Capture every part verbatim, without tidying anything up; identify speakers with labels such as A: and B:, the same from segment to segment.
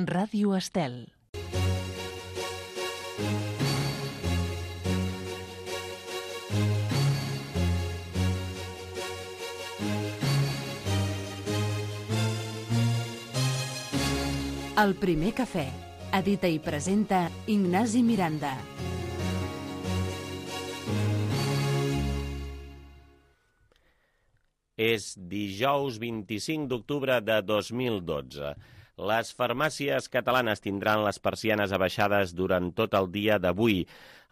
A: Ràdio Estel. El primer cafè. Edita i presenta Ignasi Miranda.
B: És dijous vint-i-cinc d'octubre de dos mil dotze. Les farmàcies catalanes tindran les persianes abaixades durant tot el dia d'avui.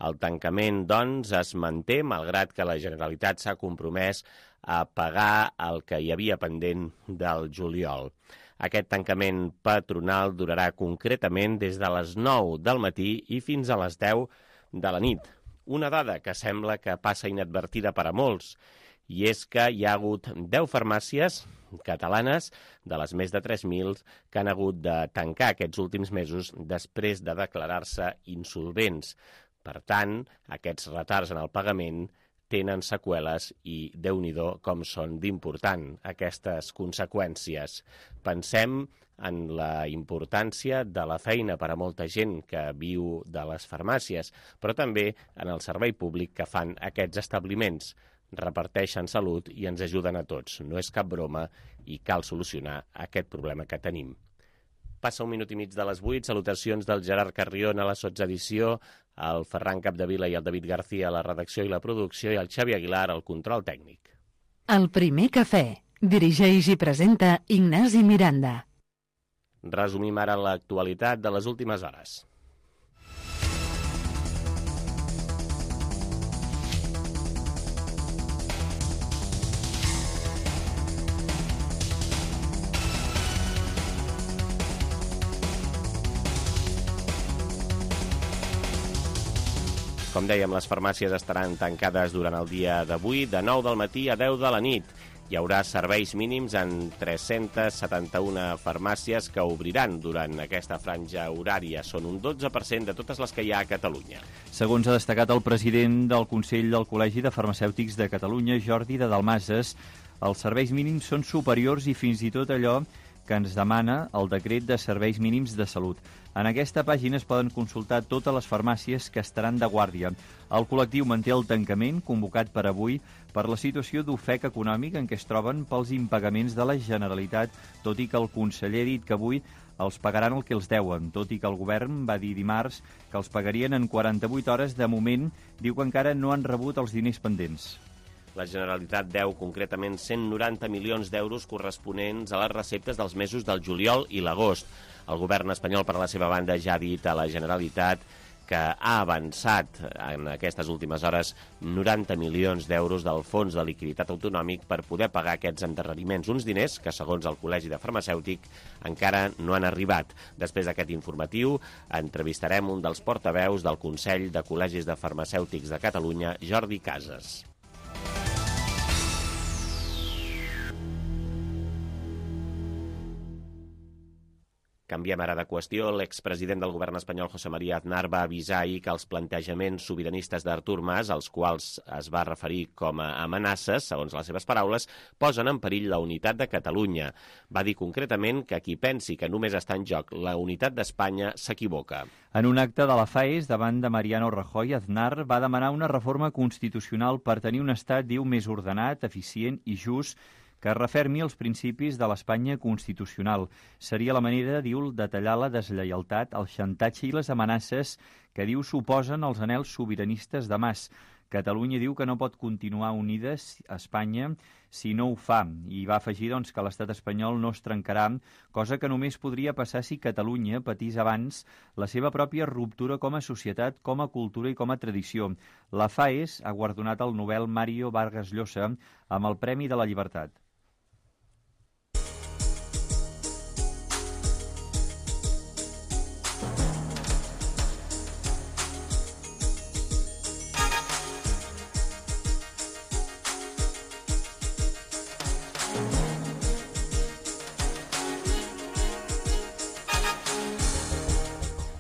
B: El tancament, doncs, es manté, malgrat que la Generalitat s'ha compromès a pagar el que hi havia pendent del juliol. Aquest tancament patronal durarà concretament des de les nou del matí i fins a les deu de la nit. Una dada que sembla que passa inadvertida per a molts, i és que hi ha hagut deu farmàcies catalanes de les més de tres mil que han hagut de tancar aquests últims mesos després de declarar-se insolvents. Per tant, aquests retards en el pagament tenen seqüeles i, Déu-n'hi-do, com són d'important aquestes conseqüències. Pensem en la importància de la feina per a molta gent que viu de les farmàcies, però també en el servei públic que fan aquests establiments. Reparteixen salut i ens ajuden a tots. No és cap broma i cal solucionar aquest problema que tenim. Passa un minut i mig de les vuit. Salutacions del Gerard Carrion a la sotsedició, el Ferran Capdevila i el David García a la redacció i la producció i el Xavi Aguilar al control tècnic.
A: El primer cafè. Dirigeix i presenta Ignasi Miranda.
B: Resumim ara l'actualitat de les últimes hores. Com dèiem, les farmàcies estaran tancades durant el dia d'avui, de nou del matí a deu de la nit. Hi haurà serveis mínims en tres-centes setanta-una farmàcies que obriran durant aquesta franja horària. Són un dotze per cent de totes les que hi ha a Catalunya.
C: Segons ha destacat el president del Consell del Col·legi de Farmacèutics de Catalunya, Jordi de Dalmases, els serveis mínims són superiors i fins i tot allò que ens demana el decret de serveis mínims de salut. En aquesta pàgina es poden consultar totes les farmàcies que estaran de guàrdia. El col·lectiu manté el tancament convocat per avui per la situació d'ofec econòmic en què es troben pels impagaments de la Generalitat, tot i que el conseller ha dit que avui els pagaran el que els deuen, tot i que el govern va dir dimarts que els pagarien en quaranta-vuit hores. De moment, diu que encara no han rebut els diners pendents.
B: La Generalitat deu concretament cent noranta milions d'euros corresponents a les receptes dels mesos del juliol i l'agost. El govern espanyol, per la seva banda, ja ha dit a la Generalitat que ha avançat en aquestes últimes hores noranta milions d'euros del Fons de Liquiditat Autonòmic per poder pagar aquests endarreriments. Uns diners que, segons el Col·legi de Farmacèutic, encara no han arribat. Després d'aquest informatiu, entrevistarem un dels portaveus del Consell de Col·legis de Farmacèutics de Catalunya, Jordi Casas. Canviem ara de qüestió. L'expresident del govern espanyol, José María Aznar, va avisar ahir que els plantejaments sobiranistes d'Artur Mas, als quals es va referir com a amenaces, segons les seves paraules, posen en perill la unitat de Catalunya. Va dir concretament que qui pensi que només està en joc la unitat d'Espanya s'equivoca.
C: En un acte de la FAES, davant de Mariano Rajoy, Aznar va demanar una reforma constitucional per tenir un estat, diu, més ordenat, eficient i just, que refermi els principis de l'Espanya constitucional. Seria la manera, diu, de tallar la deslleialtat, el xantatge i les amenaces que, diu, suposen els anhels sobiranistes de Mas. Catalunya diu que no pot continuar unides a Espanya si no ho fa, i va afegir, doncs, que l'estat espanyol no es trencarà, cosa que només podria passar si Catalunya patís abans la seva pròpia ruptura com a societat, com a cultura i com a tradició. La FAES ha guardonat el Nobel Mario Vargas Llosa amb el Premi de la Llibertat.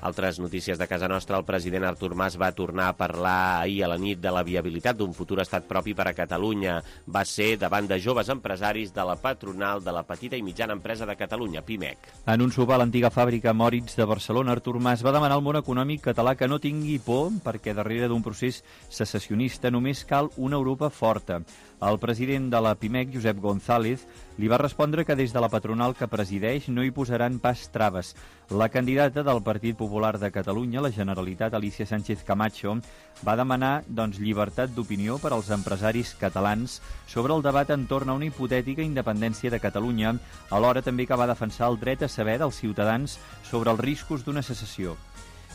B: Altres notícies de casa nostra. El president Artur Mas va tornar a parlar ahir a la nit de la viabilitat d'un futur estat propi per a Catalunya. Va ser davant de joves empresaris de la patronal de la petita i mitjana empresa de Catalunya, Pimec.
C: En un sopar a l'antiga fàbrica Moritz de Barcelona, Artur Mas va demanar al món econòmic català que no tingui por perquè darrere d'un procés secessionista només cal una Europa forta. El president de la Pimec, Josep González, li va respondre que des de la patronal que presideix no hi posaran pas traves. La candidata del Partit Popular de Catalunya, la Generalitat, Alicia Sánchez Camacho, va demanar doncs, llibertat d'opinió per als empresaris catalans sobre el debat entorn a una hipotètica independència de Catalunya, alhora també que va defensar el dret a saber dels ciutadans sobre els riscos d'una secessió.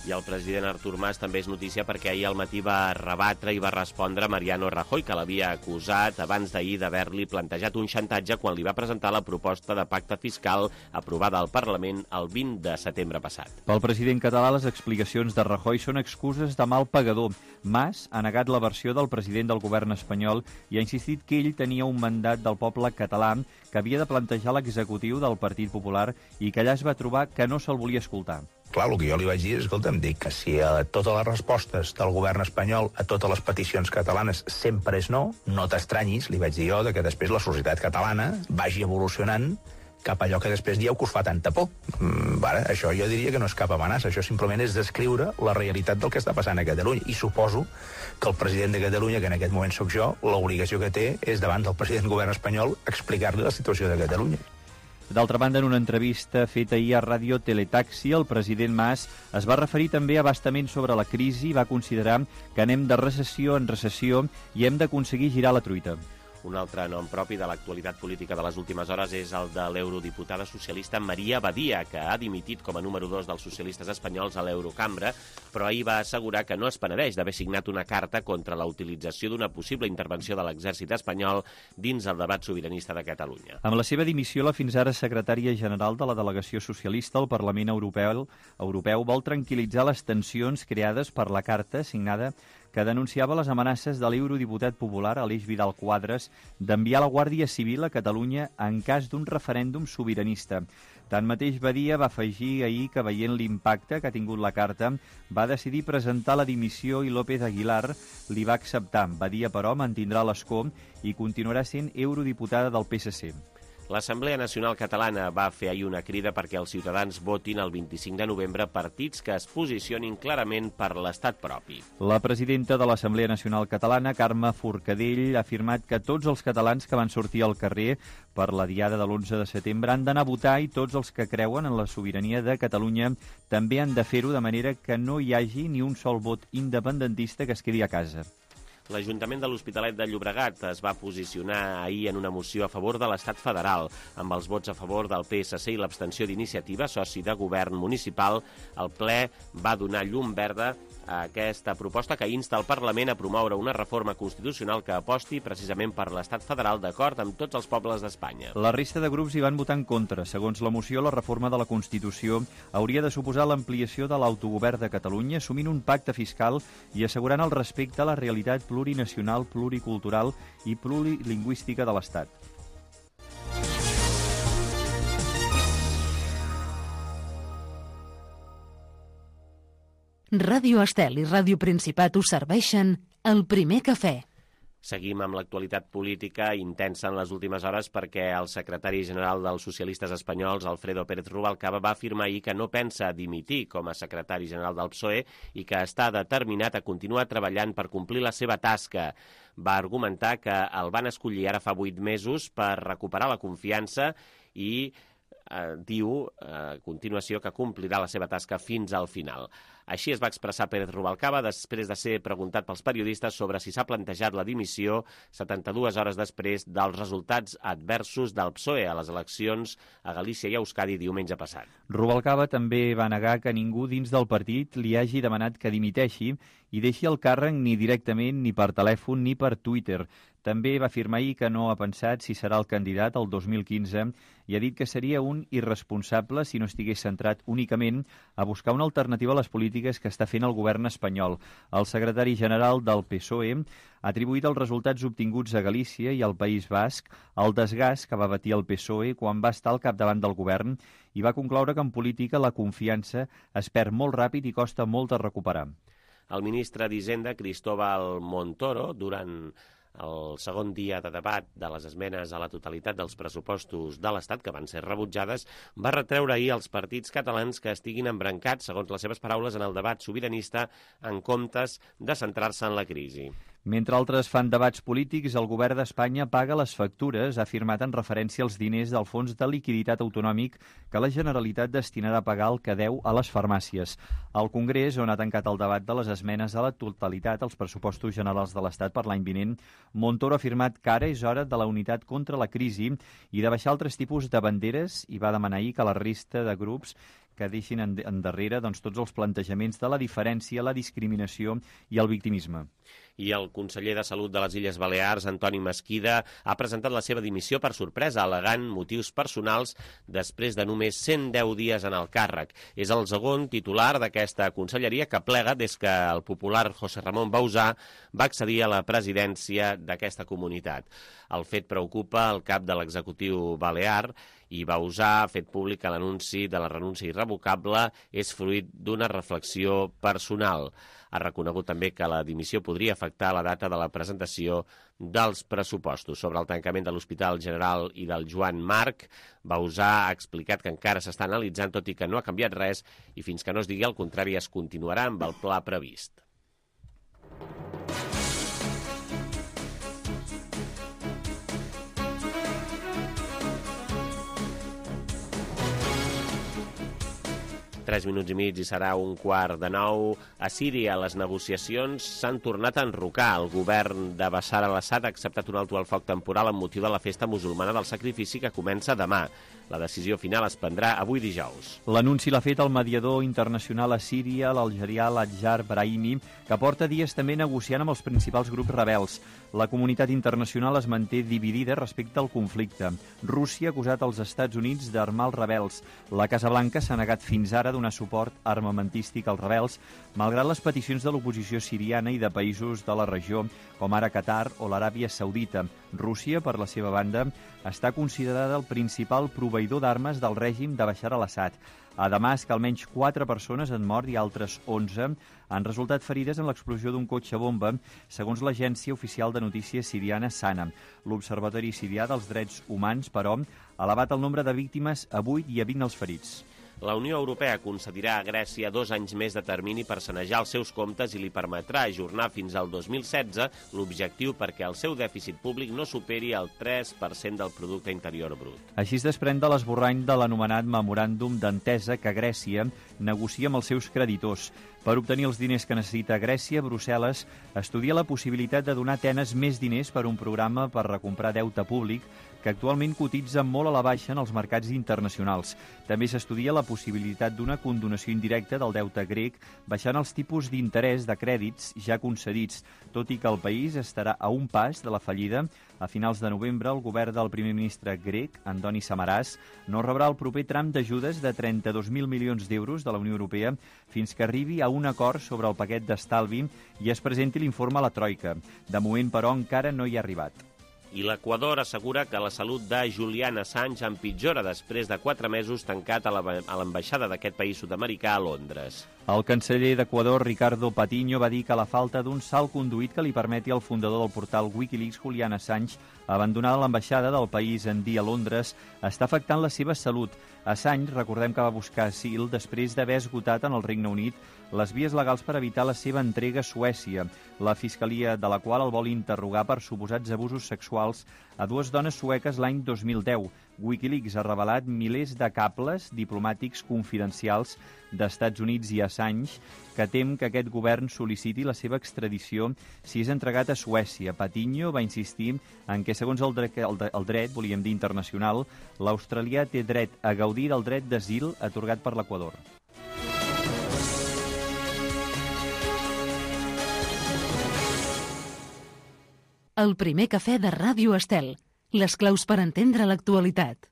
B: I el president Artur Mas també és notícia perquè ahir al matí va rebatre i va respondre a Mariano Rajoy, que l'havia acusat abans d'ahir d'haver-li plantejat un xantatge quan li va presentar la proposta de pacte fiscal aprovada al Parlament el vint de setembre passat.
C: Pel president català, les explicacions de Rajoy són excuses de mal pagador. Mas ha negat la versió del president del govern espanyol i ha insistit que ell tenia un mandat del poble català que havia de plantejar l'executiu del Partit Popular i que allà es va trobar que no se'l volia escoltar.
D: Clar, el que jo li vaig dir és, escolta, em dic que si a totes les respostes del govern espanyol a totes les peticions catalanes sempre és no, no t'estranyis, li vaig dir jo, de que després la societat catalana vagi evolucionant cap a allò que després dieu que us fa tanta por. Mm, ara, això jo diria que no és cap amenaça, això simplement és descriure la realitat del que està passant a Catalunya. I suposo que el president de Catalunya, que en aquest moment sóc jo, l'obligació que té és davant del president del govern espanyol explicar-li la situació de Catalunya.
C: D'altra banda, en una entrevista feta ahir a Ràdio Teletaxi, el president Mas es va referir també abastament sobre la crisi i va considerar que anem de recessió en recessió i hem d'aconseguir girar la truita.
B: Un altre nom propi de l'actualitat política de les últimes hores és el de l'eurodiputada socialista Maria Badia, que ha dimitit com a número dos dels socialistes espanyols a l'Eurocambra, però ahir va assegurar que no es penedeix d'haver signat una carta contra la utilització d'una possible intervenció de l'exèrcit espanyol dins el debat sobiranista de Catalunya.
C: Amb la seva dimissió, la fins ara secretària general de la delegació socialista al Parlament Europeu, Europeu vol tranquil·litzar les tensions creades per la carta signada que denunciava les amenaces de l'eurodiputat popular Aleix Vidal Quadras d'enviar la Guàrdia Civil a Catalunya en cas d'un referèndum sobiranista. Tanmateix, Badia va afegir ahir que, veient l'impacte que ha tingut la carta, va decidir presentar la dimissió i López Aguilar li va acceptar. Badia, però, mantindrà l'escó i continuarà sent eurodiputada del P S C.
B: L'Assemblea Nacional Catalana va fer ahir una crida perquè els ciutadans votin el vint-i-cinc de novembre partits que es posicionin clarament per l'estat propi.
C: La presidenta de l'Assemblea Nacional Catalana, Carme Forcadell, ha afirmat que tots els catalans que van sortir al carrer per la diada de l'onze de setembre han d'anar a votar i tots els que creuen en la sobirania de Catalunya també han de fer-ho de manera que no hi hagi ni un sol vot independentista que es quedi a casa.
B: L'Ajuntament de l'Hospitalet de Llobregat es va posicionar ahir en una moció a favor de l'Estat federal. Amb els vots a favor del P S C i l'abstenció d'Iniciativa, soci de govern municipal, el ple va donar llum verda a aquesta proposta que insta el Parlament a promoure una reforma constitucional que aposti precisament per l'Estat federal d'acord amb tots els pobles d'Espanya.
C: La resta de grups hi van votar en contra. Segons la moció, la reforma de la Constitució hauria de suposar l'ampliació de l'autogovern de Catalunya, assumint un pacte fiscal i assegurant el respecte a la realitat plurinacional, pluricultural i plurilingüística de l'Estat.
A: Ràdio Estel i Ràdio Principat us serveixen el primer cafè.
B: Seguim amb l'actualitat política intensa en les últimes hores perquè el secretari general dels socialistes espanyols, Alfredo Pérez Rubalcaba, va afirmar ahir que no pensa dimitir com a secretari general del P S O E i que està determinat a continuar treballant per complir la seva tasca. Va argumentar que el van escollir ara fa vuit mesos per recuperar la confiança i eh, diu a continuació que complirà la seva tasca fins al final. Així es va expressar Pérez Rubalcaba després de ser preguntat pels periodistes sobre si s'ha plantejat la dimissió setanta-dues hores després dels resultats adversos del P S O E a les eleccions a Galícia i a Euskadi diumenge passat.
C: Rubalcaba també va negar que ningú dins del partit li hagi demanat que dimiteixi i deixi el càrrec ni directament, ni per telèfon, ni per Twitter. També va afirmar ahir que no ha pensat si serà el candidat el dos mil quinze i ha dit que seria un irresponsable si no estigués centrat únicament a buscar una alternativa a les polítiques que està fent el govern espanyol. El secretari general del P S O E ha atribuït els resultats obtinguts a Galícia i al País Basc al desgast que va patir el P S O E quan va estar al capdavant del govern i va concloure que en política la confiança es perd molt ràpid i costa molt de recuperar.
B: El ministre d'Hisenda, Cristóbal Montoro, durant el segon dia de debat de les esmenes a la totalitat dels pressupostos de l'Estat, que van ser rebutjades, va retreure ahir als partits catalans que estiguin embrancats, segons les seves paraules, en el debat sobiranista en comptes de centrar-se en la crisi.
C: Mentre altres fan debats polítics, el govern d'Espanya paga les factures, ha afirmat en referència als diners del Fons de Liquiditat Autonòmic que la Generalitat destinarà a pagar el que deu a les farmàcies. Al Congrés, on ha tancat el debat de les esmenes a la totalitat als pressupostos generals de l'Estat per l'any vinent, Montoro ha afirmat que ara és hora de la unitat contra la crisi i de baixar altres tipus de banderes i va demanar ahir que la resta de grups que deixin endarrere doncs, tots els plantejaments de la diferència, la discriminació i el victimisme.
B: I el conseller de Salut de les Illes Balears, Antoni Mesquida, ha presentat la seva dimissió per sorpresa, al·legant motius personals després de només cent deu dies en el càrrec. És el segon titular d'aquesta conselleria que plega des que el popular José Ramón Bauzá va accedir a la presidència d'aquesta comunitat. El fet preocupa el cap de l'executiu balear i Bauzá ha fet públic que l'anunci de la renúncia irrevocable és fruit d'una reflexió personal. Ha reconegut també que la dimissió podria afectar la data de la presentació dels pressupostos. Sobre el tancament de l'Hospital General i del Joan Marc, Bauzá ha explicat que encara s'està analitzant, tot i que no ha canviat res, i fins que no es digui el contrari es continuarà amb el pla previst. Tres minuts i mig i serà un quart de nou. A Síria les negociacions s'han tornat a enrocar. El govern de Bashar al-Assad ha acceptat un alto al foc temporal amb motiu de la festa musulmana del sacrifici que comença demà. La decisió final es prendrà avui dijous.
C: L'anunci l'ha fet el mediador internacional a Síria, l'algerià Ladjar Brahimi, que porta dies també negociant amb els principals grups rebels. La comunitat internacional es manté dividida respecte al conflicte. Rússia ha acusat els Estats Units d'armar els rebels. La Casa Blanca s'ha negat fins ara a donar suport armamentístic als rebels, malgrat les peticions de l'oposició siriana i de països de la regió, com ara Qatar o l'Aràbia Saudita. Rússia, per la seva banda, està considerada el principal proveïdor d'armes del règim de Bashar al-Assad. A Damasc, almenys quatre persones han mort i altres onze han resultat ferides en l'explosió d'un cotxe bomba, segons l'agència oficial de notícies siriana SANA. L'Observatori Sirià dels Drets Humans, però, ha elevat el nombre de víctimes a vuit i a vint els ferits.
B: La Unió Europea concedirà a Grècia dos anys més de termini per sanejar els seus comptes i li permetrà ajornar fins al dos mil setze l'objectiu perquè el seu dèficit públic no superi el tres per cent del producte interior brut.
C: Així es desprèn de l'esborrany de l'anomenat memoràndum d'entesa que Grècia negocia amb els seus creditors. Per obtenir els diners que necessita Grècia, Brussel·les estudia la possibilitat de donar a Atenes més diners per un programa per recomprar deute públic que actualment cotitza molt a la baixa en els mercats internacionals. També s'estudia la possibilitat d'una condonació indirecta del deute grec, baixant els tipus d'interès de crèdits ja concedits, tot i que el país estarà a un pas de la fallida. A finals de novembre, el govern del primer ministre grec, Andoni Samaras, no rebrà el proper tram d'ajudes de trenta-dos mil milions d'euros de la Unió Europea fins que arribi a un acord sobre el paquet d'estalvi i es presenti l'informe a la Troika. De moment, però, encara no hi ha arribat.
B: I l'Equador assegura que la salut de Julian Assange empitjora després de quatre mesos tancat a l'ambaixada d'aquest país sud-americà a Londres.
C: El canceller d'Equador, Ricardo Patiño, va dir que la falta d'un salt conduït que li permeti al fundador del portal Wikileaks, Julian Assange, abandonar l'ambaixada del país en dia a Londres està afectant la seva salut. Assange, recordem que va buscar asil després d'haver esgotat en el Regne Unit les vies legals per evitar la seva entrega a Suècia, la fiscalia de la qual el vol interrogar per suposats abusos sexuals a dues dones sueques l'any dos mil deu. Wikileaks ha revelat milers de cables diplomàtics confidencials d'Estats Units i Assange, que tem que aquest govern sol·liciti la seva extradició si és entregat a Suècia. Patiño va insistir en que, segons el dret, el, el dret volíem dir internacional, l'australià té dret a gaudir del dret d'asil atorgat per l'Equador.
A: El primer cafè de Ràdio Estel. Les claus per entendre l'actualitat.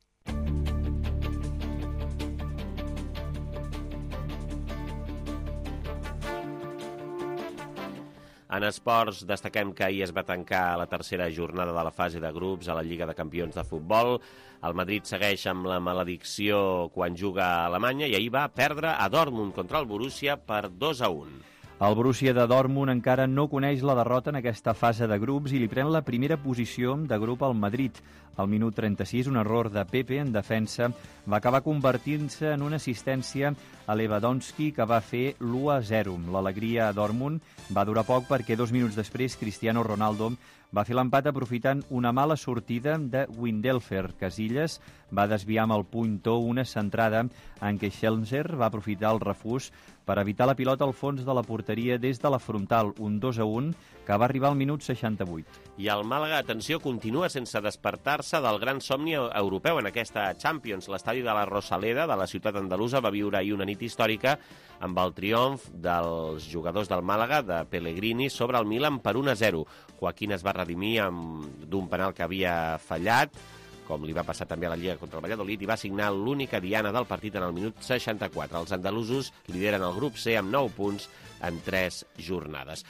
B: En esports, destaquem que ahir es va tancar la tercera jornada de la fase de grups a la Lliga de Campions de Futbol. El Madrid segueix amb la maledicció quan juga a Alemanya i ahir va perdre a Dortmund contra el Borussia per dos a un.
C: El Borussia de Dortmund encara no coneix la derrota en aquesta fase de grups i li pren la primera posició de grup al Madrid. Al minut trenta-sis, un error de Pepe en defensa va acabar convertint-se en una assistència a Lewandowski que va fer l'u a zero. L'alegria a Dortmund va durar poc perquè dos minuts després Cristiano Ronaldo va fer l'empat aprofitant una mala sortida de Windelfer. Casillas va desviar amb el puntó una centrada en què Schelzer va aprofitar el refús per evitar la pilota al fons de la porteria des de la frontal, un dos a un, que va arribar al minut seixanta-vuit.
B: I el Màlaga, atenció, continua sense despertar-se del gran somni europeu en aquesta Champions. L'estadi de la Rosaleda, de la ciutat andalusa, va viure ahir una nit històrica amb el triomf dels jugadors del Màlaga, de Pellegrini, sobre el Milan per un a zero. Joaquín es va redimir d'un penal que havia fallat, com li va passar també a la Lliga contra el Valladolid, i va signar l'única diana del partit en el minut seixanta-quatre. Els andalusos lideren el grup C amb nou punts en tres jornades.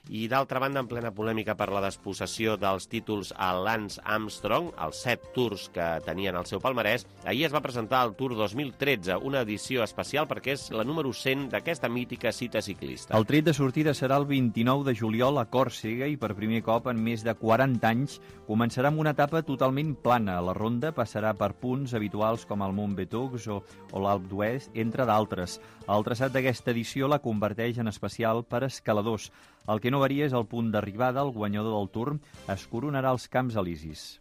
B: I d'altra banda, en plena polèmica per la despossessió dels títols a Lance Armstrong, els set tours que tenien al seu palmarès, ahir es va presentar el Tour dos mil tretze, una edició especial perquè és la número cent d'aquesta mítica cita ciclista.
C: El tret de sortida serà el vint-i-nou de juliol a Còrsega i per primer cop en més de quaranta anys començarà amb una etapa totalment plana. La ronda passarà per punts habituals com el Mont Betux o, o l'Alp d'Huez, entre d'altres. El traçat d'aquesta edició la converteix en especial per escaladors. El que no varia és el punt d'arribada. El guanyador del Tour es coronarà als Camps Elisis.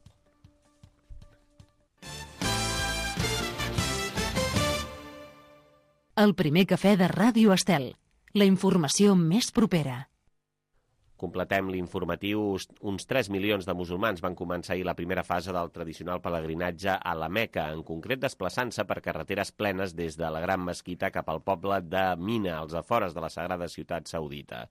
A: El primer cafè de Ràdio Estel. La informació més propera.
B: Completem l'informatiu. Uns tres milions de musulmans van començar ahir la primera fase del tradicional pelegrinatge a la Meca, en concret desplaçant-se per carreteres plenes des de la Gran Mesquita cap al poble de Mina, als afores de la Sagrada Ciutat Saudita.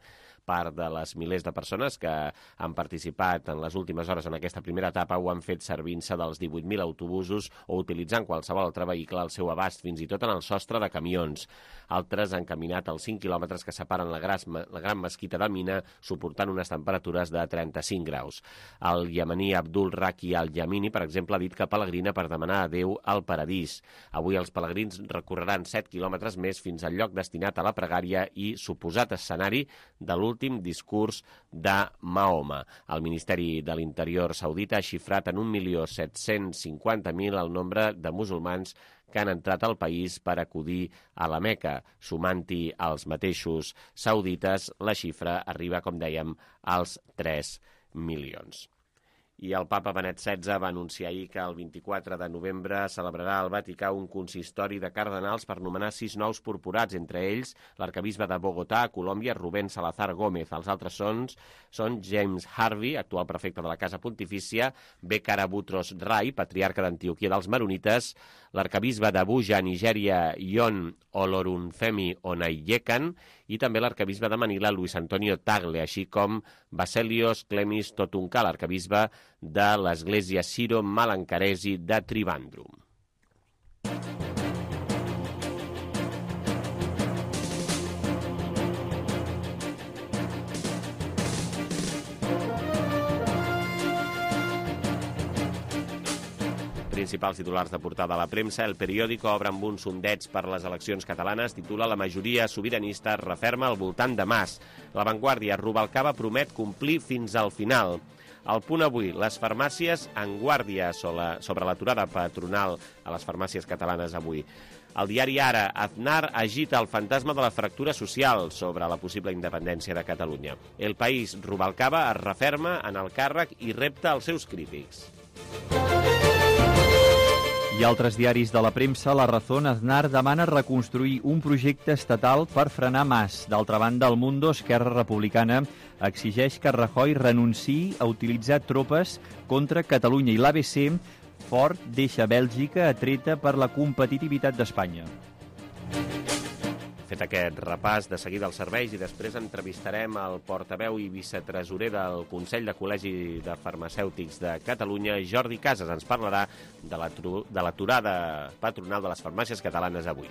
B: Part de les milers de persones que han participat en les últimes hores en aquesta primera etapa ho han fet servint-se dels divuit mil autobusos o utilitzant qualsevol altre vehicle al seu abast, fins i tot en el sostre de camions. Altres han caminat els cinc quilòmetres que separen la gran, la gran mesquita de Mina, suportant unes temperatures de trenta-cinc graus. El iemení Abdul Raki al-Yamini, per exemple, ha dit que pelegrina per demanar a Déu al paradís. Avui els pelegrins recorreran set quilòmetres més fins al lloc destinat a la pregària i suposat escenari de l'últim discurs de Mahoma. El Ministeri de l'Interior saudita ha xifrat en un milió set-cents cinquanta mil el nombre de musulmans que han entrat al país per acudir a la Meca. Sumant-hi els mateixos saudites, la xifra arriba, com dèiem, als tres milions. I el papa Benet setze va anunciar ahir que el vint-i-quatre de novembre celebrarà al Vaticà un consistori de cardenals per nomenar sis nous purpurats, entre ells l'arcabisbe de Bogotà, a Colòmbia, Rubén Salazar Gómez. Els altres són, són James Harvey, actual prefecte de la Casa Pontifícia, Bekara Butros Rai, patriarca d'Antioquia dels Maronites, l'arcabisbe d'Abuja, Nigèria, Yon Olorunfemi Onayekan, i també l'arcabisbe de Manila, Luis Antonio Tagle, així com Baselios Clemis Totunca, l'arcabisbe de l'església Siro Malankaresi de Trivandrum. Principals titulars de portada a la premsa. El Periódico obre amb un sondeig per les eleccions catalanes. Titula La majoria sobiranista referma al voltant de Mas. La Vanguardia, Rubalcaba promet complir fins al final. Al Punt avui, les farmàcies en guàrdia sobre l'aturada patronal a les farmàcies catalanes avui. El diari Ara, Aznar agita el fantasma de la fractura social sobre la possible independència de Catalunya. El País, Rubalcaba es referma en el càrrec i repta als seus crítics.
C: I altres diaris de la premsa, La Razón, Aznar demana reconstruir un projecte estatal per frenar Mas. D'altra banda, El Mundo, Esquerra Republicana, exigeix que Rajoy renunciï a utilitzar tropes contra Catalunya. I l'A B C, Ford deixa Bèlgica atreta per la competitivitat d'Espanya.
B: Fet aquest repàs, de seguida els serveis, i després entrevistarem el portaveu i vicetresorer del Consell de Col·legi de Farmacèutics de Catalunya, Jordi Casas. Ens parlarà de l'aturada patronal de les farmàcies catalanes avui.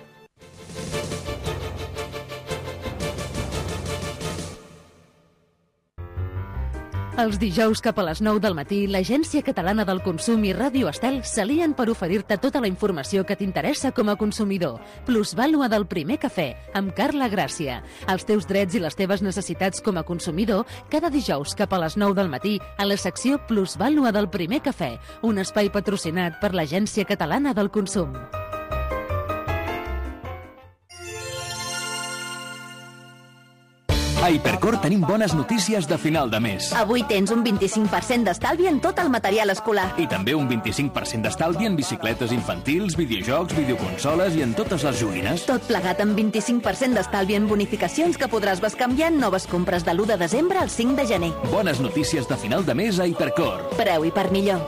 A: Els dijous cap a les nou del matí, l'Agència Catalana del Consum i Ràdio Estel s'alien per oferir-te tota la informació que t'interessa com a consumidor. Plusvàlua del primer cafè, amb Carla Gràcia. Els teus drets i les teves necessitats com a consumidor, cada dijous cap a les nou del matí, a la secció Plusvàlua del primer cafè, un espai patrocinat per l'Agència Catalana del Consum.
E: A Hipercor tenim bones notícies de final de mes.
F: Avui tens un vint-i-cinc per cent d'estalvi en tot el material escolar.
E: I també un vint-i-cinc per cent d'estalvi en bicicletes infantils, videojocs, videoconsoles i en totes les joguines.
F: Tot plegat amb vint-i-cinc per cent d'estalvi en bonificacions que podràs bescanviar en noves compres de l'u de desembre al cinc de gener.
E: Bones notícies de final de mes a Hipercor.
F: Preu i per millor.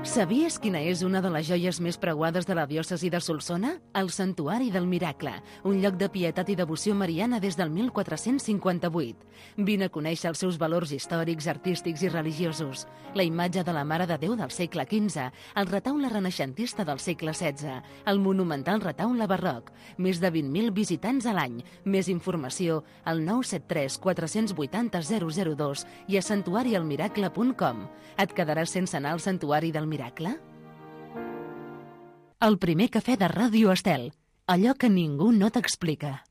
A: Sabies quina és una de les joies més preuades de la diòcesi de Solsona? El Santuari del Miracle, un lloc de pietat i devoció mariana des del mil quatre-cents cinquanta-vuit. Vine a conèixer els seus valors històrics, artístics i religiosos. La imatge de la Mare de Déu del segle quinze, el retaule renaixentista del segle setze, el monumental retaule barroc, més de vint mil visitants a l'any. Més informació al nou set tres quatre vuit zero zero zero dos i a santuari el miracle punt com. Et quedaràs sense anar al Santuari del Miracle? El primer cafè de Ràdio Estel. Allò que ningú no t'explica.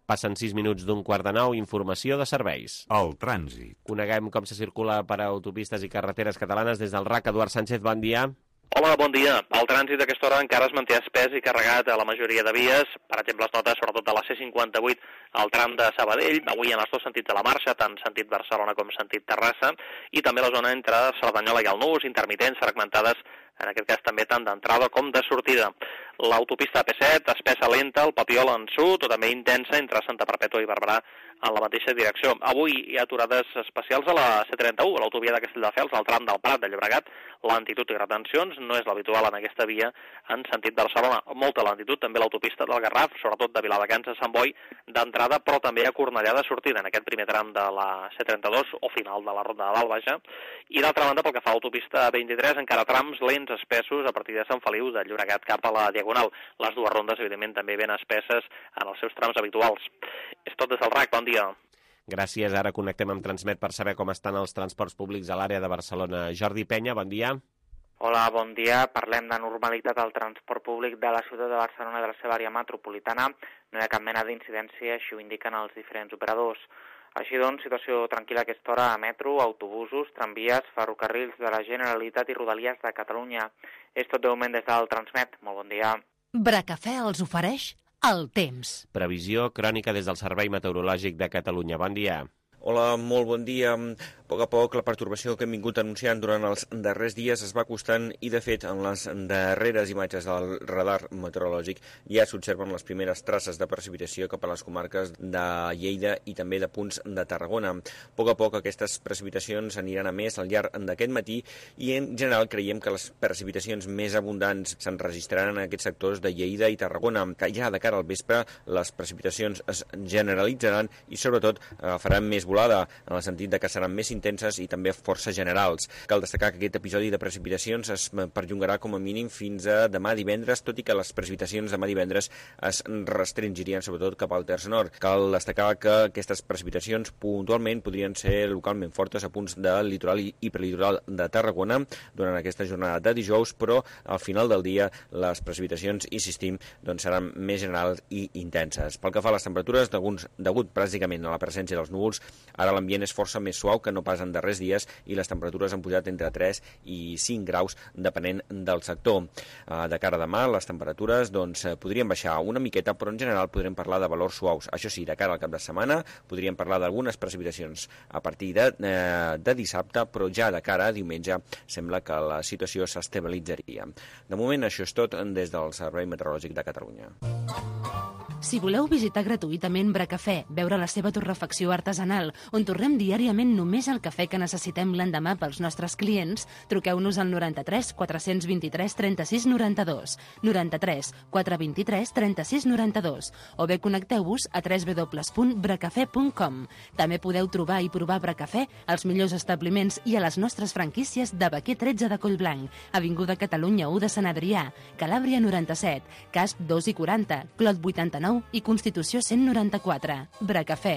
B: Passen sis minuts d'un quart de nou, informació de serveis.
G: El trànsit.
B: Coneguem com se circula per autopistes i carreteres catalanes des del R A C. Eduard Sánchez, bon dia.
H: Hola, bon dia. El trànsit a aquesta hora encara es manté espès i carregat a la majoria de vies. Per exemple, es nota sobretot a la C cinquanta-vuit al tram de Sabadell, avui en els dos sentits de la marxa, tant sentit Barcelona com sentit Terrassa, i també la zona entre Cerdanyola i el Nus, intermitents, fragmentades, en aquest cas també tant d'entrada com de sortida. L'autopista A P set, espessa lenta, el Papiol en sud, o també intensa entre Santa Perpètua i Barberà en la mateixa direcció. Avui hi ha aturades especials a la C trenta-u, a l'autovia de Castelldefels, al tram del Prat de Llobregat. Lentitud i retencions no és l'habitual en aquesta via en sentit Barcelona. Molta lentitud també a l'autopista del Garraf, sobretot de Viladecans a Sant Boi, d'entrada, però també a Cornellà de sortida, en aquest primer tram de la C trenta-dos o final de la Ronda de l'Albaja. I d'altra banda, pel que fa a l'autopista A vint-i-tres, encara trams lents espessos a partir de Sant Feliu de Llobregat cap a la Diagonal. Les dues rondes, evidentment, també ben espesses en els seus trams habituals. És tot des del R A C. Bon dia.
B: Gràcies. Ara connectem amb Transmet per saber com estan els transports públics a l'àrea de Barcelona. Jordi Penya, bon dia.
I: Hola, bon dia. Parlem de normalitat al transport públic de la ciutat de Barcelona i de la seva àrea metropolitana. No hi ha cap mena d'incidència, així ho indiquen els diferents operadors. Així doncs, situació tranquil·la a aquesta hora a metro, autobusos, tramvies, ferrocarrils de la Generalitat i Rodalies de Catalunya. És tot de moment des del Transmet. Molt bon dia.
A: Bracafè els ofereix el temps.
B: Previsió crònica des del Servei Meteorològic de Catalunya. Bon dia.
J: Hola, molt bon dia. A poc a poc la pertorbació que hem vingut anunciant durant els darrers dies es va acostant i, de fet, en les darreres imatges del radar meteorològic ja s'observen les primeres traces de precipitació cap a les comarques de Lleida i també de punts de Tarragona. A poc a poc aquestes precipitacions aniran a més al llarg d'aquest matí i, en general, creiem que les precipitacions més abundants s'enregistraran en aquests sectors de Lleida i Tarragona, que ja de cara al vespre les precipitacions es generalitzaran i, sobretot, faran més volada, en el sentit de que seran més intenses i també força generals. Cal destacar que aquest episodi de precipitacions es perllongarà com a mínim fins a demà divendres, tot i que les precipitacions demà divendres es restringirien sobretot cap al terç nord. Cal destacar que aquestes precipitacions puntualment podrien ser localment fortes a punts del litoral i prelitoral de Tarragona durant aquesta jornada de dijous, però al final del dia les precipitacions, insistim, doncs seran més generals i intenses. Pel que fa a les temperatures, degut pràcticament a la presència dels núvols, ara l'ambient és força més suau que no pas en darrers dies i les temperatures han pujat entre tres i cinc graus depenent del sector. De cara a demà, les temperatures doncs, podrien baixar una miqueta, però en general podrem parlar de valors suaus. Això sí, de cara al cap de setmana podríem parlar d'algunes precipitacions a partir de, eh, de dissabte, però ja de cara a diumenge sembla que la situació s'estabilitzaria. De moment això és tot des del Servei Meteorològic de Catalunya.
A: Si voleu visitar gratuïtament Bracafè, veure la seva torrefacció artesanal, on torrem diàriament només el cafè que necessitem l'endemà pels nostres clients, truqueu-nos al noranta-tres quatre-cents vint-i-tres trenta-sis noranta-dos, noranta-tres quatre vint-i-tres trenta-sis noranta-dos, o bé connecteu-vos a w w w punt bracafè punt com. També podeu trobar i provar Bracafè als millors establiments i a les nostres franquícies de Baquer tretze de Collblanc, Avinguda Catalunya u de Sant Adrià, Calàbria noranta-set, Casp dos i quaranta, Clot vuitanta-nou i Constitució cent noranta-quatre. Bracafè.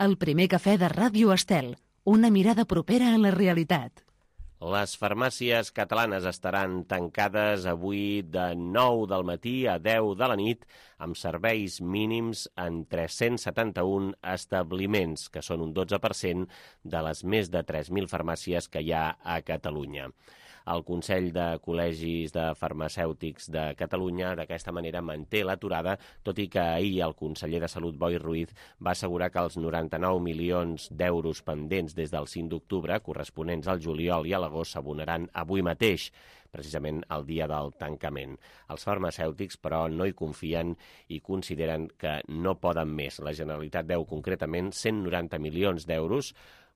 A: El primer cafè de Ràdio Estel. Una mirada propera a la realitat.
B: Les farmàcies catalanes estaran tancades avui de nou del matí a deu de la nit amb serveis mínims en tres-cents setanta-un establiments, que són un dotze per cent de les més de tres mil farmàcies que hi ha a Catalunya. El Consell de Col·legis de Farmacèutics de Catalunya d'aquesta manera manté l'aturada, tot i que ahir el conseller de Salut, Boi Ruiz, va assegurar que els noranta-nou milions d'euros pendents des del cinc d'octubre, corresponents al juliol i a l'agost, s'abonaran avui mateix, precisament el dia del tancament. Els farmacèutics, però, no hi confien i consideren que no poden més. La Generalitat deu concretament cent noranta milions d'euros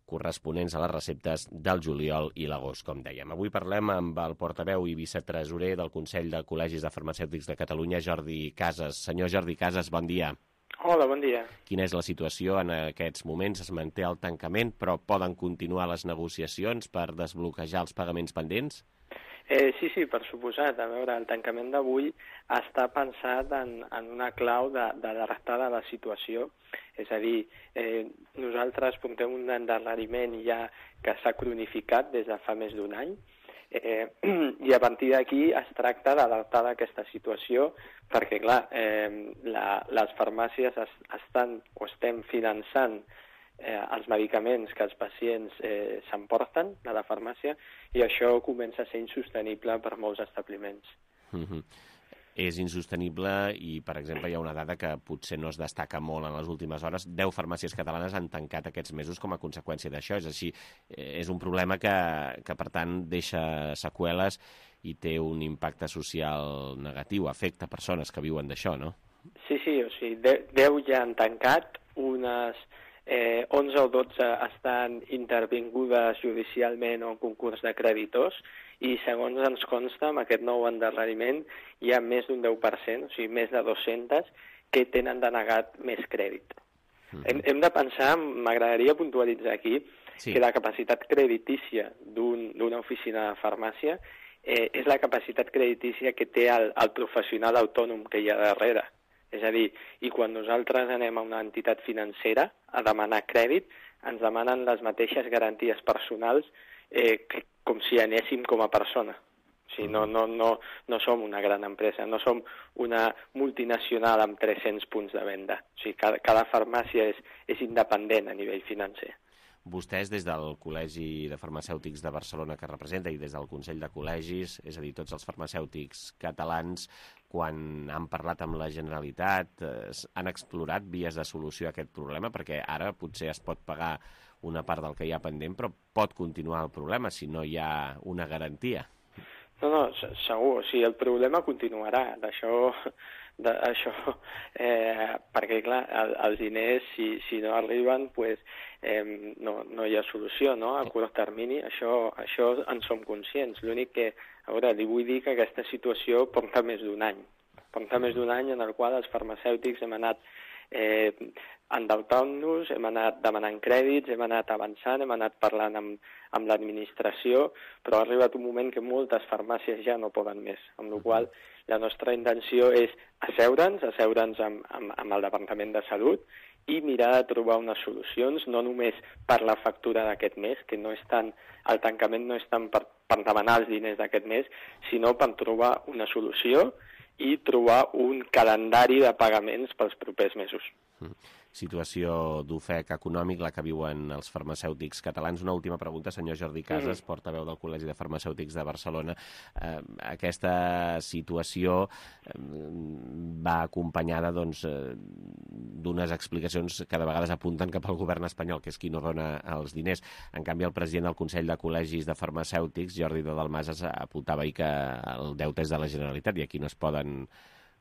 B: corresponents a les receptes del juliol i l'agost, com dèiem. Avui parlem amb el portaveu i vicetresorer del Consell de Col·legis de Farmacèutics de Catalunya, Jordi Casas. Senyor Jordi Casas, bon dia.
G: Hola, bon dia.
B: Quina és la situació en aquests moments? Es manté el tancament, però poden continuar les negociacions per desbloquejar els pagaments pendents?
G: Eh, sí, sí, per suposat. A veure, el tancament d'avui està pensat en, en una clau de, de l'adaptar de la situació. És a dir, eh, nosaltres portem un endarreriment ja que s'ha cronificat des de fa més d'un any, eh, i a partir d'aquí es tracta d'adaptar aquesta situació perquè, clar, eh, la, les farmàcies es, estan o estem finançant Eh, els medicaments que els pacients eh, s'emporten a la farmàcia i això comença a ser insostenible per molts establiments.
B: Mm-hmm. És insostenible i, per exemple, hi ha una dada que potser no es destaca molt en les últimes hores. Deu farmàcies catalanes han tancat aquests mesos com a conseqüència d'això. És així, és un problema que, que, per tant, deixa seqüeles i té un impacte social negatiu, afecta persones que viuen d'això, no?
G: Sí, sí, o sigui, deu ja han tancat, unes Eh, onze o dotze estan intervingudes judicialment o en concurs de creditors i, segons ens consta, amb aquest nou endarreriment hi ha més d'un deu per cent, o sigui, més de dues-centes, que tenen denegat més crèdit. Mm. Hem, hem de pensar, m'agradaria puntualitzar aquí, sí, que la capacitat creditícia d'una un, oficina de farmàcia eh, és la capacitat creditícia que té el, el professional autònom que hi ha darrere. És a dir, i quan nosaltres anem a una entitat financera a demanar crèdit, ens demanen les mateixes garanties personals eh, que, com si anéssim com a persona. O sigui, no, no, no, no som una gran empresa, no som una multinacional amb tres-cents punts de venda. O sigui, cada, cada farmàcia és, és independent a nivell financer.
B: Vostès, des del Col·legi de Farmacèutics de Barcelona que representa i des del Consell de Col·legis, és a dir, tots els farmacèutics catalans, quan han parlat amb la Generalitat, eh, han explorat vies de solució a aquest problema? Perquè ara potser es pot pagar una part del que hi ha pendent, però pot continuar el problema si no hi ha una garantia.
G: No, no, segur. O sigui, el problema continuarà. D'això, d'això eh, perquè, clar, el, els diners, si, si no arriben, pues, eh, no, no hi ha solució, no?, a curt termini. Això, això en som conscients. L'únic que, a veure, li vull dir que aquesta situació porta més d'un any. Porta més d'un any en el qual els farmacèutics hem anat eh, endeutant-nos, hem anat demanant crèdits, hem anat avançant, hem anat parlant amb, amb l'administració, però ha arribat un moment que moltes farmàcies ja no poden més, amb la qual la nostra intenció és asseure'ns, asseure'ns amb, amb, amb el Departament de Salut i mirar de trobar unes solucions, no només per la factura d'aquest mes, que no és tant, el tancament no és tant per, per demanar els diners d'aquest mes, sinó per trobar una solució i trobar un calendari de pagaments pels propers mesos.
B: Mm. Situació d'ofec econòmic, la que viuen els farmacèutics catalans. Una última pregunta, senyor Jordi Casas, mm. portaveu del Col·legi de Farmacèutics de Barcelona. Eh, aquesta situació eh, va acompanyada doncs, eh, d'unes explicacions que de vegades apunten cap al govern espanyol, que és qui no dona els diners. En canvi, el president del Consell de Col·legis de Farmacèutics, Jordi de Dalmases, apuntava ahir que el deute és de la Generalitat i aquí no es poden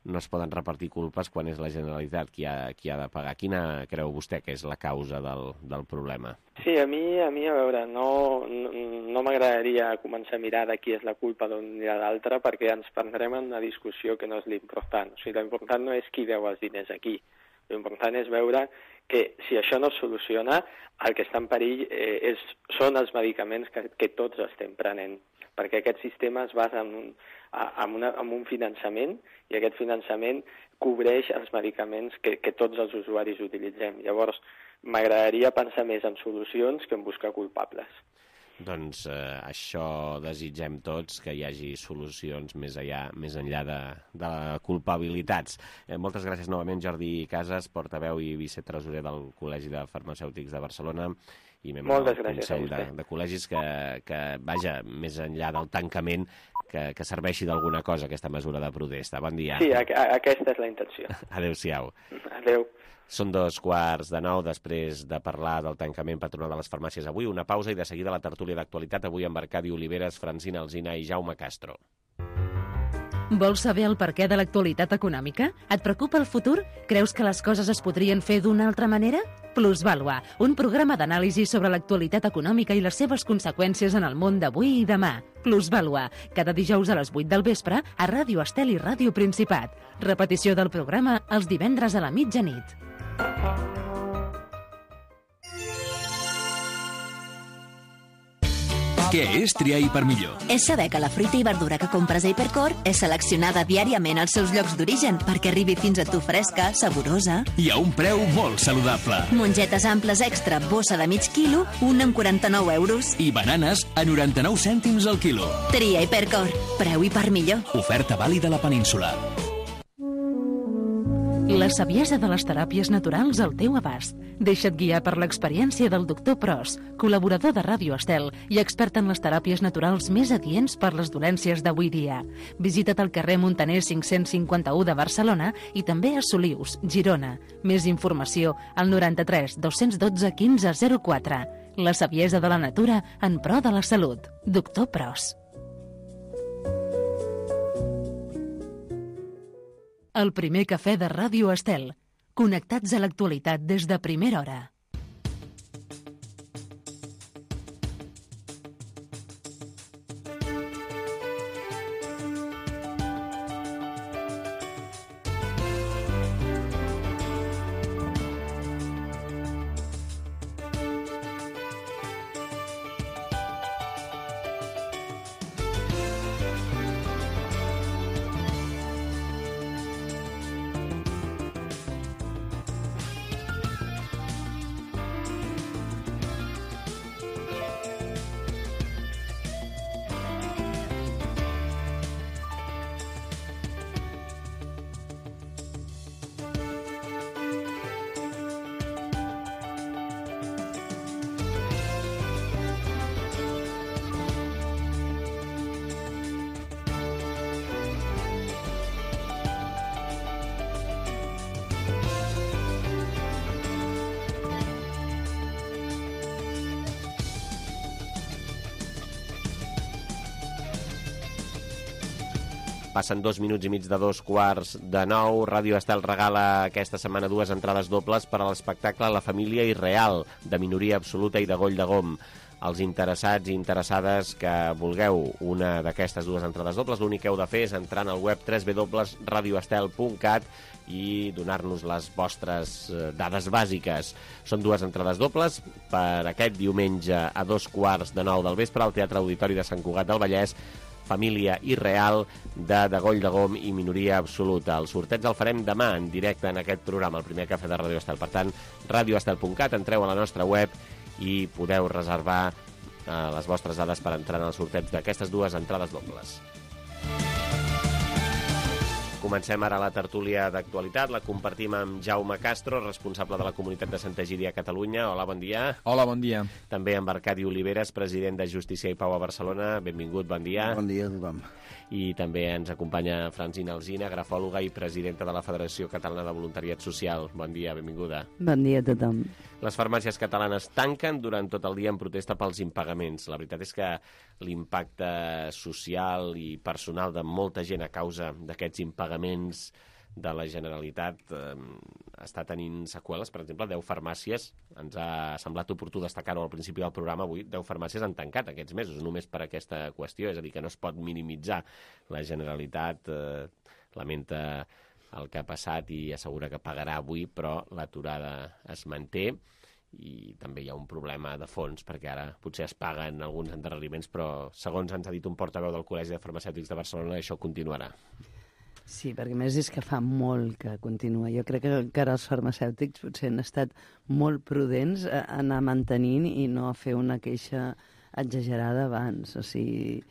B: no es poden repartir culpes quan és la Generalitat qui ha, qui ha de pagar. Quina creu vostè que és la causa del, del problema?
G: Sí, a mi, a mi a veure, no, no, no m'agradaria començar a mirar de qui és la culpa d'un i de l'altre, perquè ens prendrem en una discussió que no és l'important. O sigui, l'important no és qui deu els diners aquí. L'important és veure que si això no es soluciona, el que està en perill eh, és, són els medicaments que, que tots estem prenent, perquè aquest sistema es basa en un, en, una, en un finançament i aquest finançament cobreix els medicaments que, que tots els usuaris utilitzem. Llavors, m'agradaria pensar més en solucions que en buscar culpables.
B: Doncs eh, això desitgem tots, que hi hagi solucions més enllà, més enllà de, de culpabilitats. Eh, moltes gràcies novament, Jordi Casas, portaveu i vicetresorer del Col·legi de Farmacèutics de Barcelona i membre del Consell de, de Col·legis, que, que vaja, més enllà del tancament, que, que serveixi d'alguna cosa aquesta mesura de protesta. Bon dia.
G: Sí, a, a, aquesta és la intenció.
B: Adéu-siau.
G: Adéu.
B: Són dos quarts de nou després de parlar del tancament patronal de les farmàcies avui. Una pausa i de seguida la tertúlia d'actualitat avui amb Arcadi Oliveres, Francina Alsina i Jaume Castro.
A: Vols saber el perquè de l'actualitat econòmica? Et preocupa el futur? Creus que les coses es podrien fer d'una altra manera? Plusvàlua, un programa d'anàlisi sobre l'actualitat econòmica i les seves conseqüències en el món d'avui i demà. Plusvàlua, cada dijous a les vuit del vespre a Ràdio Estel i Ràdio Principat. Repetició del programa els divendres a la mitjanit.
E: Què és triar Hipermillor?
F: És saber que la fruita i verdura que compres a Hipercor és seleccionada diàriament als seus llocs d'origen perquè arribi fins a tu fresca, saborosa.
E: I a un preu molt saludable.
F: Mongetes amples extra, bossa de mig quilo, un amb quaranta-nou euros.
E: I bananes a noranta-nou cèntims al quilo.
F: Tria Hipercor. Preu Hipermillor.
E: Oferta vàlida a la península.
A: La saviesa de les teràpies naturals al teu abast. Deixa't guiar per l'experiència del doctor Pros, col·laborador de Ràdio Estel i expert en les teràpies naturals més adients per les dolències d'avui dia. Visita't al carrer Montaner cinc-cents cinquanta-u de Barcelona i també a Solius, Girona. Més informació al noranta-tres dos-cents dotze quinze zero quatre. La saviesa de la natura en pro de la salut. Doctor Pros. El primer cafè de Ràdio Estel. Connectats a l'actualitat des de primera hora.
B: Passen dos minuts i mig de dos quarts de nou. Ràdio Estel regala aquesta setmana dues entrades dobles per a l'espectacle La família irreal, de minoria absoluta i de Goll de Gom. Els interessats i interessades que vulgueu una d'aquestes dues entrades dobles, l'únic que heu de fer és entrar en el web w w w punt radio estel punt cat i donar-nos les vostres dades bàsiques. Són dues entrades dobles per aquest diumenge a dos quarts de nou del vespre al Teatre Auditori de Sant Cugat del Vallès, Família irreal de De Goll de Gom i minoria absoluta. El sorteig el farem demà en directe en aquest programa, el primer cafè de Ràdio Estel. Per tant, radio estel punt cat, entreu a la nostra web i podeu reservar eh, les vostres dades per entrar en el sorteig d'aquestes dues entrades dobles. Comencem ara la tertúlia d'actualitat. La compartim amb Jaume Castro, responsable de la comunitat de Santa Egídia a Catalunya. Hola, bon dia.
K: Hola, bon dia.
B: També amb Arcadi Oliveres, president de Justícia i Pau a Barcelona. Benvingut, bon dia.
L: Bon dia a tothom.
B: I també ens acompanya Francina Alsina, grafòloga i presidenta de la Federació Catalana de Voluntariat Social. Bon dia, benvinguda.
M: Bon dia a tothom.
B: Les farmàcies catalanes tanquen durant tot el dia en protesta pels impagaments. La veritat és que l'impacte social i personal de molta gent a causa d'aquests impagaments de la Generalitat eh, està tenint seqüeles. Per exemple, deu farmàcies, ens ha semblat oportú destacar-ho al principi del programa avui, deu farmàcies han tancat aquests mesos, només per aquesta qüestió, és a dir, que no es pot minimitzar. La Generalitat eh, lamenta el que ha passat i assegura que pagarà avui, però l'aturada es manté. I també hi ha un problema de fons, perquè ara potser es paguen alguns endarreriments, però segons ens ha dit un portaveu del Col·legi de Farmacèutics de Barcelona, això continuarà.
K: Sí, perquè més és que fa molt que continua. Jo crec que encara els farmacèutics potser han estat molt prudents a anar mantenint i no a fer una queixa exagerada abans. O sigui,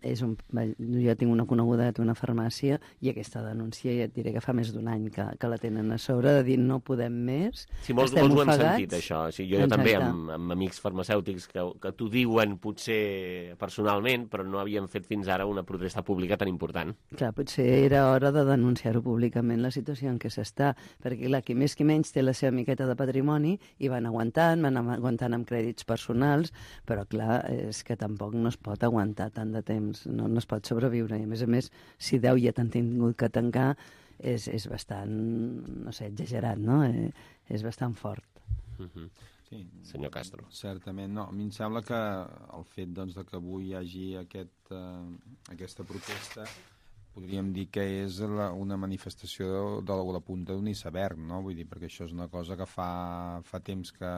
K: és un... jo tinc una coneguda que té una farmàcia i aquesta denúncia ja et diré que fa més d'un any que, que la tenen a sobre, de dir no podem més,
B: sí, molts,
K: estem
B: molts ho
K: ofegats.
B: hem sentit, això. Sí, jo, jo també, amb, amb amics farmacèutics que, que t'ho diuen potser personalment, però no havien fet fins ara una protesta pública tan important.
K: Clar, potser era hora de denunciar-ho públicament, la situació en què s'està, perquè clar, qui més qui menys té la seva miqueta de patrimoni i van aguantant, van aguantant amb crèdits personals, però clar, és que tampoc no es pot aguantar tant de temps. No, no es pot sobreviure. I a més a més, si deu ja t'han tingut que tancar, és, és bastant, no sé, exagerat, no? Eh, és bastant fort.
B: Uh-huh.
L: Sí,
B: senyor Castro.
L: Certament, no. A mi em sembla que el fet doncs, de que avui hi hagi aquest, uh, aquesta protesta podríem dir que és la, una manifestació de, de la punta d'un iceberg, no? Vull dir, perquè això és una cosa que fa, fa temps que,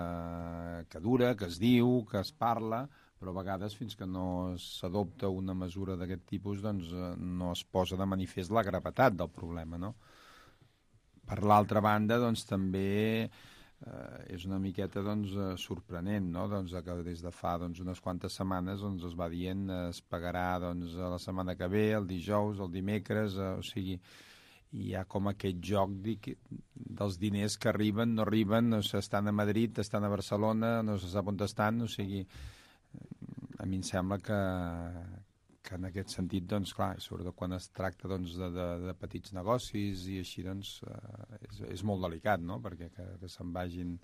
L: que dura, que es diu, que es parla, però a vegades fins que no s'adopta una mesura d'aquest tipus doncs no es posa de manifest la gravetat del problema, no? Per l'altra banda, doncs també eh, és una miqueta doncs, sorprenent, no? Doncs, que des de fa doncs, unes quantes setmanes doncs, es va dient es pagarà doncs, la setmana que ve, el dijous, el dimecres, eh, o sigui, hi ha com aquest joc dic, dels diners que arriben, no arriben, no estan a Madrid, estan a Barcelona, no se sap on estan, o sigui, a mi em sembla que, que en aquest sentit, doncs, clar, sobretot quan es tracta doncs, de, de, de petits negocis i així, doncs, eh, és, és molt delicat, no?, perquè que, que se'n vagin,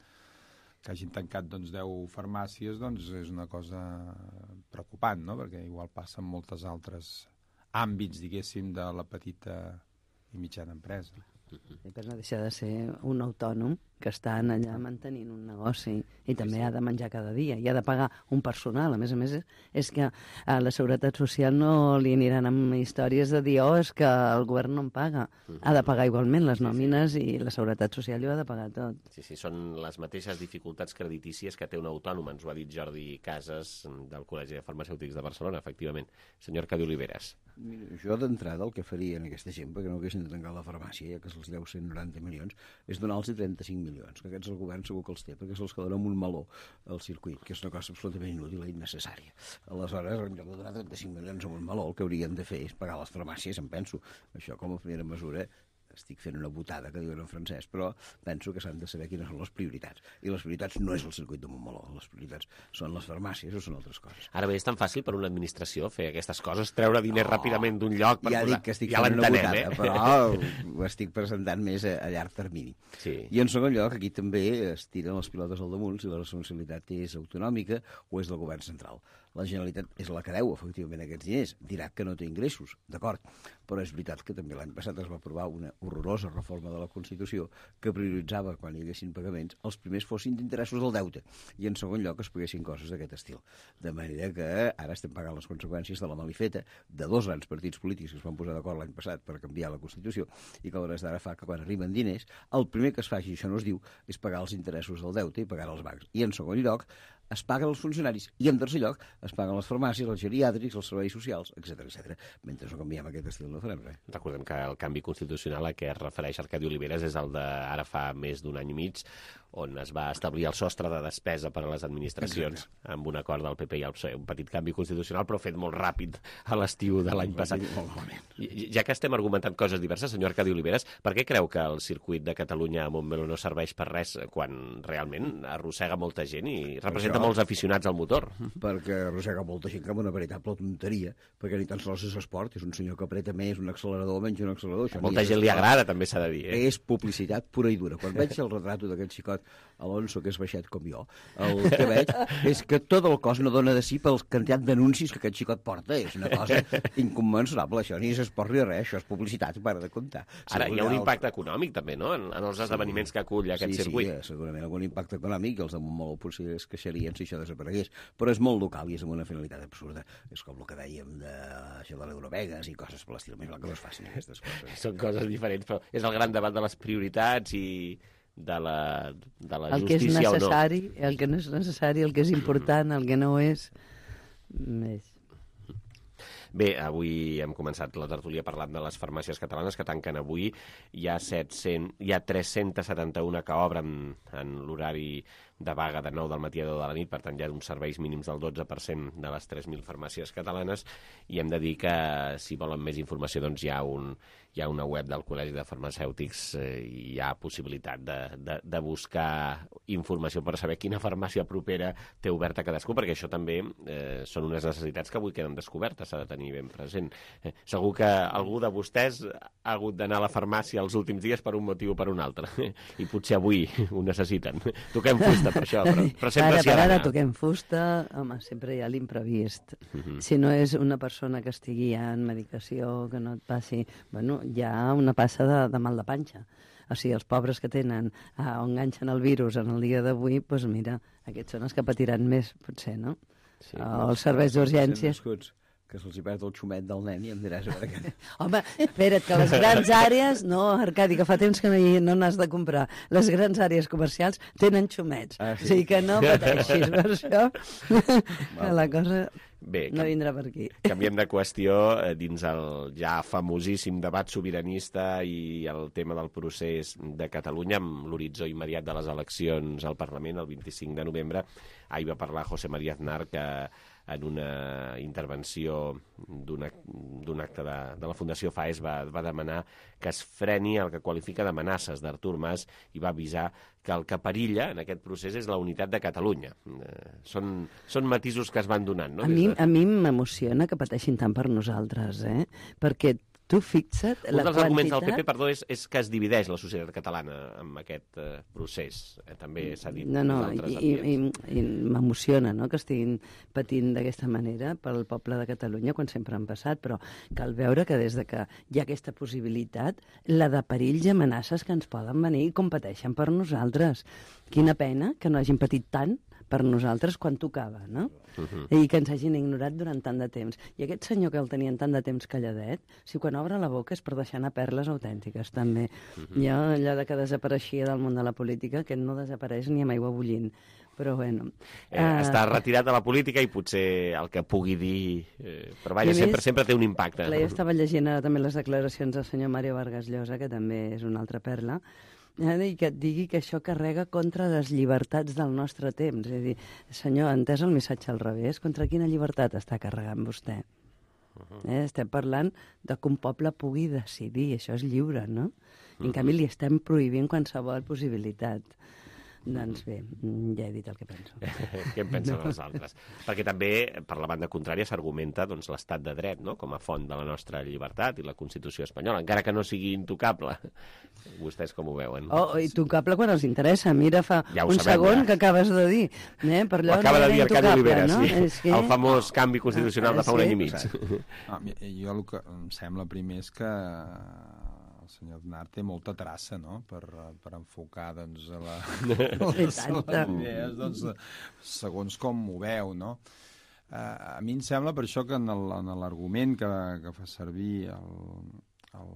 L: que hagin tancat doncs, deu farmàcies, doncs, és una cosa preocupant, no?, perquè igual passa en moltes altres àmbits, diguéssim, de la petita i mitjana empresa.
K: I per no deixar de ser un autònom que està allà mantenint un negoci i també ha de menjar cada dia i ha de pagar un personal. A més a més, és que a la Seguretat Social no li aniran amb històries de dir oh, és que el govern no em paga. Ha de pagar igualment les nòmines i la Seguretat Social ho ha de pagar tot.
B: Sí, sí, són les mateixes dificultats creditícies que té un autònom, ens ho ha dit Jordi Casas del Col·legi de Farmacèutics de Barcelona, efectivament. Senyor Arcadi Oliveres.
M: Mira, jo d'entrada el que faria en aquesta gent, perquè no haguessin de tancar la farmàcia, ja que se'ls deu cent noranta milions, és donar-los trenta-cinc milions, que aquests el govern segur que els té, perquè se'ls quedarà amb un meló al circuit, que és una cosa absolutament inútil i innecessària. Aleshores, en lloc de donar trenta-cinc milions amb un meló, el que haurien de fer és pagar les farmàcies, em penso. Això com a primera mesura estic fent una botada que diuen en francès, però penso que s'han de saber quines són les prioritats. I les prioritats no és el circuit de Montmeló, les prioritats són les farmàcies o són altres coses.
B: Ara bé, és tan fàcil per una administració fer aquestes coses, treure diners oh, ràpidament d'un lloc per
M: ja
B: posar...
M: dic que estic
B: ja
M: fent una botada,
B: eh?
M: però ho estic presentant més a, a llarg termini.
B: Sí.
M: I en segon lloc, aquí també es tiren les pilotes al damunt si la responsabilitat és autonòmica o és del govern central. La Generalitat és la que deu, efectivament, aquests diners. Dirà que no té ingressos, d'acord, però és veritat que també l'any passat es va aprovar una horrorosa reforma de la Constitució que prioritzava, quan hi haguessin pagaments, els primers fossin d'interessos del deute i, en segon lloc, es paguessin coses d'aquest estil. De manera que ara estem pagant les conseqüències de la malifeta de dos grans partits polítics que es van posar d'acord l'any passat per canviar la Constitució i que a l'hores d'ara fa que quan arriben diners, el primer que es faci, això no es diu, és pagar els interessos del deute i pagar els bancs. I, en segon lloc, es paguen els funcionaris i, en tercer lloc, es paguen les farmàcies, els geriàtrics, els serveis socials, etcètera, etcètera. Mentre no canviem aquest estil no farem res.
B: Recordem que el canvi constitucional a què es refereix Arcadi Oliveres és el d'ara fa més d'un any i mig, on es va establir el sostre de despesa per a les administracions. Exacte. Amb un acord del P P i el P S O E. Un petit canvi constitucional, però fet molt ràpid a l'estiu de l'any passat. Ja que estem argumentant coses diverses, senyor Arcadi Oliveres, per què creu que el circuit de Catalunya a Montmeló no serveix per res quan realment arrossega molta gent i representa porta molts aficionats al motor.
M: Perquè arrossega molta gent que amb una veritable tonteria, perquè ni tan sols és esport, és un senyor que apreta més un accelerador o menys un accelerador. Això
B: molta gent li agrada, també s'ha de dir. Eh?
M: És publicitat pura i dura. Quan veig el retrato d'aquest xicot Alonso, que és baixet com jo, el que veig és que tot el cos no dona de si pel quantitat d'anuncis que aquest xicot porta. És una cosa incommensurable, això. Ni és esport ni res, això és publicitat, para de comptar.
B: Ara, hi ha un impacte econòmic, també, no?, en, en els esdeveniments que acull aquest
M: sí,
B: circuit.
M: Sí, segurament algun impacte econòmic, i els de Montmeló potser es queixarien si això desaparegués, però és molt local i és amb una finalitat absurda. És com el que dèiem de, això de l'Eurovegas i coses per l'estil, més val que no es facin aquestes coses.
B: Són coses diferents, però és el gran debat de les prioritats i de la, de la
K: el que
B: justícia
K: és necessari,
B: o no.
K: El que no és necessari, el que és important, el que no és... més.
B: Bé, avui hem començat la tertúlia parlant de les farmàcies catalanes que tanquen avui. Hi ha, set-cents, hi ha tres-cents setanta-un que obren en l'horari de vaga de nou del matí a deu de la nit, per tant hi ha uns serveis mínims del dotze per cent de les tres mil farmàcies catalanes, i hem de dir que si volen més informació doncs hi ha, un, hi ha una web del Col·legi de Farmacèutics, eh, i hi ha possibilitat de, de, de buscar informació per saber quina farmàcia propera té oberta cadascú, perquè això també eh, són unes necessitats que avui queden descobertes, s'ha de tenir ben present. Eh, segur que algú de vostès ha hagut d'anar a la farmàcia els últims dies per un motiu o per un altre, i potser avui ho necessiten. Toquem fusta per això, però, però sempre s'hi ha
K: d'anar.
B: d'anar.
K: Ara toquem fusta, home, sempre hi ha l'imprevist.
B: Uh -huh.
K: Si no és una persona que estigui ja en medicació, que no et passi... Bueno, hi ha una passa de, de mal de panxa. O sigui, els pobres que tenen, ah, on enganxen el virus en el dia d'avui, doncs mira, aquests són els que patiran més, potser, no?
B: Sí,
K: o els serveis d'urgències.
M: Que se'ls hi perd el xumet del nen i em diràs a veure què...
K: Home, espera't, que les grans àrees... No, Arcadi, que fa temps que no, hi, no n'has de comprar. Les grans àrees comercials tenen xumets.
M: Ah, sí?
K: O sigui que no pateixis per això. Que la cosa
B: Bé,
K: no vindrà per aquí.
B: Canviem de qüestió, eh, dins el ja famosíssim debat sobiranista i el tema del procés de Catalunya, amb l'horitzó immediat de les eleccions al Parlament el vint-i-cinc de novembre. Ahir va parlar José María Aznar, que en una intervenció d'un acte de, de la Fundació FAES va, va demanar que es freni el que qualifica d'amenaces d'Artur Mas i va avisar que el que perilla en aquest procés és la unitat de Catalunya. Eh, són, són matisos que es van donant, no?
K: A mi, a mi m'emociona que pateixin tant per nosaltres, eh? Perquè tu fixa't
B: Un
K: la
B: dels
K: quantitat...
B: arguments del P P, perdó, és, és que es divideix la societat catalana amb aquest eh, procés. Eh, també s'ha dit
K: No, no,
B: en altres
K: i, i,
B: ambients.
K: i m'emociona, no?, que estiguin patint d'aquesta manera pel poble de Catalunya quan sempre han passat, però cal veure que des de que hi ha aquesta possibilitat, la de perills i amenaces que ens poden venir i competeixen per nosaltres. Quina pena que no hagin patit tant per nosaltres quan tocava, no? Uh-huh. I que ens hagin ignorat durant tant de temps. I aquest senyor que el tenien tant de temps calladet, si quan obre la boca és per deixar anar perles autèntiques, també. Uh-huh. Jo, allò de que desapareixia del món de la política, que no desapareix ni amb aigua bullint. Però, bueno...
B: Eh, uh... Està retirat de la política i potser el que pugui dir... Eh, però vaja, sempre, més, sempre té un impacte.
K: Clar, jo estava llegint ara també les declaracions del senyor Mario Vargas Llosa, que també és una altra perla, i que et digui que això carrega contra les llibertats del nostre temps. És a dir, senyor, ha entès el missatge al revés? Contra quina llibertat està carregant vostè? Eh, estem parlant de que un poble pugui decidir, això és lliure, no? I en canvi li estem prohibint qualsevol possibilitat. Doncs bé, ja he dit el que penso.
B: Què en pensen els altres? Perquè també, per la banda contrària, s'argumenta doncs, l'estat de dret, no?, com a font de la nostra llibertat i la Constitució espanyola, encara que no sigui intocable. Vostès com ho veuen?
K: Oh, intocable quan els interessa. Mira, fa
B: ja
K: un
B: sabem,
K: segon
B: ja.
K: que acabes de dir. Eh? Per allò
B: ho acaba
K: no
B: de dir Arcadi Olivera,
K: no?
B: sí.
K: És que...
B: El famós canvi constitucional
K: ah,
B: de fa un
K: sí?
B: any i mig.
L: Ah, jo el que em sembla primer és que el senyor Aznar té molta traça, no?, per, per enfocar, doncs, a la, les, les idees, doncs, segons com ho veu, no? Uh, a mi em sembla per això que en l'argument que, que fa servir el, el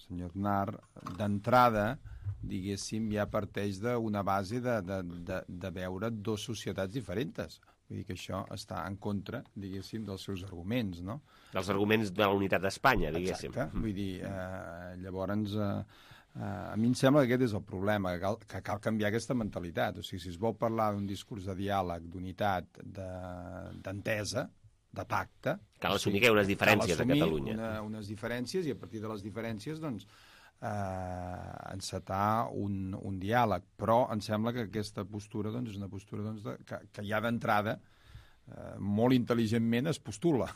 L: senyor Aznar, d'entrada, diguéssim, ja parteix d'una base de, de, de, de veure dos societats diferents. Vull dir que això està en contra, diguéssim, dels seus arguments, no?
B: Dels arguments de la unitat d'Espanya, diguéssim.
L: Exacte. Vull dir, eh, llavors, eh, eh, a mi em sembla que aquest és el problema, que cal, que cal canviar aquesta mentalitat. O sigui, si es vol parlar d'un discurs de diàleg, d'unitat, d'entesa, de pacte...
B: Cal assumir que hi ha unes diferències a Catalunya.
L: Una, unes diferències, i a partir de les diferències, doncs, eh, encetar un, un diàleg, però em sembla que aquesta postura doncs, és una postura doncs, de, que, que ja d'entrada eh, molt intel·ligentment es postula,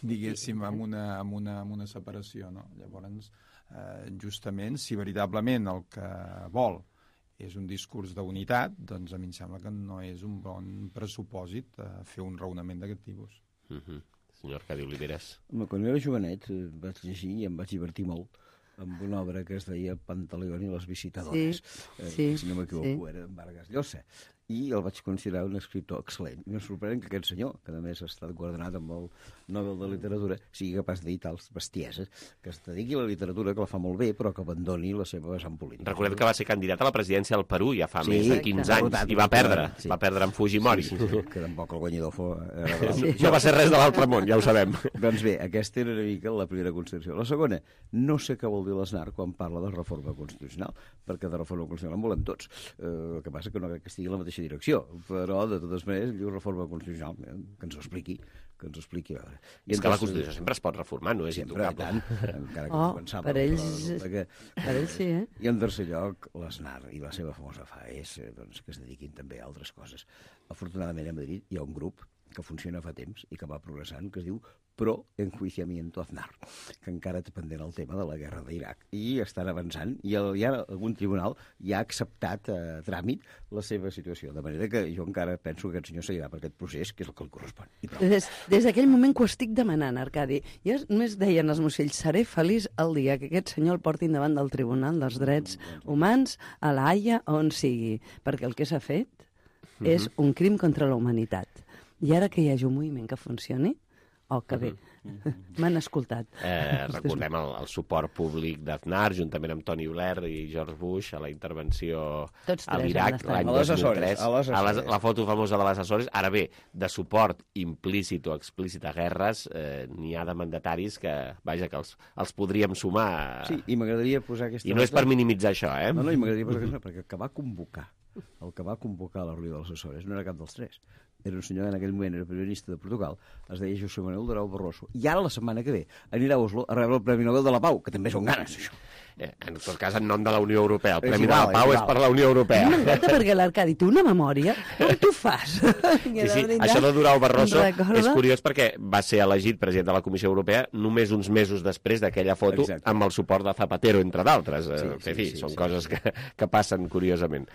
L: diguéssim, amb una, amb una, amb una separació. No? Llavors, eh, justament, si veritablement el que vol és un discurs d'unitat, doncs a mi em sembla que no és un bon pressupòsit eh, fer un raonament d'aquest tipus.
B: Mm-hmm. Senyor Arcadi Oliveres.
M: Home, quan era jovenet eh, vaig llegir i em vaig divertir molt amb una obra que es deia Pantaleón i les visitadores. Sí, eh, sí, si no m'equivoco, sí. Era Vargas Llosa. I el vaig considerar un escriptor excel·lent. I em sorprèn que aquest senyor, que a més ha estat guardonat amb el Nobel de Literatura, sigui capaç de dir tals bestieses, que es dediqui a la literatura, que la fa molt bé, però que abandoni la seva vessant política.
B: Recordem que va ser candidat a la presidència del Perú ja fa
M: sí,
B: més de quinze anys i va perdre, sí. va perdre amb Fujimori.
M: Sí, sí, sí, que tampoc el guanyador fos... Era
B: sí. No va ser res de l'altre món, ja ho sabem.
M: Doncs bé, aquesta era una mica la primera constitució. La segona, no sé què vol dir l'Aznar quan parla de reforma constitucional, perquè de reforma constitucional en volen tots. Eh, el que passa que no crec que estigui en la mateixa direcció, però de totes maneres diu reforma constitucional, que ens ho expliqui, que ens ho expliqui.
B: I és que la Constitució sempre es pot reformar, no és
M: sempre, intocable. Tant, encara que
K: oh,
M: començava,
K: per ells, que... per ells sí, eh?
M: I en tercer lloc, l'Aznar i la seva famosa F A E S, doncs, que es dediquin també a altres coses. Afortunadament a Madrid hi ha un grup que funciona fa temps i que va progressant, que es diu Pro Enjuiciamiento Aznar, que encara té pendent el tema de la guerra d'Iraq. I estan avançant, i el, ja algun tribunal ja ha acceptat a eh, tràmit la seva situació, de manera que jo encara penso que aquest senyor seguirà per aquest procés, que és el que li correspon.
K: Des, des d'aquell moment que ho estic demanant, Arcadi, ja només deien els mocells, seré feliç el dia que aquest senyor el portin davant del Tribunal dels Drets Humans, a la Haia, on sigui, perquè el que s'ha fet uh-huh. és un crim contra la humanitat. I ara que hi hagi un moviment que funcioni, oh, que bé, uh-huh. m'han escoltat.
B: Eh, recordem el, el suport públic d'Aznar, juntament amb Tony Blair i George Bush, a la intervenció a l'Iraq l'any dos mil tres. A les, a les, la foto famosa de les Açores. Ara bé, de suport implícit o explícit a guerres, eh, n'hi ha de mandataris que, vaja, que els, els podríem sumar.
M: Sí, i m'agradaria posar aquesta...
B: I no és per minimitzar això, eh?
M: No, no, i m'agradaria posar aquesta, perquè el que va convocar, el que va convocar la reunió de les Açores no era cap dels tres. Era un senyor que en aquell moment era primer ministre de Portugal, es deia José Manuel Durão Barroso, i ara la setmana que ve anirà a Oslo a rebre el Premi Nobel de la Pau, que també són ganes, això.
B: Eh, en tot cas, en nom de la Unió Europea. El Premi de la Pau és per la Unió Europea.
K: M'encanta perquè l'Arcadi té una memòria. Com t'ho fas?
B: Sí, sí. Això de Durão Barroso és curiós perquè va ser elegit president de la Comissió Europea només uns mesos després d'aquella foto. Exacte. Amb el suport de Zapatero, entre d'altres. Sí, sí, en fi, sí, són sí, coses sí. Que, que passen curiosament.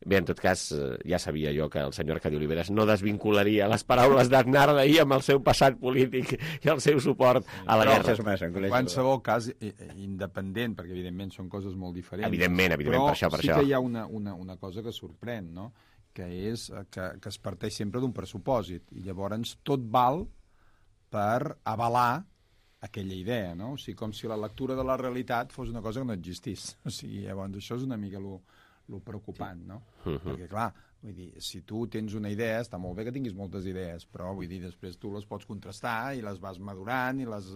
B: Bé, en tot cas, ja sabia jo que el senyor Arcadi Oliveres no desvincularia les paraules d'Aznar d'ahir amb el seu passat polític i el seu suport a la guerra.
L: En qualsevol cas, independent, perquè evidentment són coses molt diferents.
B: Evidentment, evidentment,
L: però
B: per això, per
L: sí
B: això.
L: que hi ha una, una, una cosa que sorprèn, no? Que és que, que es parteix sempre d'un pressupòsit, i llavors tot val per avalar aquella idea, no? O sigui, com si la lectura de la realitat fos una cosa que no existís. O sigui, llavors això és una mica lo, lo preocupant, no? Uh-huh. Perquè, clar, vull dir, si tu tens una idea, està molt bé que tinguis moltes idees, però vull dir, després tu les pots contrastar i les vas madurant i les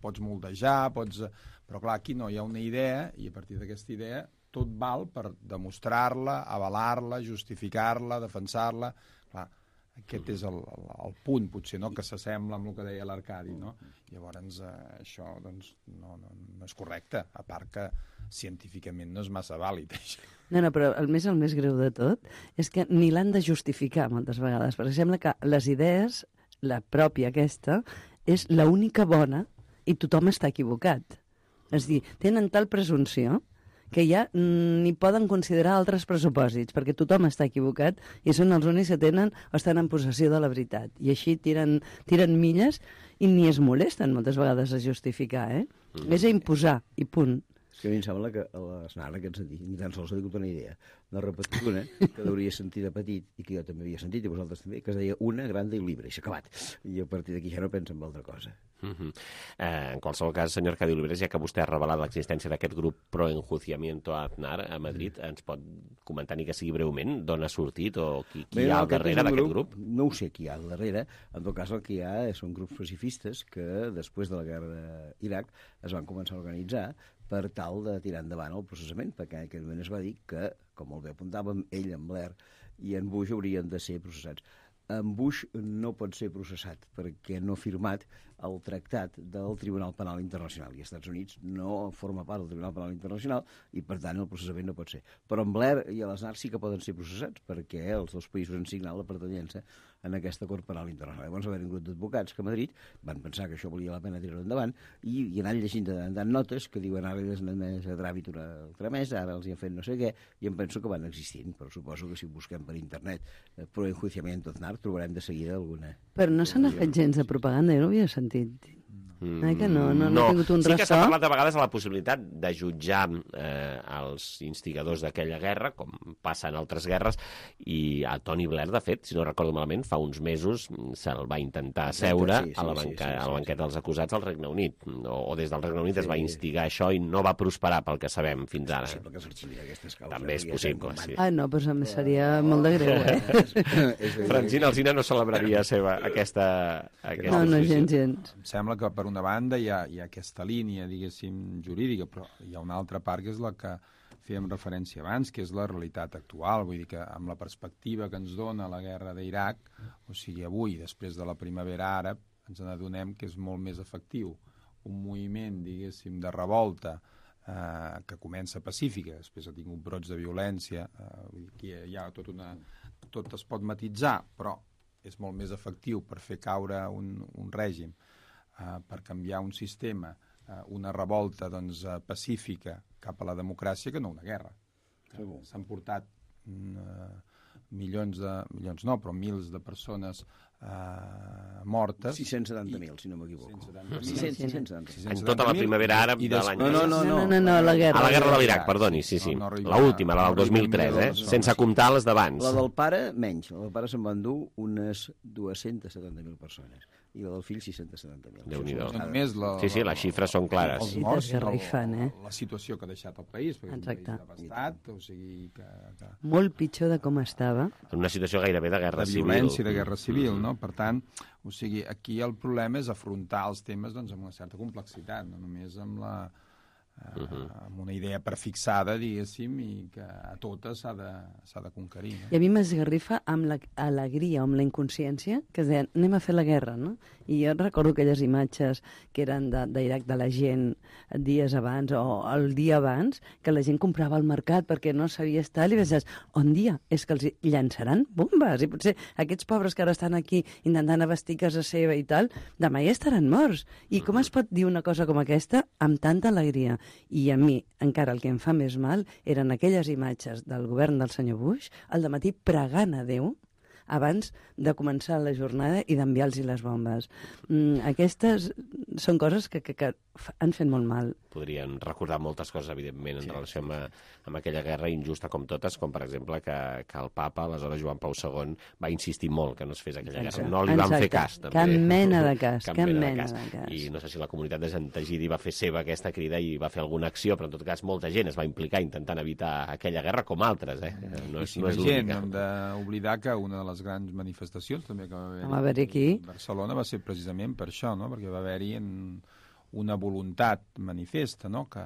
L: pots moldejar, pots... Però clar, aquí no, hi ha una idea i a partir d'aquesta idea tot val per demostrar-la, avalar-la, justificar-la, defensar-la. Clar, aquest és el, el, el punt, potser, no?, que s'assembla amb el que deia l'Arcadi, no? Llavors, eh, això, doncs, no, no, no és correcte, a part que científicament no és massa vàlid, això.
K: No, no, però el més, el més greu de tot és que ni l'han de justificar moltes vegades, perquè sembla que les idees, la pròpia aquesta, és l'única bona i tothom està equivocat. És a dir, tenen tal presumpció que ja ni poden considerar altres pressupòsits, perquè tothom està equivocat i són els únics que tenen o estan en possessió de la veritat. I així tiren, tiren milles i ni es molesten moltes vegades a justificar, eh? Mm. És a imposar, i punt.
M: És que a mi em sembla que l'Aznar, en aquest sentit, ni tan sols ha tingut una idea, n'ha repetit una que hauria sentit de petit, i que jo també havia sentit, i vosaltres també, que es deia una grande i libre, i s'ha acabat. I a partir d'aquí ja no pensa en altra cosa.
B: Uh-huh. eh, en qualsevol cas, senyor Arcadi Oliveres, ja que vostè ha revelat l'existència d'aquest grup Pro Enjuiciamiento Aznar a Madrid, mm. ens pot comentar ni que sigui breument d'on ha sortit o qui, qui Bé, hi ha al darrere d'aquest grup?
M: No ho sé qui hi ha al darrere. En tot cas, el que hi ha són grups pacifistes que, després de la guerra d'Iraq, es van començar a organitzar per tal de tirar endavant el processament, perquè en aquell moment es va dir que, com molt bé apuntàvem, ell, en Blair i en Bush haurien de ser processats. En Bush no pot ser processat perquè no ha firmat el tractat del Tribunal Penal Internacional, i els Estats Units no forma part del Tribunal Penal Internacional i, per tant, el processament no pot ser. Però en Blair i l'Aznar sí que poden ser processats, perquè els dos països han signat la pertanyença en aquesta Cort Penal Internacional. Llavors va haver un grup d'advocats que a Madrid van pensar que això valia la pena tirar endavant i, i anant llegint de tant notes que diuen ara els han més a tràmit una altra més, ara els hi han fet no sé què, i em penso que van existint, però suposo que si busquem per internet eh, pro enjuiciamiento Aznar trobarem de seguida alguna.
K: Però no se n'ha fet gens de propaganda, jo no havia sentit.
B: Mm,
K: eh, que no, no, no,
B: no.
K: ha tingut un
B: sí
K: ressò.
B: que s'ha parlat a vegades de la possibilitat de jutjar eh, els instigadors d'aquella guerra, com passa en altres guerres, i a Tony Blair, de fet, si no recordo malament, fa uns mesos se'l va intentar seure sí, sí, a, la banca, sí, sí, sí, a la banqueta dels acusats al Regne Unit, o, o des del Regne Unit sí. es va instigar això i no va prosperar pel que sabem fins ara.
M: És possible que s'arxivi aquestes causes.
B: També és possible, sí.
K: Ah, no, però doncs seria molt de greu, eh?
B: Francina Alsina no celebraria seva aquesta... aquesta
K: no, no, gens, gens.
L: Em sembla que per una banda hi ha, hi ha aquesta línia, diguéssim, jurídica, però hi ha una altra part que és la que fèiem referència abans, que és la realitat actual. Vull dir que amb la perspectiva que ens dona la guerra d'Iraq, o sigui, avui, després de la primavera àrab, ens n'adonem que és molt més efectiu un moviment, diguéssim, de revolta eh, que comença pacífica, després ha tingut brots de violència, eh, vull dir que hi ha tot una... tot es pot matitzar, però és molt més efectiu per fer caure un, un règim, Uh, per canviar un sistema, uh, una revolta doncs, uh, pacífica cap a la democràcia que no una guerra. Uh, S'han portat uh, milions de... milions no, però mils de persones uh, mortes.
M: sis-cents setanta mil, si no m'equivoco.
B: sis-cents setanta mil. En tota la primavera àrab de l'any...
K: No, no, no, no, no, no, la guerra.
B: A la guerra de l'Iraq, perdoni, sí, sí. No, no l'última, la del dos mil tres, eh? Sense comptar les d'abans.
M: La del pare, menys. La del pare se'n van dur unes dues-centes setanta mil persones. I la del fill, sis-cents setanta mil.
B: Déu-n'hi-do.
L: La,
B: sí, sí, les xifres són clares.
L: Els morts, la, la situació que ha deixat el país, perquè
K: Exacte.
L: és un país devastat, o sigui que, que...
K: Molt pitjor de com estava.
B: En una situació gairebé de guerra
L: de
B: civil.
L: De violència, de guerra civil, mm. no? Per tant, o sigui, aquí el problema és afrontar els temes doncs, amb una certa complexitat, no només amb la... Uh, uh -huh. amb una idea prefixada, diguéssim, i que a totes s'ha de, s'ha de conquerir. No?
K: I a mi m'esgarrifa amb l'alegria, amb la inconsciència, que es deien, anem a fer la guerra, no? I jo recordo aquelles imatges que eren d'Iraq de, de la gent dies abans o el dia abans, que la gent comprava al mercat perquè no sabia estar, i penses, on dia? És que els llançaran bombes, i potser aquests pobres que ara estan aquí intentant abastir casa seva i tal, demà ja estaran morts. I com es pot dir una cosa com aquesta amb tanta alegria? I a mi, encara el que em fa més mal, eren aquelles imatges del govern del senyor Bush al dematí pregant a Déu abans de començar la jornada i d'enviar-los les bombes. Mm, aquestes són coses que, que, que han fet molt mal.
B: Podrien recordar moltes coses, evidentment, en sí, relació amb, amb aquella guerra injusta com totes, com per exemple que, que el papa, aleshores Joan Pau segon, va insistir molt que no es fes aquella guerra. No li van
K: Exacte.
B: fer cas, també.
K: Cap mena de cas, cap, cap mena,
B: mena de cas.
K: de cas.
B: I no sé si la comunitat de Sant Egidi va fer seva aquesta crida i va fer alguna acció, però en tot cas molta gent es va implicar intentant evitar aquella guerra, com altres, eh? No és, no és
L: gent, hem d'oblidar que una de les grans manifestacions també que va haver-hi
K: va haver aquí
L: a Barcelona va ser precisament per això, no? Perquè va haver-hi una voluntat manifesta, no? que,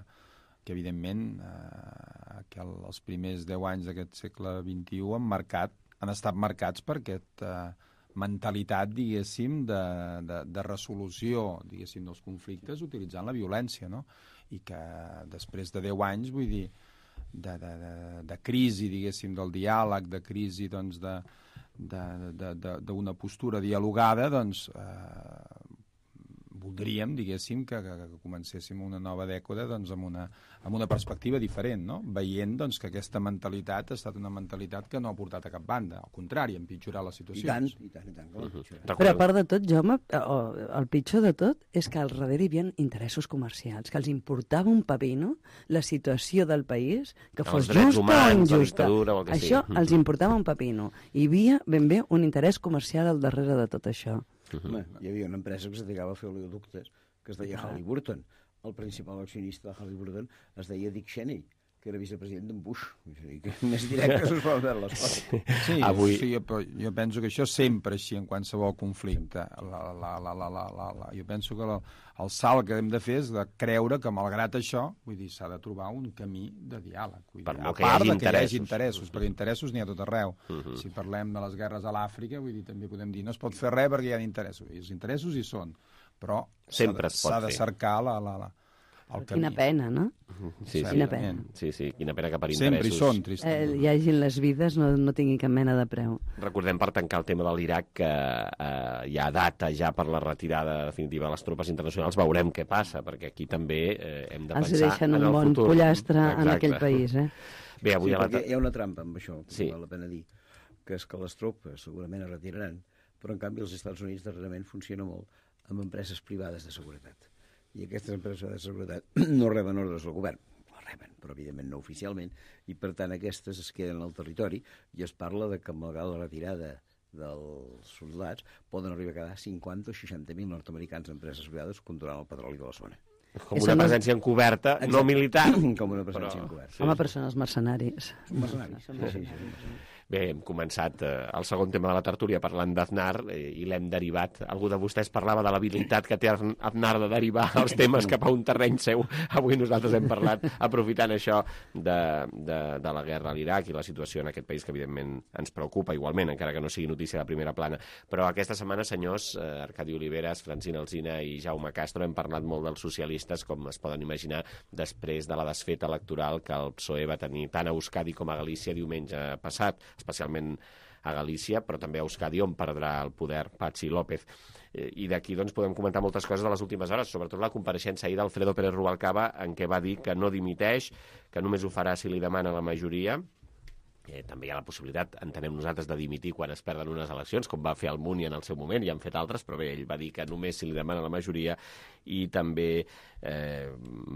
L: que evidentment eh, que el, els primers deu anys d'aquest segle vint-i-u han, marcat, han estat marcats per aquesta eh, mentalitat, diguéssim, de, de, de resolució, diguéssim, dels conflictes utilitzant la violència, no? I que després de deu anys, vull dir, de, de, de, de crisi, diguéssim, del diàleg, de crisi, doncs, de d'una postura dialogada, doncs eh, voldríem, diguéssim, que, que, que comencéssim una nova dècada doncs, amb, una, amb una perspectiva diferent, no? Veient doncs, que aquesta mentalitat ha estat una mentalitat que no ha portat a cap banda, al contrari, ha empitjorat les situacions.
M: I tant, i tant, i tant. Uh -huh.
K: Però a part de tot, Jaume, el pitjor de tot és que al darrere hi havia interessos comercials, que els importava un pepino la situació del país, que fos justa o injusta. Això sí. Els importava un pepino. Hi havia ben bé un interès comercial al darrere de tot això.
M: Uh -huh. Home, hi havia una empresa que es dedicava a fer oleoductes, que es deia Halliburton. El principal accionista de Halliburton es deia Dick Cheney, que era vicepresident d'en Bush. Que més directe us poden veure les coses.
L: Sí, Avui... sí, però jo penso que això sempre així en qualsevol conflicte. La, la, la, la, la, la, la. Jo penso que la, el salt que hem de fer és de creure que, malgrat això, vull dir, s'ha de trobar un camí de diàleg. Vull dir, a part de que hi hagi interessos, perquè interessos n'hi ha tot arreu. Uh -huh. Si parlem de les guerres a l'Àfrica, vull dir, també podem dir no es pot fer res perquè hi ha interessos. I els interessos hi són. però
B: sempre es pot
L: s'ha de
B: fer.
L: cercar la, la, la, el camí.
K: Quina pena, no?
B: Sí, sí,
K: Quina pena.
B: Sí, sí, quina pena que per
L: Sempre hi
B: interessos...
L: són, tristos.
K: Eh, hi hagi les vides, no, no tingui cap mena de preu.
B: Recordem, per tancar el tema de l'Iraq, que eh, hi ha data ja per la retirada definitiva de les tropes internacionals. Veurem què passa, perquè aquí també eh, hem de
K: Els
B: pensar
K: deixen
B: en
K: un
B: el
K: bon
B: futur.
K: pollastre
B: Exacte.
K: en aquell país, eh?
B: Bé, avui
M: sí,
B: a la...
M: perquè hi ha una trampa amb això, que
B: sí.
M: val la pena dir, que és que les tropes segurament es retiraran, però en canvi els Estats Units darrerament funciona molt amb empreses privades de seguretat. I aquestes empreses de seguretat no reben ordres del govern, la reben, però evidentment no oficialment, i per tant aquestes es queden al territori i es parla de que malgrat la retirada dels soldats poden arribar a quedar cinquanta o seixanta mil nord-americans d'empreses privades controlant el petroli de la zona.
B: Com una presència encoberta, no militar.
M: Com una presència
B: però...
M: encoberta.
K: Sí. Home, però són els mercenaris.
M: Són mercenaris. Sí, sí, sí.
B: Bé, hem començat eh, el segon tema de la tertúlia parlant d'Aznar eh, i l'hem derivat. Algú de vostès parlava de l'habilitat que té Aznar de derivar els temes cap a un terreny seu. Avui nosaltres hem parlat, aprofitant això de, de, de la guerra a l'Iraq i la situació en aquest país que evidentment ens preocupa igualment, encara que no sigui notícia de primera plana. Però aquesta setmana, senyors, eh, Arcadi Oliveres, Francina Alsina i Jaume Castro, hem parlat molt dels socialistes, com es poden imaginar, després de la desfeta electoral que el P S O E va tenir tant a Euskadi com a Galícia diumenge passat, especialment a Galícia, però també a Euskadi, on perdrà el poder Patxi López. I d'aquí doncs, podem comentar moltes coses de les últimes hores, sobretot la compareixença ahir d'Alfredo Pérez Rubalcaba, en què va dir que no dimiteix, que només ho farà si li demana la majoria. Eh, també hi ha la possibilitat, entenem nosaltres, de dimitir quan es perden unes eleccions, com va fer el Muni en el seu moment, i han fet altres, però bé, ell va dir que només si li demana la majoria, i també eh,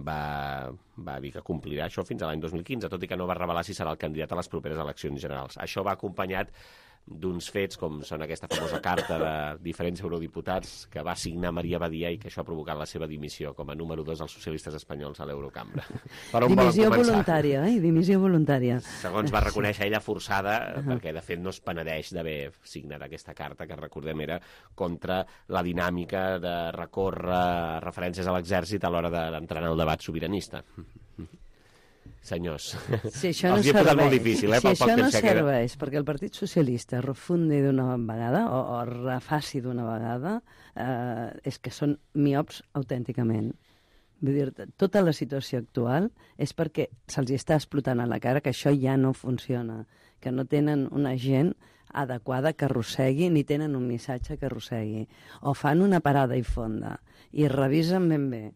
B: va, va dir que complirà això fins a l'any dos mil quinze, tot i que no va revelar si serà el candidat a les properes eleccions generals. Això va acompanyat d'uns fets com són aquesta famosa carta de diferents eurodiputats que va signar Maria Badia i que això ha provocat la seva dimissió com a número dos dels socialistes espanyols a l'Eurocambra.
K: Dimissió voluntària, eh? Dimissió voluntària.
B: Segons va reconèixer ella forçada, uh-huh. perquè de fet no es penedeix d'haver signat aquesta carta, que recordem era contra la dinàmica de recórrer referències a l'exèrcit a l'hora d'entrar en el debat sobiranista. Senyors,
K: si això no
B: els hi he posat molt difícil, eh,
K: si
B: pel
K: això
B: poc
K: no
B: temps que queda.
K: serveix perquè el Partit Socialista refundi d'una vegada o, o refaci d'una vegada, eh, és que són miops autènticament. Vull dir, tota la situació actual és perquè se'ls està explotant a la cara que això ja no funciona, que no tenen una gent adequada que arrossegui ni tenen un missatge que arrossegui. O fan una parada i fonda i revisen ben bé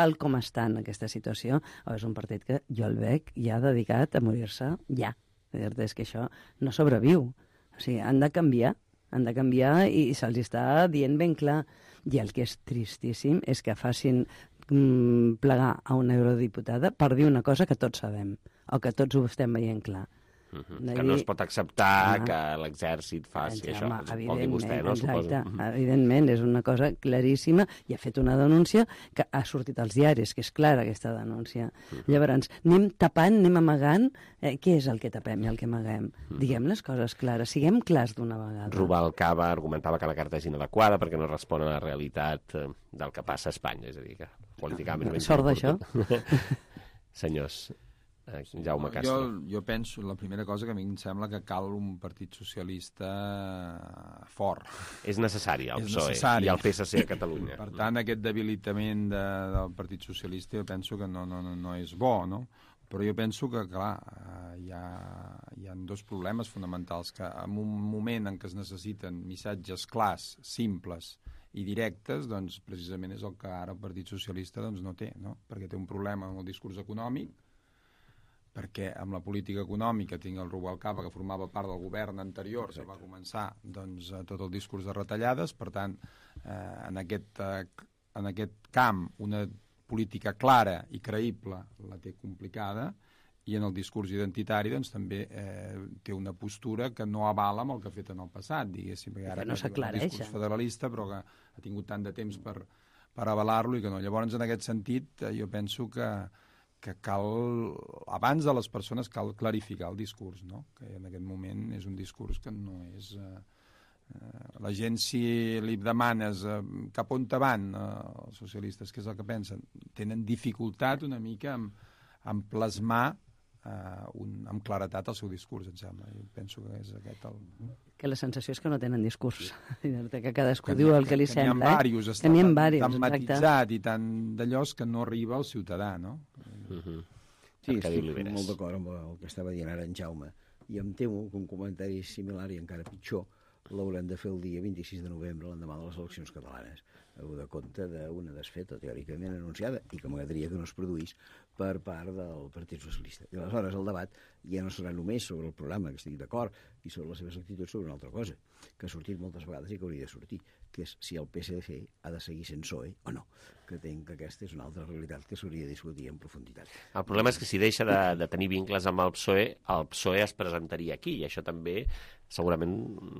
K: tal com està en aquesta situació, o és un partit que jo el veig ja dedicat a morir-se ja. És que això no sobreviu. O sigui, han de canviar, han de canviar i se'ls està dient ben clar. I el que és tristíssim és que facin mm, plegar a una eurodiputada per dir una cosa que tots sabem, o que tots ho estem veient clar.
B: Uh-huh. Que no es pot acceptar home, que l'exèrcit faci
K: exacte,
B: això,
K: home,
B: vol dir vostè, no?
K: Exacte,
B: Suposo.
K: Evidentment, és una cosa claríssima, i ha fet una denúncia que ha sortit als diaris, que és clara aquesta denúncia. Uh-huh. Llavors, anem tapant, anem amagant, eh, què és el que tapem i el que amaguem? Uh-huh. Diguem les coses clares, siguem clars d'una vegada.
B: Rubalcaba argumentava que la carta és inadequada perquè no respon a la realitat eh, del que passa a Espanya, és a dir, que políticament...
K: Ah, sort d'això.
B: Senyors, Jaume Castro.
L: Jo, jo penso, la primera cosa que a mi em sembla que cal un partit socialista fort.
B: És necessari el P S O E
L: necessari.
B: I el P S C a Catalunya.
L: Per tant, aquest debilitament de, del Partit Socialista jo penso que no, no, no és bo, no? Però jo penso que, clar, hi ha, hi ha dos problemes fonamentals, que en un moment en què es necessiten missatges clars, simples i directes, doncs precisament és el que ara el Partit Socialista doncs, no té, no? Perquè té un problema amb el discurs econòmic, perquè amb la política econòmica tinc el Rubalcaba, que formava part del govern anterior, que va començar doncs, tot el discurs de retallades, per tant, eh, en, aquest, eh, en aquest camp una política clara i creïble la té complicada, i en el discurs identitari doncs, també eh, té una postura que no avala amb el que ha fet en el passat, diguéssim, perquè ara
K: que no s'aclareix.
L: Un discurs federalista, però que ha tingut tant de temps per, per avalar-lo i que no. Llavors, en aquest sentit, eh, jo penso que que cal, abans de les persones, cal clarificar el discurs, no? Que en aquest moment és un discurs que no és... Eh, eh, la gent, si li demanes eh, cap on te van eh, els socialistes, què és el que pensen, tenen dificultat una mica en, en plasmar uh, un, amb claretat el seu discurs, em sembla. Jo penso que és aquest el...
K: Que la sensació és que no tenen discurs, que cadascú diu el que li
L: que
K: sembla.
L: Que n'hi ha diversos,
K: eh?
L: està
K: tan,
L: tan matitzat i tan d'allò que no arriba al ciutadà, no?
M: Uh-huh. Sí, estic molt d'acord amb el que estava dient ara en Jaume, i em temo que un comentari similar i encara pitjor l'haurem de fer el dia vint-i-sis de novembre, l'endemà de les eleccions catalanes, de compte d'una desfeta teòricament anunciada i que m'agradaria que no es produís per part del Partit Socialista. I aleshores el debat ja no serà només sobre el programa, que estic d'acord, i sobre les seves actituds, sobre una altra cosa, que ha sortit moltes vegades i que hauria de sortir, que és si el P S D ha de seguir sent P S O E o no, que entenc que aquesta és una altra realitat que s'hauria de discutir en profunditat.
B: El problema és que si deixa de, de tenir vincles amb el P S O E, el P S O E es presentaria aquí, i això també segurament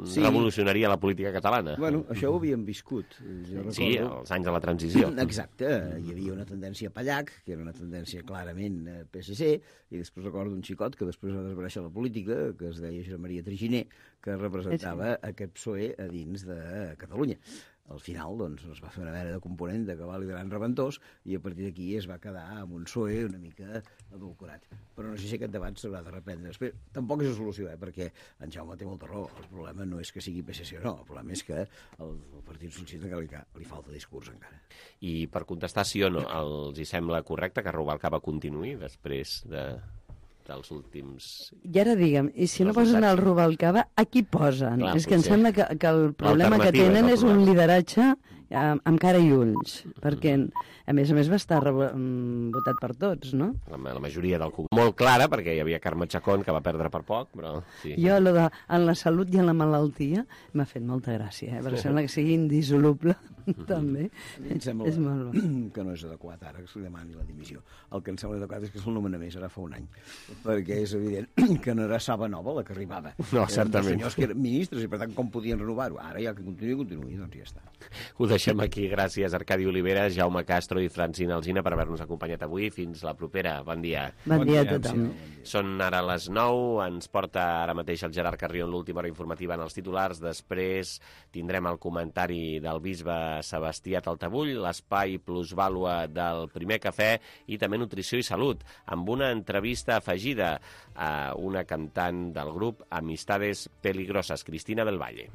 B: sí. revolucionaria la política catalana.
M: Bueno, això ho havíem viscut. Jo recordo...
B: Sí, els anys de la transició.
M: Exacte, hi havia una tendència Pallac, que era una tendència clarament P S C, i després recordo un xicot que després va desaparèixer la política, que es deia Josep Maria Triginer, que representava aquest P S O E a dins de Catalunya. Al final, doncs, es va fer una mena de component de cabal i gran reventós i a partir d'aquí es va quedar amb un P S O E una mica adulcorat. Però no sé si aquest debat s'haurà de reprendre. Després, tampoc és la solució, eh, perquè en Jaume té molta raó. El problema no és que sigui P S C o no, el problema és que el, el Partit Socialista que li, li falta discurs encara.
B: I per contestar sí o no, els hi sembla correcte que Rubalcaba continuï després de... dels últims...
K: I ara digue'm, i si no posen el Rubalcaba, a qui posen? Clar, és que em sembla que, que el problema que tenen és un lideratge amb, amb cara i ulls, perquè a més a més va estar votat per tots, no?
B: La, la majoria del Congrés. Molt clara, perquè hi havia Carme Chacón, que va perdre per poc, però... Sí.
K: Jo, lo de, en la salut i en la malaltia, m'ha fet molta gràcia, eh? Perquè sembla que sigui indissoluble, també.
M: Em sembla és molt bo. Que no és adequat ara que se li demani la dimissió. El que em sembla adequat és que se'l nomena més, ara fa un any, perquè és evident que no era Saba Nova la que arribava.
B: No, certament.
M: Eren senyors que eren ministres i per tant com podien renovar-ho? Ara ja que continuï, continuï, doncs ja està.
B: Ho deixem aquí. Gràcies, Arcadi Olivera, Jaume Castro i Francina Alsina per haver-nos acompanyat avui. Fins la propera. Bon dia.
K: Bon dia a tothom.
B: Són ara les nou. Ens porta ara mateix el Gerard Carrió en l'última hora informativa en els titulars. Després tindrem el comentari del bisbe Sebastià Taltabull, l'espai plusvàlua del Primer Cafè i també Nutrició i Salut, amb una entrevista afegida a una cantant del grup Amistades Peligrosas, Cristina del Valle.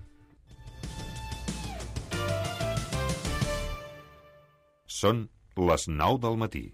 N: Són les nou del matí.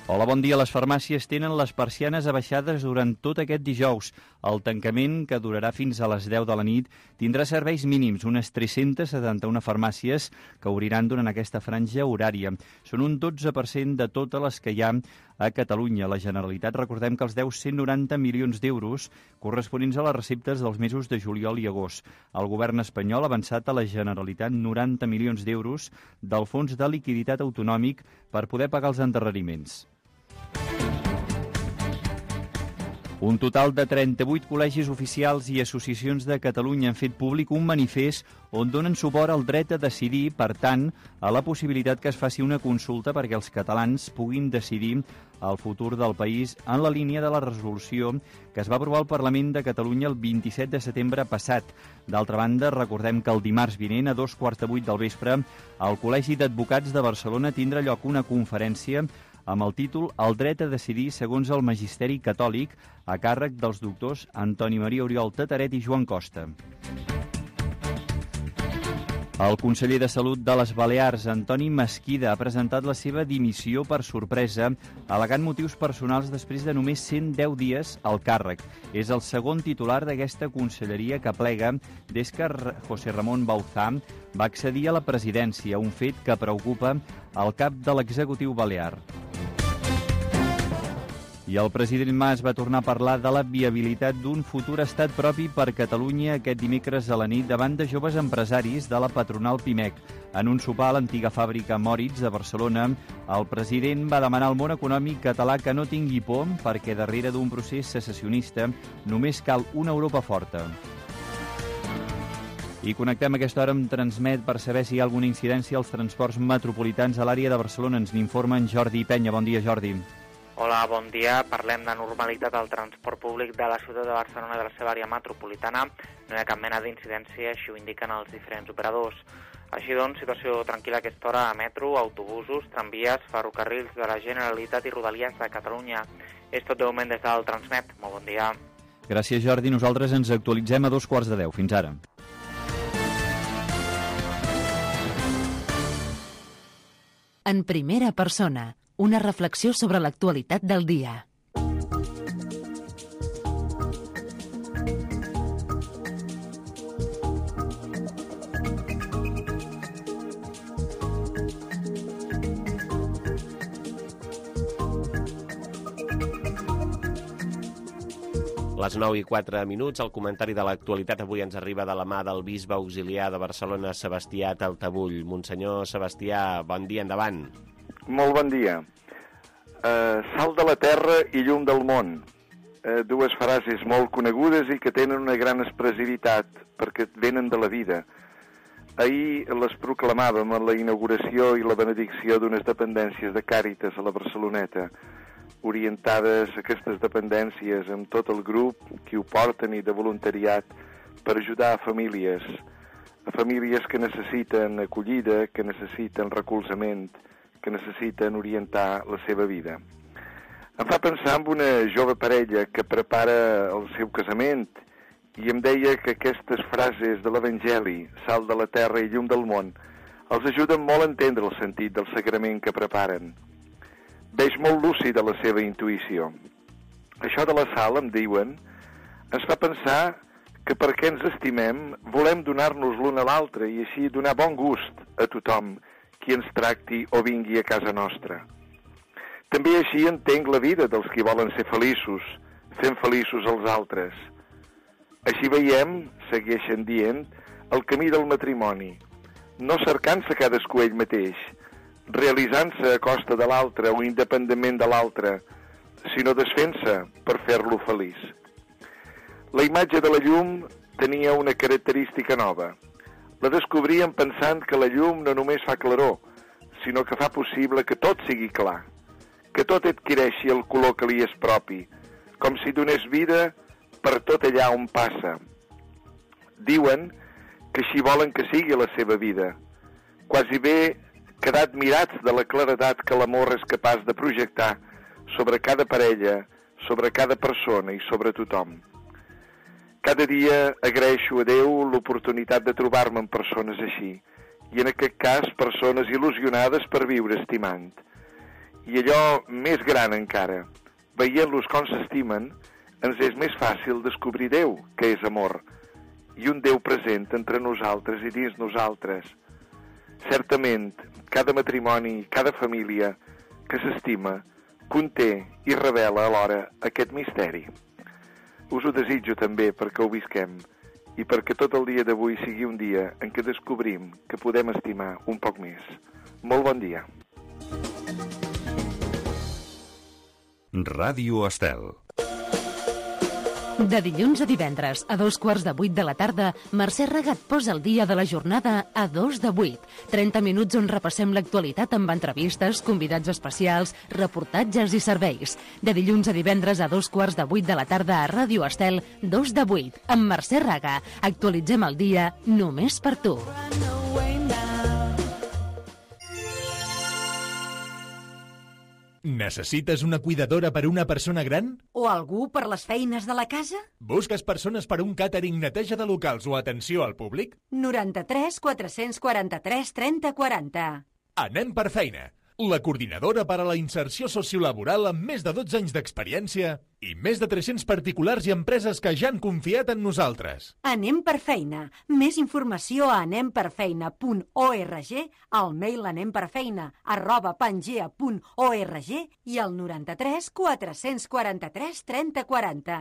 C: Hola, bon dia. Les farmàcies tenen les persianes abaixades durant tot aquest dijous. El tancament, que durarà fins a les deu de la nit, tindrà serveis mínims, unes tres-centes setanta-una farmàcies que obriran durant aquesta franja horària. Són un dotze per cent de totes les que hi ha a Catalunya. La Generalitat, recordem que els deu cent noranta milions d'euros corresponents a les receptes dels mesos de juliol i agost. El govern espanyol ha avançat a la Generalitat noranta milions d'euros del Fons de Liquiditat Autonòmic per poder pagar els endarreriments. Un total de trenta-vuit col·legis oficials i associacions de Catalunya han fet públic un manifest on donen suport al dret a decidir, per tant, a la possibilitat que es faci una consulta perquè els catalans puguin decidir el futur del país en la línia de la resolució que es va aprovar al Parlament de Catalunya el vint-i-set de setembre passat. D'altra banda, recordem que el dimarts vinent, a dos quarts de vuit del vespre, al Col·legi d'Advocats de Barcelona tindrà lloc una conferència amb el títol El dret a decidir segons el magisteri catòlic, a càrrec dels doctors Antoni Maria Oriol Tataret i Joan Costa. El conseller de Salut de les Balears, Antoni Mesquida, ha presentat la seva dimissió per sorpresa, al·legant motius personals després de només cent deu dies al càrrec. És el segon titular d'aquesta conselleria que plega des que José Ramón Bauzá va accedir a la presidència, un fet que preocupa el cap de l'executiu balear. I el president Mas va tornar a parlar de la viabilitat d'un futur estat propi per Catalunya aquest dimecres a la nit davant de joves empresaris de la patronal Pimec. En un sopar a l'antiga fàbrica Moritz de Barcelona, el president va demanar al món econòmic català que no tingui por perquè darrere d'un procés secessionista només cal una Europa forta. I connectem a aquesta hora amb Transmet per saber si hi ha alguna incidència als transports metropolitans a l'àrea de Barcelona. Ens n'informa en Jordi Penya. Bon dia, Jordi.
I: Hola, bon dia. Parlem de normalitat al transport públic de la ciutat de Barcelona i de la seva àrea metropolitana. No hi ha cap mena d'incidència, així ho indiquen els diferents operadors. Així doncs, situació tranquil·la a aquesta hora a metro, autobusos, tramvies, ferrocarrils de la Generalitat i Rodalies de Catalunya. És tot de moment des del Transmet. Molt bon dia.
C: Gràcies, Jordi. Nosaltres ens actualitzem a dos quarts de deu. Fins ara.
A: En primera persona, una reflexió sobre l'actualitat del dia.
B: Les nou i quatre minuts, el comentari de l'actualitat avui ens arriba de la mà del bisbe auxiliar de Barcelona, Sebastià Taltabull. Monsenyor Sebastià, bon dia, endavant.
O: Molt bon dia. Uh, sal de la terra i llum del món. Uh, dues frases molt conegudes i que tenen una gran expressivitat perquè venen de la vida. Ahir les proclamàvem a la inauguració i la benedicció d'unes dependències de Càritas a la Barceloneta, orientades a aquestes dependències amb tot el grup que ho porten i de voluntariat per ajudar a famílies, a famílies que necessiten acollida, que necessiten recolzament, que necessiten orientar la seva vida. Em fa pensar en una jove parella que prepara el seu casament i em deia que aquestes frases de l'Evangeli, sal de la terra i llum del món, els ajuden molt a entendre el sentit del sagrament que preparen. Veig molt lúcida la seva intuïció. Això de la sal, em diuen, ens fa pensar que perquè ens estimem volem donar-nos l'un a l'altre i així donar bon gust a tothom qui ens tracti o vingui a casa nostra. També així entenc la vida dels qui volen ser feliços, fent feliços els altres. Així veiem, segueixen dient, el camí del matrimoni, no cercant-se cadascú ell mateix, realitzant-se a costa de l'altre o independentment de l'altre, sinó desfent-se per fer-lo feliç. La imatge de la llum tenia una característica nova. La descobríem pensant que la llum no només fa claror, sinó que fa possible que tot sigui clar, que tot adquireixi el color que li és propi, com si donés vida per tot allà on passa. Diuen que així volen que sigui la seva vida, quasi bé quedar admirats de la claredat que l'amor és capaç de projectar sobre cada parella, sobre cada persona i sobre tothom. Cada dia agraeixo a Déu l'oportunitat de trobar-me amb persones així, i en aquest cas persones il·lusionades per viure estimant. I allò més gran encara, veient-los com s'estimen, ens és més fàcil descobrir Déu, que és amor, i un Déu present entre nosaltres i dins nosaltres. Certament, cada matrimoni, cada família que s'estima, conté i revela alhora aquest misteri. Us ho desitjo també perquè ho visquem i perquè tot el dia d'avui sigui un dia en què descobrim que podem estimar un poc més. Molt bon dia.
N: Ràdio Estel.
A: De dilluns a divendres, a dos quarts de vuit de la tarda, Mercè Regat posa el dia de la jornada a dos de vuit. trenta minuts on repassem l'actualitat amb entrevistes, convidats especials, reportatges i serveis. De dilluns a divendres a dos quarts de vuit de la tarda a Ràdio Estel, dos de vuit, amb Mercè Regat. Actualitzem el dia només per tu.
P: Necessites una cuidadora per a una persona gran?
Q: O algú per les feines de la casa?
P: Busques persones per a un càtering, neteja de locals o atenció al públic?
Q: noranta-tres quatre-cents quaranta-tres trenta quaranta.
P: Anem per feina. la coordinadora per a la inserció sociolaboral amb més de dotze anys d'experiència i més de tres-cents particulars i empreses que ja han confiat en nosaltres.
Q: Anem per feina. Més informació a anem per feina punt org, al mail anemperfeina arroba pangea punt org i al noranta-tres quatre-cents quaranta-tres trenta quaranta.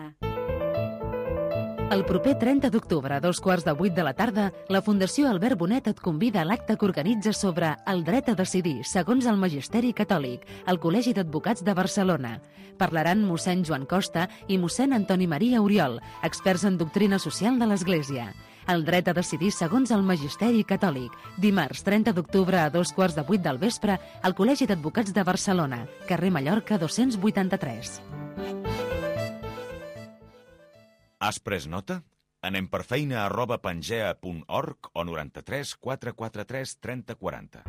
A: El proper trenta d'octubre, a dos quarts de vuit de la tarda, la Fundació Albert Bonet et convida a l'acte que organitza sobre el dret a decidir, segons el Magisteri Catòlic, al Col·legi d'Advocats de Barcelona. Parlaran mossèn Joan Costa i mossèn Antoni Maria Oriol, experts en doctrina social de l'Església. El dret a decidir segons el Magisteri Catòlic. Dimarts, trenta d'octubre, a dos quarts de vuit del vespre, al Col·legi d'Advocats de Barcelona, carrer Mallorca dos-cents vuitanta-tres.
R: Has pres nota? Anem per feina arroba pangea punt org o noranta-tres quatre quaranta-tres trenta quaranta.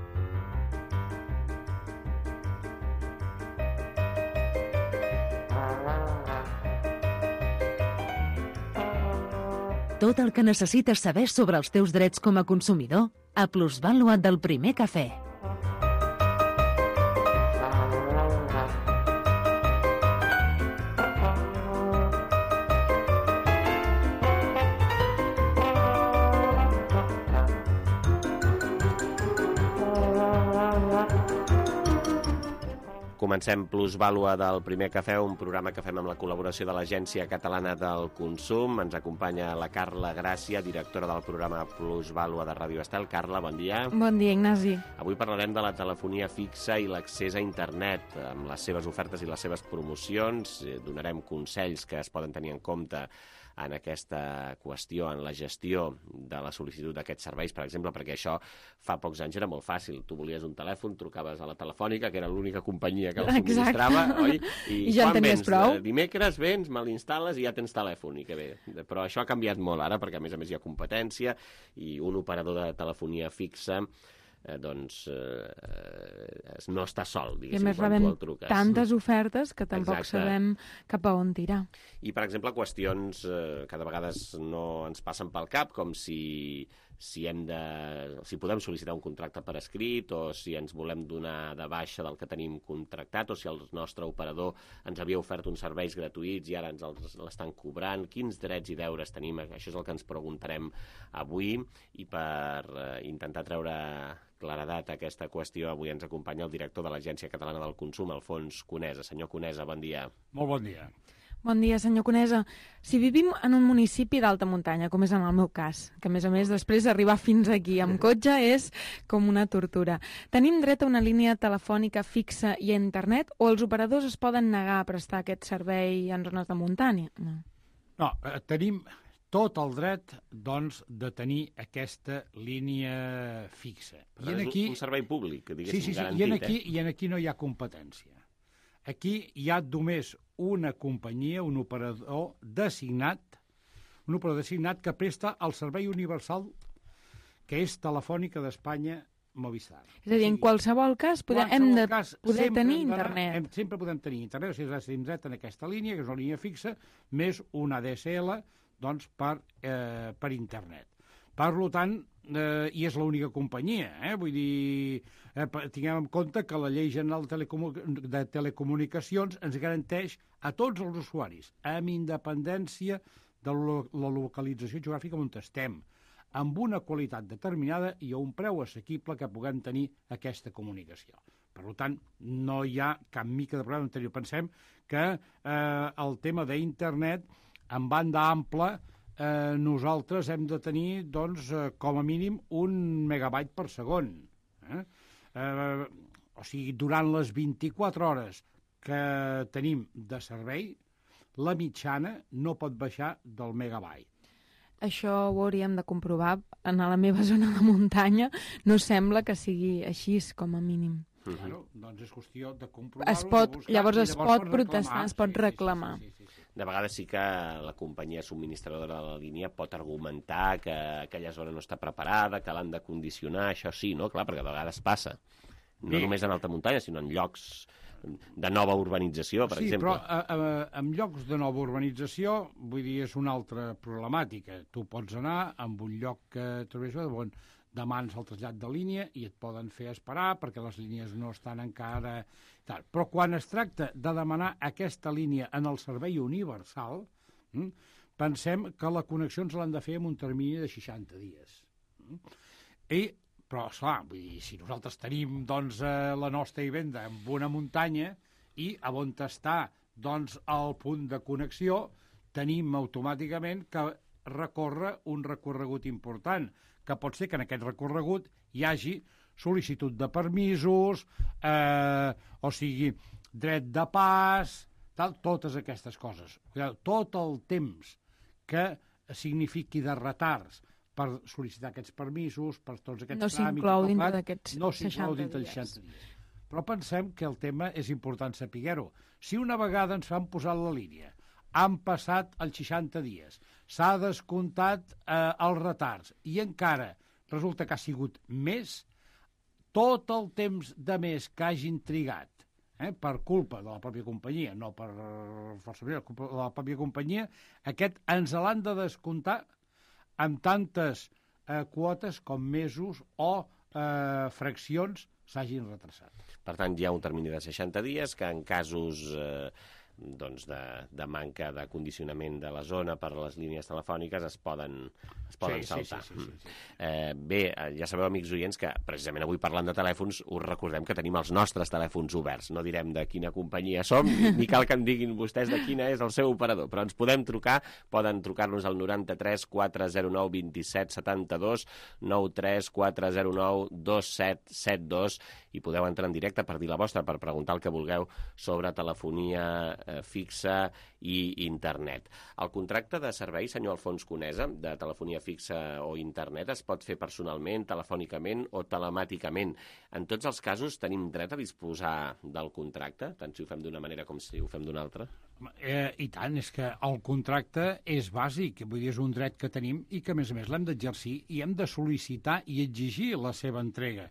A: Tot el que necessites saber sobre els teus drets com a consumidor a Plusvàlua del Primer Cafè.
B: Comencem Plusvàlua del Primer Cafè, un programa que fem amb la col·laboració de l'Agència Catalana del Consum. Ens acompanya la Carla Gràcia, directora del programa Plusvàlua de Ràdio Estel. Carla, bon dia.
S: Bon dia, Ignasi.
B: Avui parlarem de la telefonia fixa i l'accés a internet, amb les seves ofertes i les seves promocions. Donarem consells que es poden tenir en compte en aquesta qüestió, en la gestió de la sol·licitud d'aquests serveis, per exemple, perquè això fa pocs anys era molt fàcil. Tu volies un telèfon, trucaves a la Telefònica, que era l'única companyia que el subministrava, oi?
S: I, I ja en tenies
B: vens?
S: prou.
B: Dimecres vens, me l'instal·les i ja tens telèfon, i que bé. Però això ha canviat molt ara, perquè a més a més hi ha competència, i un operador de telefonia fixa Eh, doncs eh, no està sol, diguéssim,
S: I a més
B: quan
S: rebem
B: tu el truques.
S: tantes ofertes que tampoc
B: Exacte.
S: sabem cap a on tirar.
B: I, per exemple, qüestions eh, que de vegades no ens passen pel cap, com si, si, hem de, si podem sol·licitar un contracte per escrit, o si ens volem donar de baixa del que tenim contractat, o si el nostre operador ens havia ofert uns serveis gratuïts i ara ens els l'estan cobrant, quins drets i deures tenim. Això és el que ens preguntarem avui, i per eh, intentar treure claredat a aquesta qüestió, avui ens acompanya el director de l'Agència Catalana del Consum, Alfons Conesa. Senyor Conesa, bon dia.
T: Molt bon dia.
S: Bon dia, senyor Conesa. Si vivim en un municipi d'alta muntanya, com és en el meu cas, que a més a més després d'arribar fins aquí amb cotxe és com una tortura, tenim dret a una línia telefònica fixa i a internet, o els operadors es poden negar a prestar aquest servei en zones de muntanya? No,
T: no eh, tenim tot el dret, doncs, de tenir aquesta línia fixa.
B: I en aquí... un servei públic, diguéssim,
T: sí, sí, sí,
B: garantit.
T: I en aquí,
B: eh?
T: i en aquí no hi ha competència. Aquí hi ha només una companyia, un operador designat, un operador designat que presta el servei universal, que és Telefònica d'Espanya Movistar.
S: És a dir, en qualsevol cas podem, hem de cas, poder tenir internet.
T: Hem, sempre podem tenir internet, o sigui, tenim dret en aquesta línia, que és una línia fixa, més una A D S L, doncs, per, eh, per internet. Per tant, eh, i és l'única companyia, eh? Vull dir, eh, tinguem en compte que la Llei General de, Telecomu de Telecomunicacions ens garanteix a tots els usuaris, amb independència de la localització geogràfica on estem, amb una qualitat determinada i a un preu assequible que puguem tenir aquesta comunicació. Per tant, no hi ha cap mica de problema anterior. Pensem que eh, el tema d'internet, en banda ampla, eh, nosaltres hem de tenir, doncs, eh, com a mínim, un megabyte per segon. Eh? Eh, o sigui, durant les vint-i-quatre hores que tenim de servei, la mitjana no pot baixar del megabyte.
S: Això ho hauríem de comprovar. En la meva zona de muntanya no sembla que sigui així, com a mínim.
T: Bueno, doncs és qüestió de comprovar-ho.
S: Es pot,
T: buscar,
S: llavors es
T: llavors
S: pot protestar, es pot reclamar.
T: Sí, sí, sí, sí, sí.
B: De vegades sí que la companyia subministradora de la línia pot argumentar que aquella zona no està preparada, que l'han de condicionar, això sí, no? Clar, perquè de vegades passa. No Bé. només en alta muntanya, sinó en llocs de nova urbanització, per
T: sí,
B: exemple.
T: Sí, però a, a, en llocs de nova urbanització, vull dir, és una altra problemàtica. Tu pots anar en un lloc que trobes on demanes el trasllat de línia i et poden fer esperar perquè les línies no estan encara... Tal. Però quan es tracta de demanar aquesta línia en el servei universal, hm, pensem que la connexió ens l'han de fer en un termini de seixanta dies. Hm? I, però, esclar, vull dir, si nosaltres tenim doncs, eh, la nostra vivenda en una muntanya i a on està doncs, el punt de connexió, tenim automàticament que recórrer un recorregut important, que pot ser que en aquest recorregut hi hagi sol·licitud de permisos, eh, o sigui, dret de pas, tal, totes aquestes coses. Tot el temps que signifiqui de retards per sol·licitar aquests permisos, per tots aquests
S: no
T: tràmits...
S: S'inclou dintre d'aquests
T: no s'inclou
S: seixanta
T: dintre
S: dies.
T: seixanta dies. Però pensem que el tema és important saber-ho. Si una vegada ens han posat la línia, han passat els seixanta dies, s'ha descomptat eh, els retards i encara resulta que ha sigut més, tot el temps de més que hagin trigat, eh, per culpa de la pròpia companyia, no per força manera, culpa de la pròpia companyia, aquest ens l'han de descomptar amb tantes eh, quotes com mesos o eh, fraccions s'hagin retrasat.
B: Per tant, hi ha un termini de seixanta dies que en casos eh, doncs de, de manca de condicionament de la zona per a les línies telefòniques es poden, es poden
T: sí,
B: saltar.
T: Sí, sí, sí, sí, sí.
B: Eh, bé, ja sabeu, amics oients, que precisament avui parlant de telèfons us recordem que tenim els nostres telèfons oberts. No direm de quina companyia som, ni cal que em diguin vostès de quina és el seu operador, però ens podem trucar, poden trucar-nos al noranta-tres quatre zero nou vint set setanta-dos, nou tres quatre zero nou dos set set dos, i podeu entrar en directe per dir la vostra, per preguntar el que vulgueu sobre telefonia eh, fixa i internet. El contracte de servei, senyor Alfons Conesa, de telefonia fixa o internet, es pot fer personalment, telefònicament o telemàticament. En tots els casos tenim dret a disposar del contracte, tant si ho fem d'una manera com si ho fem d'una altra?
T: Eh, I tant, és que el contracte és bàsic, vull dir, és un dret que tenim i que, a més a més, l'hem d'exercir i hem de sol·licitar i exigir la seva entrega.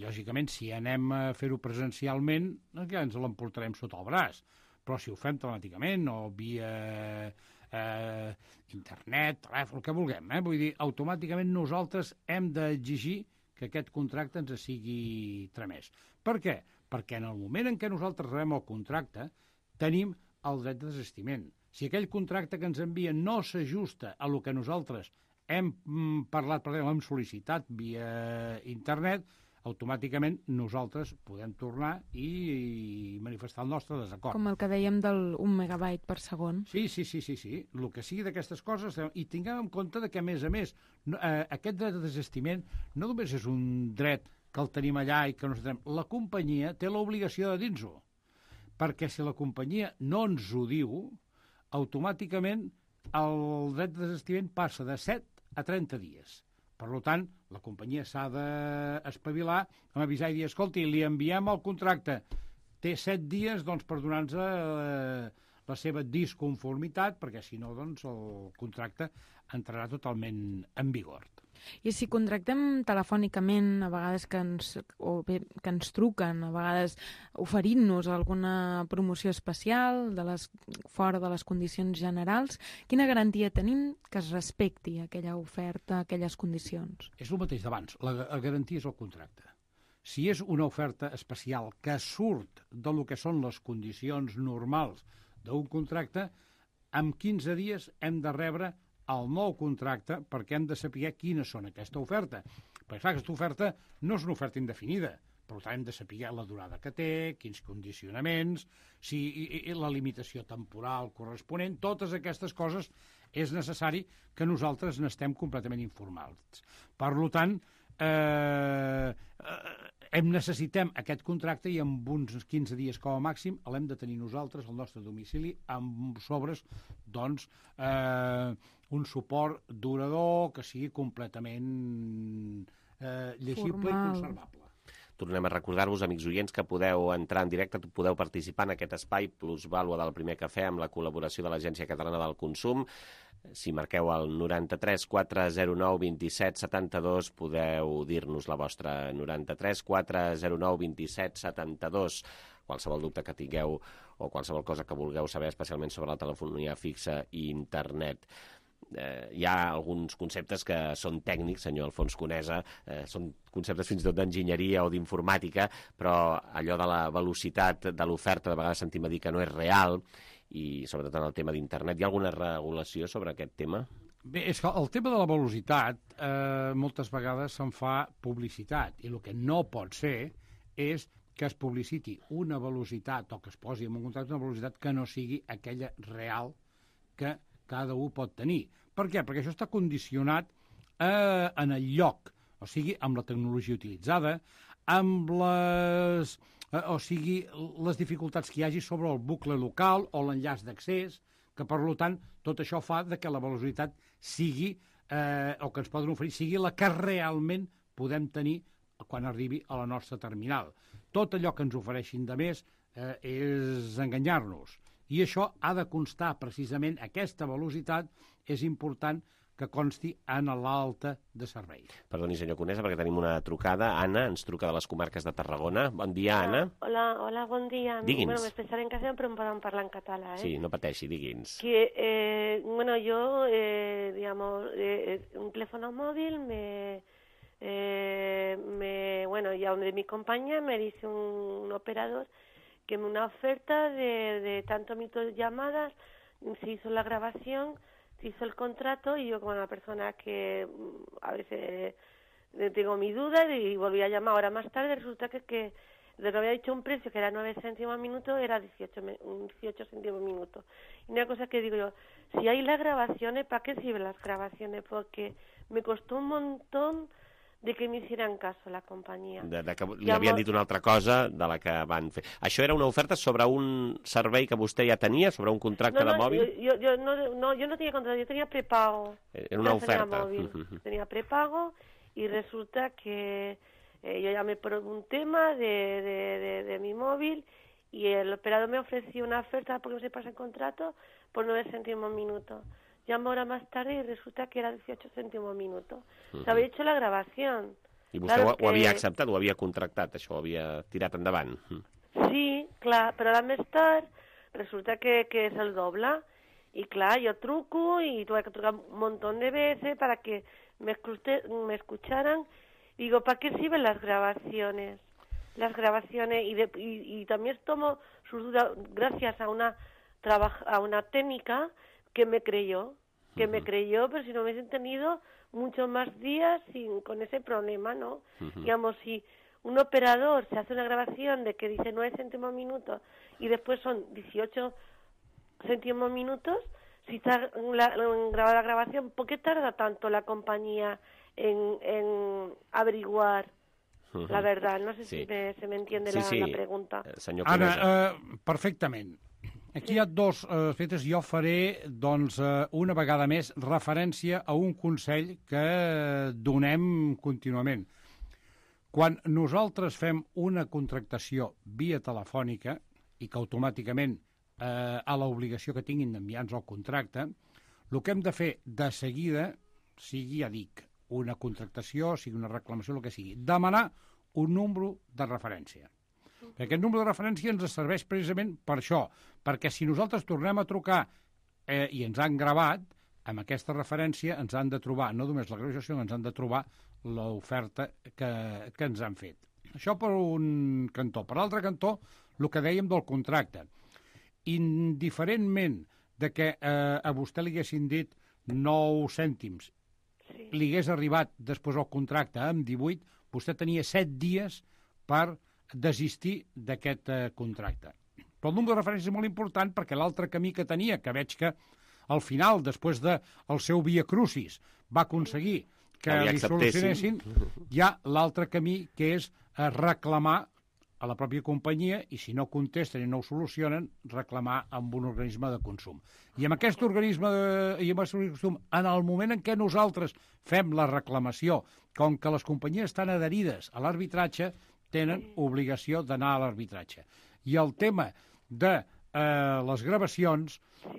T: Lògicament, si anem a fer-ho presencialment, ja ens l'emportarem sota el braç, però si ho fem telemàticament o via eh, internet, telèfon, el que vulguem, eh? Vull dir, automàticament nosaltres hem d'exigir que aquest contracte ens sigui tramès. Per què? Perquè en el moment en què nosaltres rebem el contracte tenim el dret de desistiment. Si aquell contracte que ens envien no s'ajusta a el que nosaltres hem parlat, per exemple, hem sol·licitat via internet, automàticament nosaltres podem tornar i manifestar el nostre desacord.
S: Com el que dèiem del un megabyte per segon.
T: Sí, sí, sí, sí, sí. El que sigui d'aquestes coses, i tinguem en compte que, a més a més, eh, aquest dret de desistiment no només és un dret que el tenim allà i que no tenim. La companyia té l'obligació de dir-nos-ho, perquè si la companyia no ens ho diu, automàticament el dret de desistiment passa de set a trenta dies. Per tant, la companyia s'ha d'espavilar amb avisar i dir, escolti, li enviem el contracte, té set dies doncs, per donar-nos eh, la seva disconformitat, perquè si no, doncs, el contracte entrarà totalment en vigor.
S: I si contractem telefònicament, a vegades que ens, o bé, que ens truquen, a vegades oferint-nos alguna promoció especial de les, fora de les condicions generals, quina garantia tenim que es respecti aquella oferta, aquelles condicions?
T: És el mateix d'abans, la, la garantia és el contracte. Si és una oferta especial que surt del que són les condicions normals d'un contracte, en quinze dies hem de rebre el nou contracte perquè hem de saber quines són aquesta oferta. Perquè, clar, aquesta oferta no és una oferta indefinida, per tant hem de saber la durada que té, quins condicionaments, si i, i la limitació temporal corresponent, totes aquestes coses és necessari que nosaltres n'estem completament informats. Per tant, eh, hem necessitem aquest contracte i en uns quinze dies com a màxim l'hem de tenir nosaltres al nostre domicili amb sobres, doncs, eh, un suport durador que sigui completament eh, llegible Formal. I conservable.
B: Tornem a recordar-vos, amics oients, que podeu entrar en directe, podeu participar en aquest espai plusvàlua del Primer Cafè amb la col·laboració de l'Agència Catalana del Consum. Si marqueu el noranta-tres quatre zero nou vint set setanta-dos podeu dir-nos la vostra, noranta-tres quatre zero nou vint set setanta-dos. Qualsevol dubte que tingueu o qualsevol cosa que vulgueu saber, especialment sobre la telefonia fixa i internet. eh, hi ha alguns conceptes que són tècnics, senyor Alfons Conesa, eh, són conceptes fins i tot d'enginyeria o d'informàtica, però allò de la velocitat de l'oferta, de vegades sentim a dir que no és real, i sobretot en el tema d'internet. Hi ha alguna regulació sobre aquest tema?
T: Bé, és que el tema de la velocitat eh, moltes vegades se'n fa publicitat, i el que no pot ser és que es publiciti una velocitat o que es posi en un contracte una velocitat que no sigui aquella real que cada un pot tenir. Per què? Perquè això està condicionat eh, en el lloc, o sigui, amb la tecnologia utilitzada, amb les, eh, o sigui, les dificultats que hi hagi sobre el bucle local o l'enllaç d'accés, que per tant tot això fa de que la velocitat sigui, eh, o que ens poden oferir, sigui la que realment podem tenir quan arribi a la nostra terminal. Tot allò que ens ofereixin de més eh, és enganyar-nos. I això ha de constar precisament, aquesta velocitat és important que consti en l'alta de servei.
B: Perdoni, senyor Conesa, perquè tenim una trucada. Anna ens truca de les comarques de Tarragona. Bon dia, Anna.
U: Hola, hola, bon dia.
B: Digui'ns.
U: Bueno, m'expressaré en castellà, però em poden parlar en català, ¿eh?
B: Sí, no pateixi, digui'ns.
U: Que, eh, bueno, yo, eh, digamos, eh, un teléfono móvil me... Eh, me, bueno, ya de mi compañía me dice un, un operador que me una oferta de, de tantos minutos de llamadas, se hizo la grabación, se hizo el contrato y yo como una persona que a veces eh, tengo mi duda y volví a llamar ahora más tarde, resulta que, que lo que había dicho un precio que era nueve céntimos a minuto era dieciocho, dieciocho céntimos a minuto. Y una cosa que digo yo, si hay las grabaciones, ¿para qué sirven las grabaciones? Porque me costó un montón de que m'hicieran caso la companyia.
B: De, de que li havien dit una altra cosa de la que van fer. Això era una oferta sobre un servei que vostè ja tenia, sobre un contracte
U: no, no,
B: de mòbil?
U: Jo, jo, no, no, jo no tenia contrato, jo tenia prepago.
B: Era una oferta.
U: Móvil. Uh-huh. Tenía prepago y resulta que eh, yo llamé por un tema de, de, de, de mi móvil y el operador me ofreció una oferta porque no se pasa el contrato por nueve céntimos minuto. Llamo ahora más tarde y resulta que era dieciocho céntimos minuto. Uh-huh. Se había hecho la grabación.
B: I vostè claro ho, que... ho havia acceptat, ho havia contractat, això ho havia tirat endavant?
U: Sí, clar, però ara més tard resulta que, que és el doble. I clar, jo truco i tuve que trucar un montón de veces para que me, escuche, me escucharan. Y digo, ¿para qué sirven las grabaciones? Las grabaciones y, de, y, y también tomo sus dudas gracias a una, trabaja, a una técnica que me creyó, que uh-huh. me creyó, pero si no hubiesen tenido muchos más días sin, con ese problema, ¿no? Uh-huh. Digamos, si un operador se hace una grabación de que dice nueve céntimos minutos y después son dieciocho céntimos minutos, si está la, la, grabada la grabación, ¿por qué tarda tanto la compañía en, en averiguar uh-huh. la verdad? No sé sí. si me, se me entiende sí, la, sí. la pregunta.
T: Eh, Ara, uh, perfectament. Aquí hi ha dos aspectes. Jo faré, doncs, una vegada més referència a un consell que donem contínuament. Quan nosaltres fem una contractació via telefònica i que automàticament eh, a l'obligació que tinguin d'enviar-nos el contracte, el que hem de fer de seguida, sigui, ja dic, una contractació, sigui una reclamació, el que sigui, demanar un número de referència. Aquest número de referència ens serveix precisament per això, perquè si nosaltres tornem a trucar eh, i ens han gravat, amb aquesta referència ens han de trobar, no només la gravació, sinó ens han de trobar l'oferta que, que ens han fet. Això per un cantó. Per l'altre cantó, el que dèiem del contracte. Indiferentment de que eh, a vostè li haguessin dit nou cèntims, sí. li hagués arribat després el contracte amb divuit, vostè tenia set dies per desistir d'aquest eh, contracte. Però el número de referència és molt important perquè l'altre camí que tenia, que veig que al final, després del de seu via crucis, va aconseguir que li solucionessin, hi ha l'altre camí que és eh, reclamar a la pròpia companyia i si no contesten i no ho solucionen, reclamar amb un organisme de consum. I amb aquest organisme de, i amb aquest organisme de consum, en el moment en què nosaltres fem la reclamació, com que les companyies estan adherides a l'arbitratge, tenen obligació d'anar a l'arbitratge. I el tema de eh, les gravacions,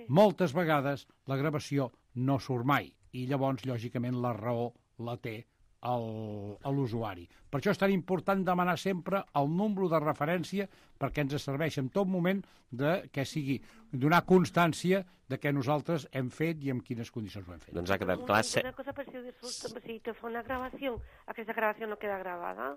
T: moltes vegades la gravació no surt mai. I llavors, lògicament, la raó la té a l'usuari. Per això és tan important demanar sempre el número de referència perquè ens serveix en tot moment de que sigui donar constància de què nosaltres hem fet i en quines condicions ho hem fet.
B: Doncs ha quedat clar...
U: Una cosa, per si, si te fa una gravació, aquesta gravació no queda gravada.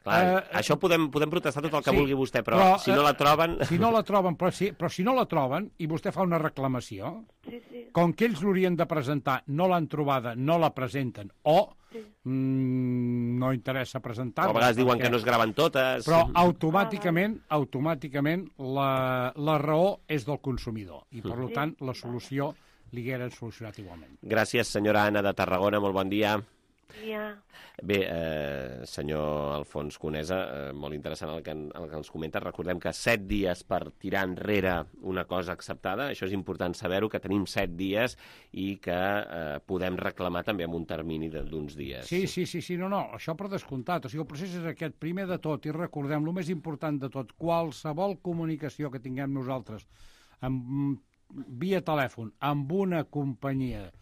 B: Clar, uh, això podem, podem protestar tot el que
T: sí,
B: vulgui vostè, però, però si no la troben...
T: Si no la troben, però si, però si no la troben i vostè fa una reclamació,
U: sí, sí.
T: com que ells l'haurien de presentar, no l'han trobada, no la presenten, o sí. mm, no interessa presentar-la...
B: O a vegades diuen
T: perquè...
B: que no es graven totes...
T: Però automàticament, automàticament la, la raó és del consumidor, i per sí. tant la solució li hagueren solucionat igualment.
B: Gràcies, senyora Anna de Tarragona, molt bon dia.
U: Yeah.
B: Bé, eh, senyor Alfons Conesa, eh, molt interessant el que, el que ens comenta. Recordem que set dies per tirar enrere una cosa acceptada, això és important saber-ho, que tenim set dies i que eh, podem reclamar també amb un termini d'uns dies.
T: Sí, sí, sí, sí, no, no, això per descomptat. O sigui, el procés és aquest, primer de tot, i recordem, el més important de tot, qualsevol comunicació que tinguem nosaltres amb, via telèfon amb una companyia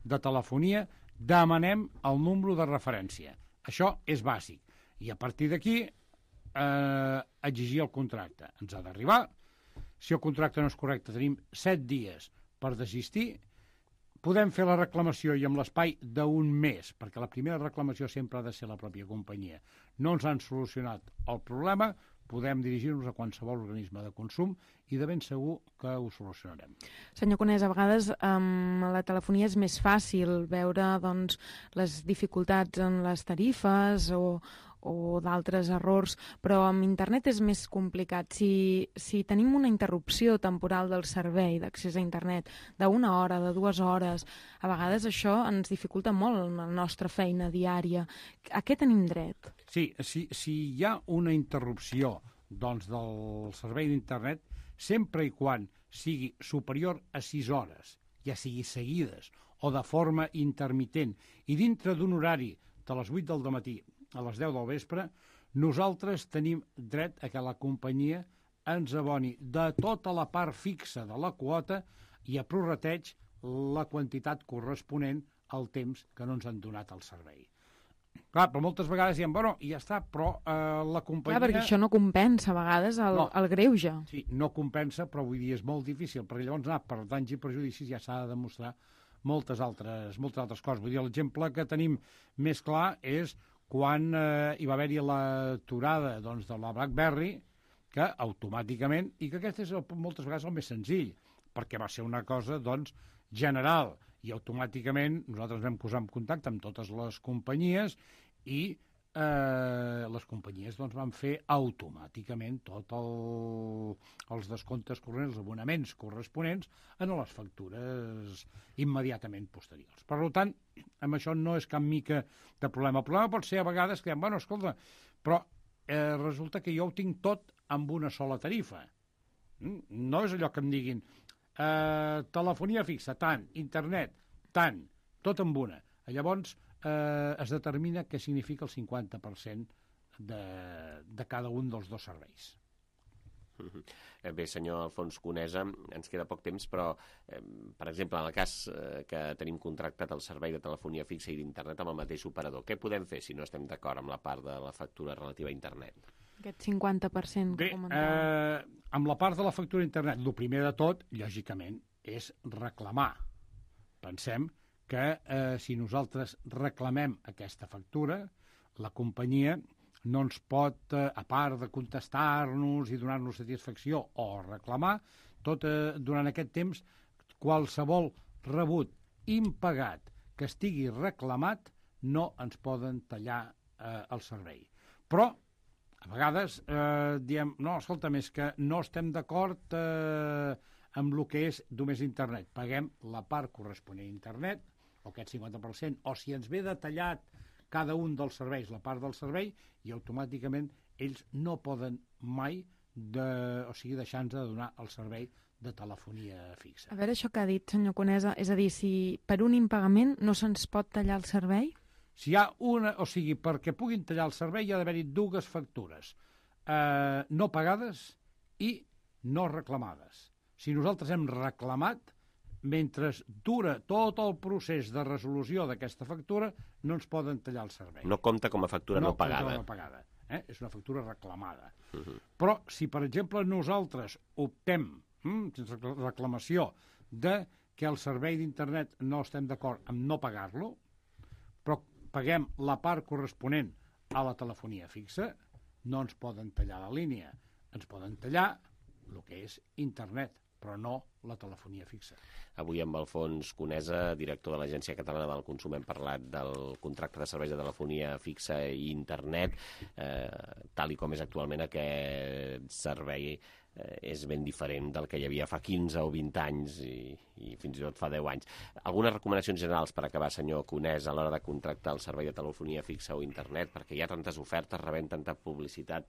T: de telefonia, demanem el número de referència. Això és bàsic. I a partir d'aquí, eh, exigir el contracte. Ens ha d'arribar. Si el contracte no és correcte, tenim set dies per desistir. Podem fer la reclamació i amb l'espai d'un mes, perquè la primera reclamació sempre ha de ser la pròpia companyia. No ens han solucionat el problema, podem dirigir-nos a qualsevol organisme de consum i de ben segur que ho solucionarem.
S: Senyor Conesa, a vegades amb la telefonia és més fàcil veure doncs, les dificultats en les tarifes o, o d'altres errors, però amb internet és més complicat. Si, si tenim una interrupció temporal del servei d'accés a internet d'una hora, de dues hores, a vegades això ens dificulta molt la nostra feina diària. A què tenim dret?
T: Sí, si, si hi ha una interrupció doncs, del servei d'internet, sempre i quan sigui superior a sis hores, ja sigui seguides o de forma intermitent, i dintre d'un horari de les vuit del matí a les deu del vespre, nosaltres tenim dret a que la companyia ens aboni de tota la part fixa de la quota i a prorrateig la quantitat corresponent al temps que no ens han donat el servei. Clar, però moltes vegades diem, bueno, i ja està, però eh, la companyia...
S: Clar, perquè això no compensa a vegades el,
T: no,
S: el greuge.
T: Sí, no compensa, però vull dir, és molt difícil, perquè llavors anar per danys i perjudicis ja s'ha de demostrar moltes altres, moltes altres coses. Vull dir, l'exemple que tenim més clar és quan eh, hi va haver-hi l'aturada doncs, de la BlackBerry, que automàticament, i que aquest és el, moltes vegades el més senzill, perquè va ser una cosa doncs, general, i automàticament nosaltres vam posar en contacte amb totes les companyies i eh, les companyies doncs, van fer automàticament tots el, els descomptes corrents, els abonaments corresponents en les factures immediatament posteriors. Per tant, amb això no és cap mica de problema. El problema pot ser a vegades que diem, bueno, escolta, però eh, resulta que jo ho tinc tot amb una sola tarifa. No és allò que em diguin Uh, telefonia fixa, tant, internet, tant, tot amb una. Llavors uh, es determina què significa el cinquanta per cent de, de cada un dels dos serveis.
B: Bé, senyor Alfons Conesa, ens queda poc temps, però, eh, per exemple, en el cas eh, que tenim contractat el servei de telefonia fixa i d'internet amb el mateix operador, què podem fer si no estem d'acord amb la part de la factura relativa a internet?
S: Aquest cinquanta per cent que
T: Bé,
S: comentava.
T: Eh, amb la part de la factura d'internet, el primer de tot, lògicament, és reclamar. Pensem que eh, si nosaltres reclamem aquesta factura, la companyia no ens pot, eh, a part de contestar-nos i donar-nos satisfacció o reclamar, tot eh, durant aquest temps, qualsevol rebut impagat que estigui reclamat no ens poden tallar eh, el servei. Però a vegades eh, diem, no, escolta, més que no estem d'acord eh, amb el que és només internet. Paguem la part corresponent a internet, o aquest cinquanta per cent, o si ens ve detallat cada un dels serveis, la part del servei, i automàticament ells no poden mai de, o sigui, deixar-nos de donar el servei de telefonia fixa.
S: A veure això que ha dit, senyor Conesa, és a dir, si per un impagament no se'ns pot tallar el servei?
T: Si hi ha una, o sigui, perquè puguin tallar el servei hi ha d'haver-hi dues factures eh, no pagades i no reclamades. Si nosaltres hem reclamat, mentre dura tot el procés de resolució d'aquesta factura, no ens poden tallar el servei.
B: No compta com a factura no, no pagada.
T: No compta com a pagada. Eh? És una factura reclamada. Uh -huh. Però si, per exemple, nosaltres optem, hm, sense reclamació, de que el servei d'internet no estem d'acord amb no pagar-lo, però paguem la part corresponent a la telefonia fixa, no ens poden tallar la línia. Ens poden tallar el que és internet, però no la telefonia fixa.
B: Avui amb Alfons Conesa, director de l'Agència Catalana del Consum, hem parlat del contracte de serveis de telefonia fixa i internet, eh, tal i com és actualment aquest servei eh, és ben diferent del que hi havia fa quinze o vint anys i, i fins i tot fa deu anys. Algunes recomanacions generals per acabar, senyor Conesa, a l'hora de contractar el servei de telefonia fixa o internet, perquè hi ha tantes ofertes, rebent tanta publicitat.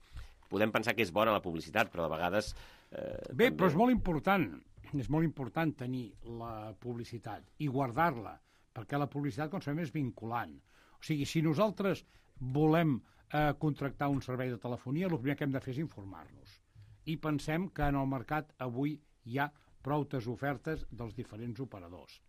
B: Podem pensar que és bona la publicitat, però de vegades... Eh,
T: Bé,
B: també...
T: però és molt important, és molt important tenir la publicitat i guardar-la, perquè la publicitat, com sabem, és vinculant. O sigui, si nosaltres volem eh, contractar un servei de telefonia, el primer que hem de fer és informar-nos. I pensem que en el mercat avui hi ha proutes ofertes dels diferents operadors.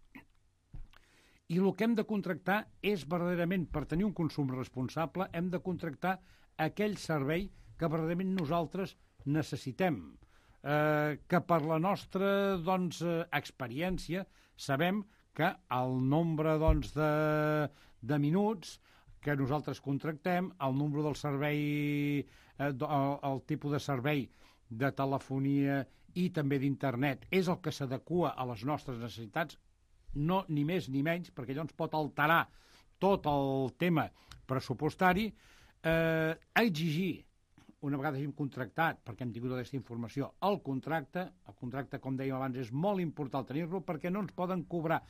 T: I el que hem de contractar és, verdaderament, per tenir un consum responsable, hem de contractar aquell servei que verdaderament nosaltres necessitem, eh, que per la nostra doncs, eh, experiència sabem que el nombre doncs, de, de minuts que nosaltres contractem, el nombre del servei, eh, el, el tipus de servei de telefonia i també d'internet és el que s'adequa a les nostres necessitats, no ni més ni menys, perquè allò ens pot alterar tot el tema pressupostari, eh, exigir una vegada hàgim contractat, perquè hem tingut aquesta informació, el contracte, el contracte, com dèiem abans, és molt important tenir-lo perquè no ens poden cobrar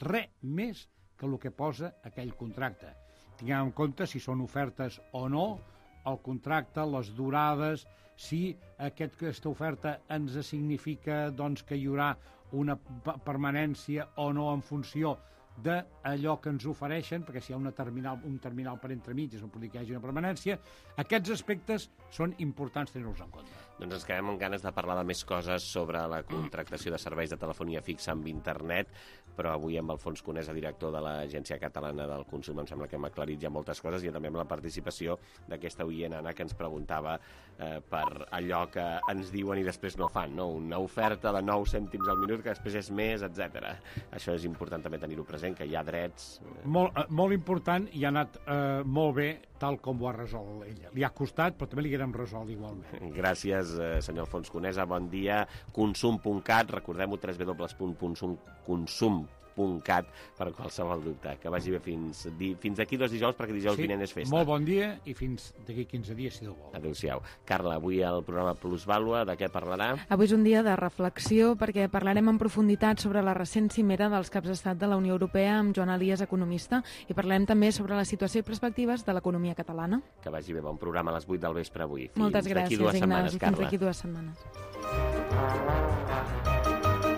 T: res més que el que posa aquell contracte. Tinguem en compte si són ofertes o no, el contracte, les durades, si aquest, aquesta oferta ens significa doncs, que hi haurà una permanència o no en funció d'allò que ens ofereixen, perquè si hi ha una terminal, un terminal per entremig, és on pot dir que hi hagi una permanència, aquests aspectes són importants tenir-los en compte.
B: Doncs ens quedem amb ganes de parlar de més coses sobre la contractació de serveis de telefonia fixa amb internet, però avui amb Alfons Conesa, director de l'Agència Catalana del Consum, em sembla que hem aclarit ja moltes coses i també amb la participació d'aquesta oient, Anna, que ens preguntava eh, per allò que ens diuen i després no fan, no? Una oferta de nou cèntims al minut que després és més, etcètera. Això és important també tenir-ho present, que hi ha drets...
T: Molt, molt important i ha anat eh, molt bé tal com ho ha resolt ella. Li ha costat, però també li haguem resolt igualment.
B: Gràcies, eh, senyor Alfons Conesa. Bon dia. Consum punt cat, recordem-ho, w w w punt consum punt cat per qualsevol dubte. Que vagi bé fins, di, fins d'aquí dos dijous, perquè dijous
T: sí,
B: vinent és festa.
T: Molt bon dia i fins d'aquí quinze dies, si Déu vol.
B: Adéu-siau. Carla, avui el programa Plusvàlua, de què parlarà?
S: Avui és un dia de reflexió perquè parlarem en profunditat sobre la recent cimera dels caps d'estat de la Unió Europea amb Joan Elias, economista, i parlarem també sobre la situació i perspectives de l'economia catalana.
B: Que vagi bé, bon programa a les vuit del vespre avui. Fins
S: Moltes gràcies,
B: dues
S: Ignasi,
B: setmanes,
S: fins
B: Carla.
S: d'aquí dues setmanes.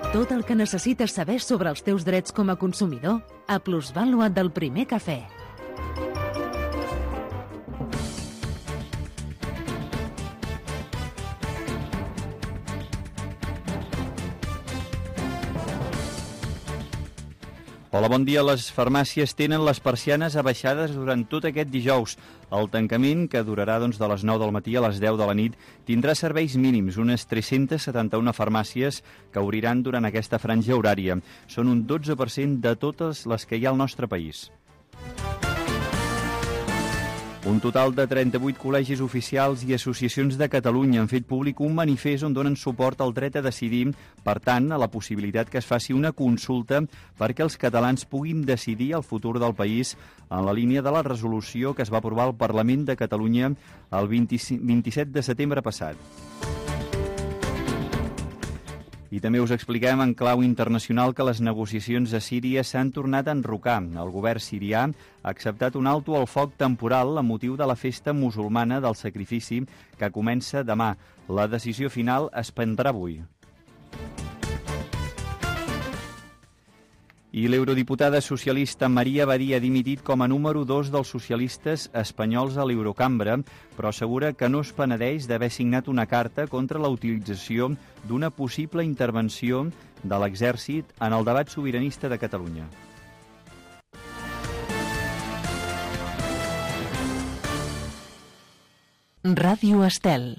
A: Tot el que necessites saber sobre els teus drets com a consumidor a Plusvàlua del Primer Cafè.
C: Hola, bon dia. Les farmàcies tenen les persianes abaixades durant tot aquest dijous. El tancament, que durarà doncs, de les nou del matí a les deu de la nit, tindrà serveis mínims, unes tres-centes setanta-una farmàcies que obriran durant aquesta franja horària. Són un dotze per cent de totes les que hi ha al nostre país. Un total de trenta-vuit col·legis oficials i associacions de Catalunya han fet públic un manifest on donen suport al dret a decidir, per tant, a la possibilitat que es faci una consulta perquè els catalans puguin decidir el futur del país en la línia de la resolució que es va aprovar al Parlament de Catalunya el vint-i-set de setembre passat. I també us expliquem en clau internacional que les negociacions a Síria s'han tornat a enrocar. El govern sirià ha acceptat un alto al foc temporal a motiu de la festa musulmana del sacrifici que comença demà. La decisió final es prendrà avui. I l'eurodiputada socialista Maria Badia ha dimitit com a número dos dels socialistes espanyols a l'Eurocambra, però assegura que no es penedeix d'haver signat una carta contra la utilització d'una possible intervenció de l'exèrcit en el debat sobiranista de Catalunya.
A: Ràdio Estel.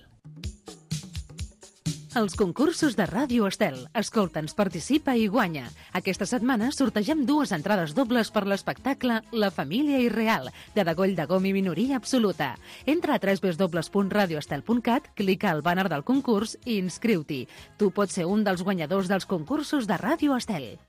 A: Els concursos de Ràdio Estel. Escolta'ns, participa i guanya. Aquesta setmana sortegem dues entrades dobles per l'espectacle La família irreal, de Degoll de Gom i minoria absoluta. Entra a w w w punt radio estel punt cat, clica al bàner del concurs i inscriu-t'hi. Tu pots ser un dels guanyadors dels concursos de Ràdio Estel.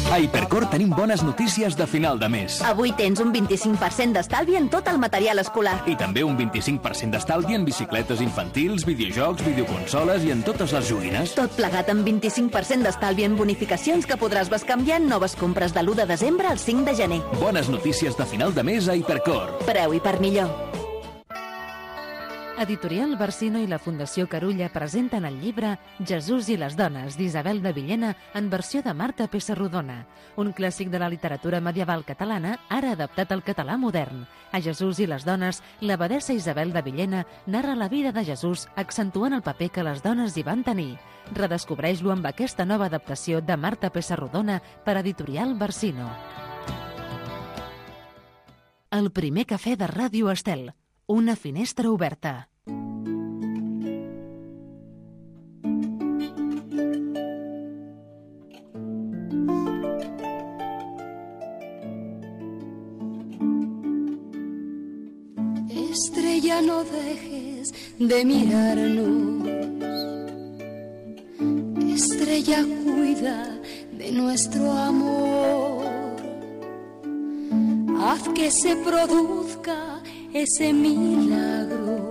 E: A Hipercor tenim bones notícies de final de mes.
F: Avui tens un vint-i-cinc per cent d'estalvi en tot el material escolar.
E: I també un vint-i-cinc per cent d'estalvi en bicicletes infantils, videojocs, videoconsoles i en totes les joguines.
F: Tot plegat amb vint-i-cinc per cent d'estalvi en bonificacions que podràs bescanviar en noves compres de l'u de desembre al cinc de gener.
E: Bones notícies de final de mes a Hipercor.
F: Preu i per millor.
A: Editorial Barsino i la Fundació Carulla presenten el llibre Jesús i les dones, d'Isabel de Villena, en versió de Marta Pessarrodona, un clàssic de la literatura medieval catalana, ara adaptat al català modern. A Jesús i les dones, l'abadessa Isabel de Villena narra la vida de Jesús, accentuant el paper que les dones hi van tenir. Redescobreix-lo amb aquesta nova adaptació de Marta Pessarrodona per Editorial Barsino. El primer cafè de Ràdio Estel. Una finestra oberta.
D: Estrella, no dejes de mirarnos. Estrella, cuida de nuestro amor. Haz que se produzca ese milagro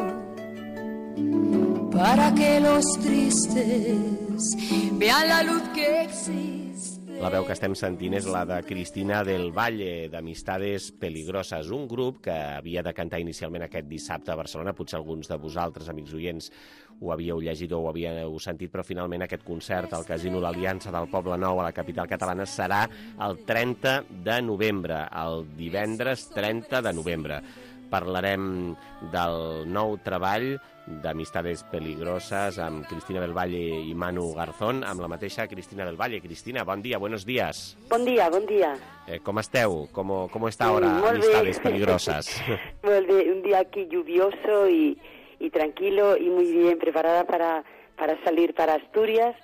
D: para que los tristes vean la luz que existe.
B: La veu que estem sentint és la de Cristina del Valle, d'Amistades Peligroses, un grup que havia de cantar inicialment aquest dissabte a Barcelona. Potser alguns de vosaltres, amics oients, ho havíeu llegit o ho havíeu sentit, però finalment aquest concert al Casino l'Aliança del Poble Nou a la capital catalana serà el trenta de novembre, el divendres trenta de novembre. Parlarem del nou treball d'Amistades Peligroses amb Cristina del Valle i Manu Garzón, amb la mateixa Cristina del Valle. Cristina, bon dia, buenos días.
V: Bon dia, bon dia.
B: Eh, ¿Cómo esteu? ¿Cómo, cómo está ahora mm, Amistades Peligrosas?
V: Molt bé, un día aquí lluvioso y, y tranquilo y muy bien preparada para, para salir para Asturias,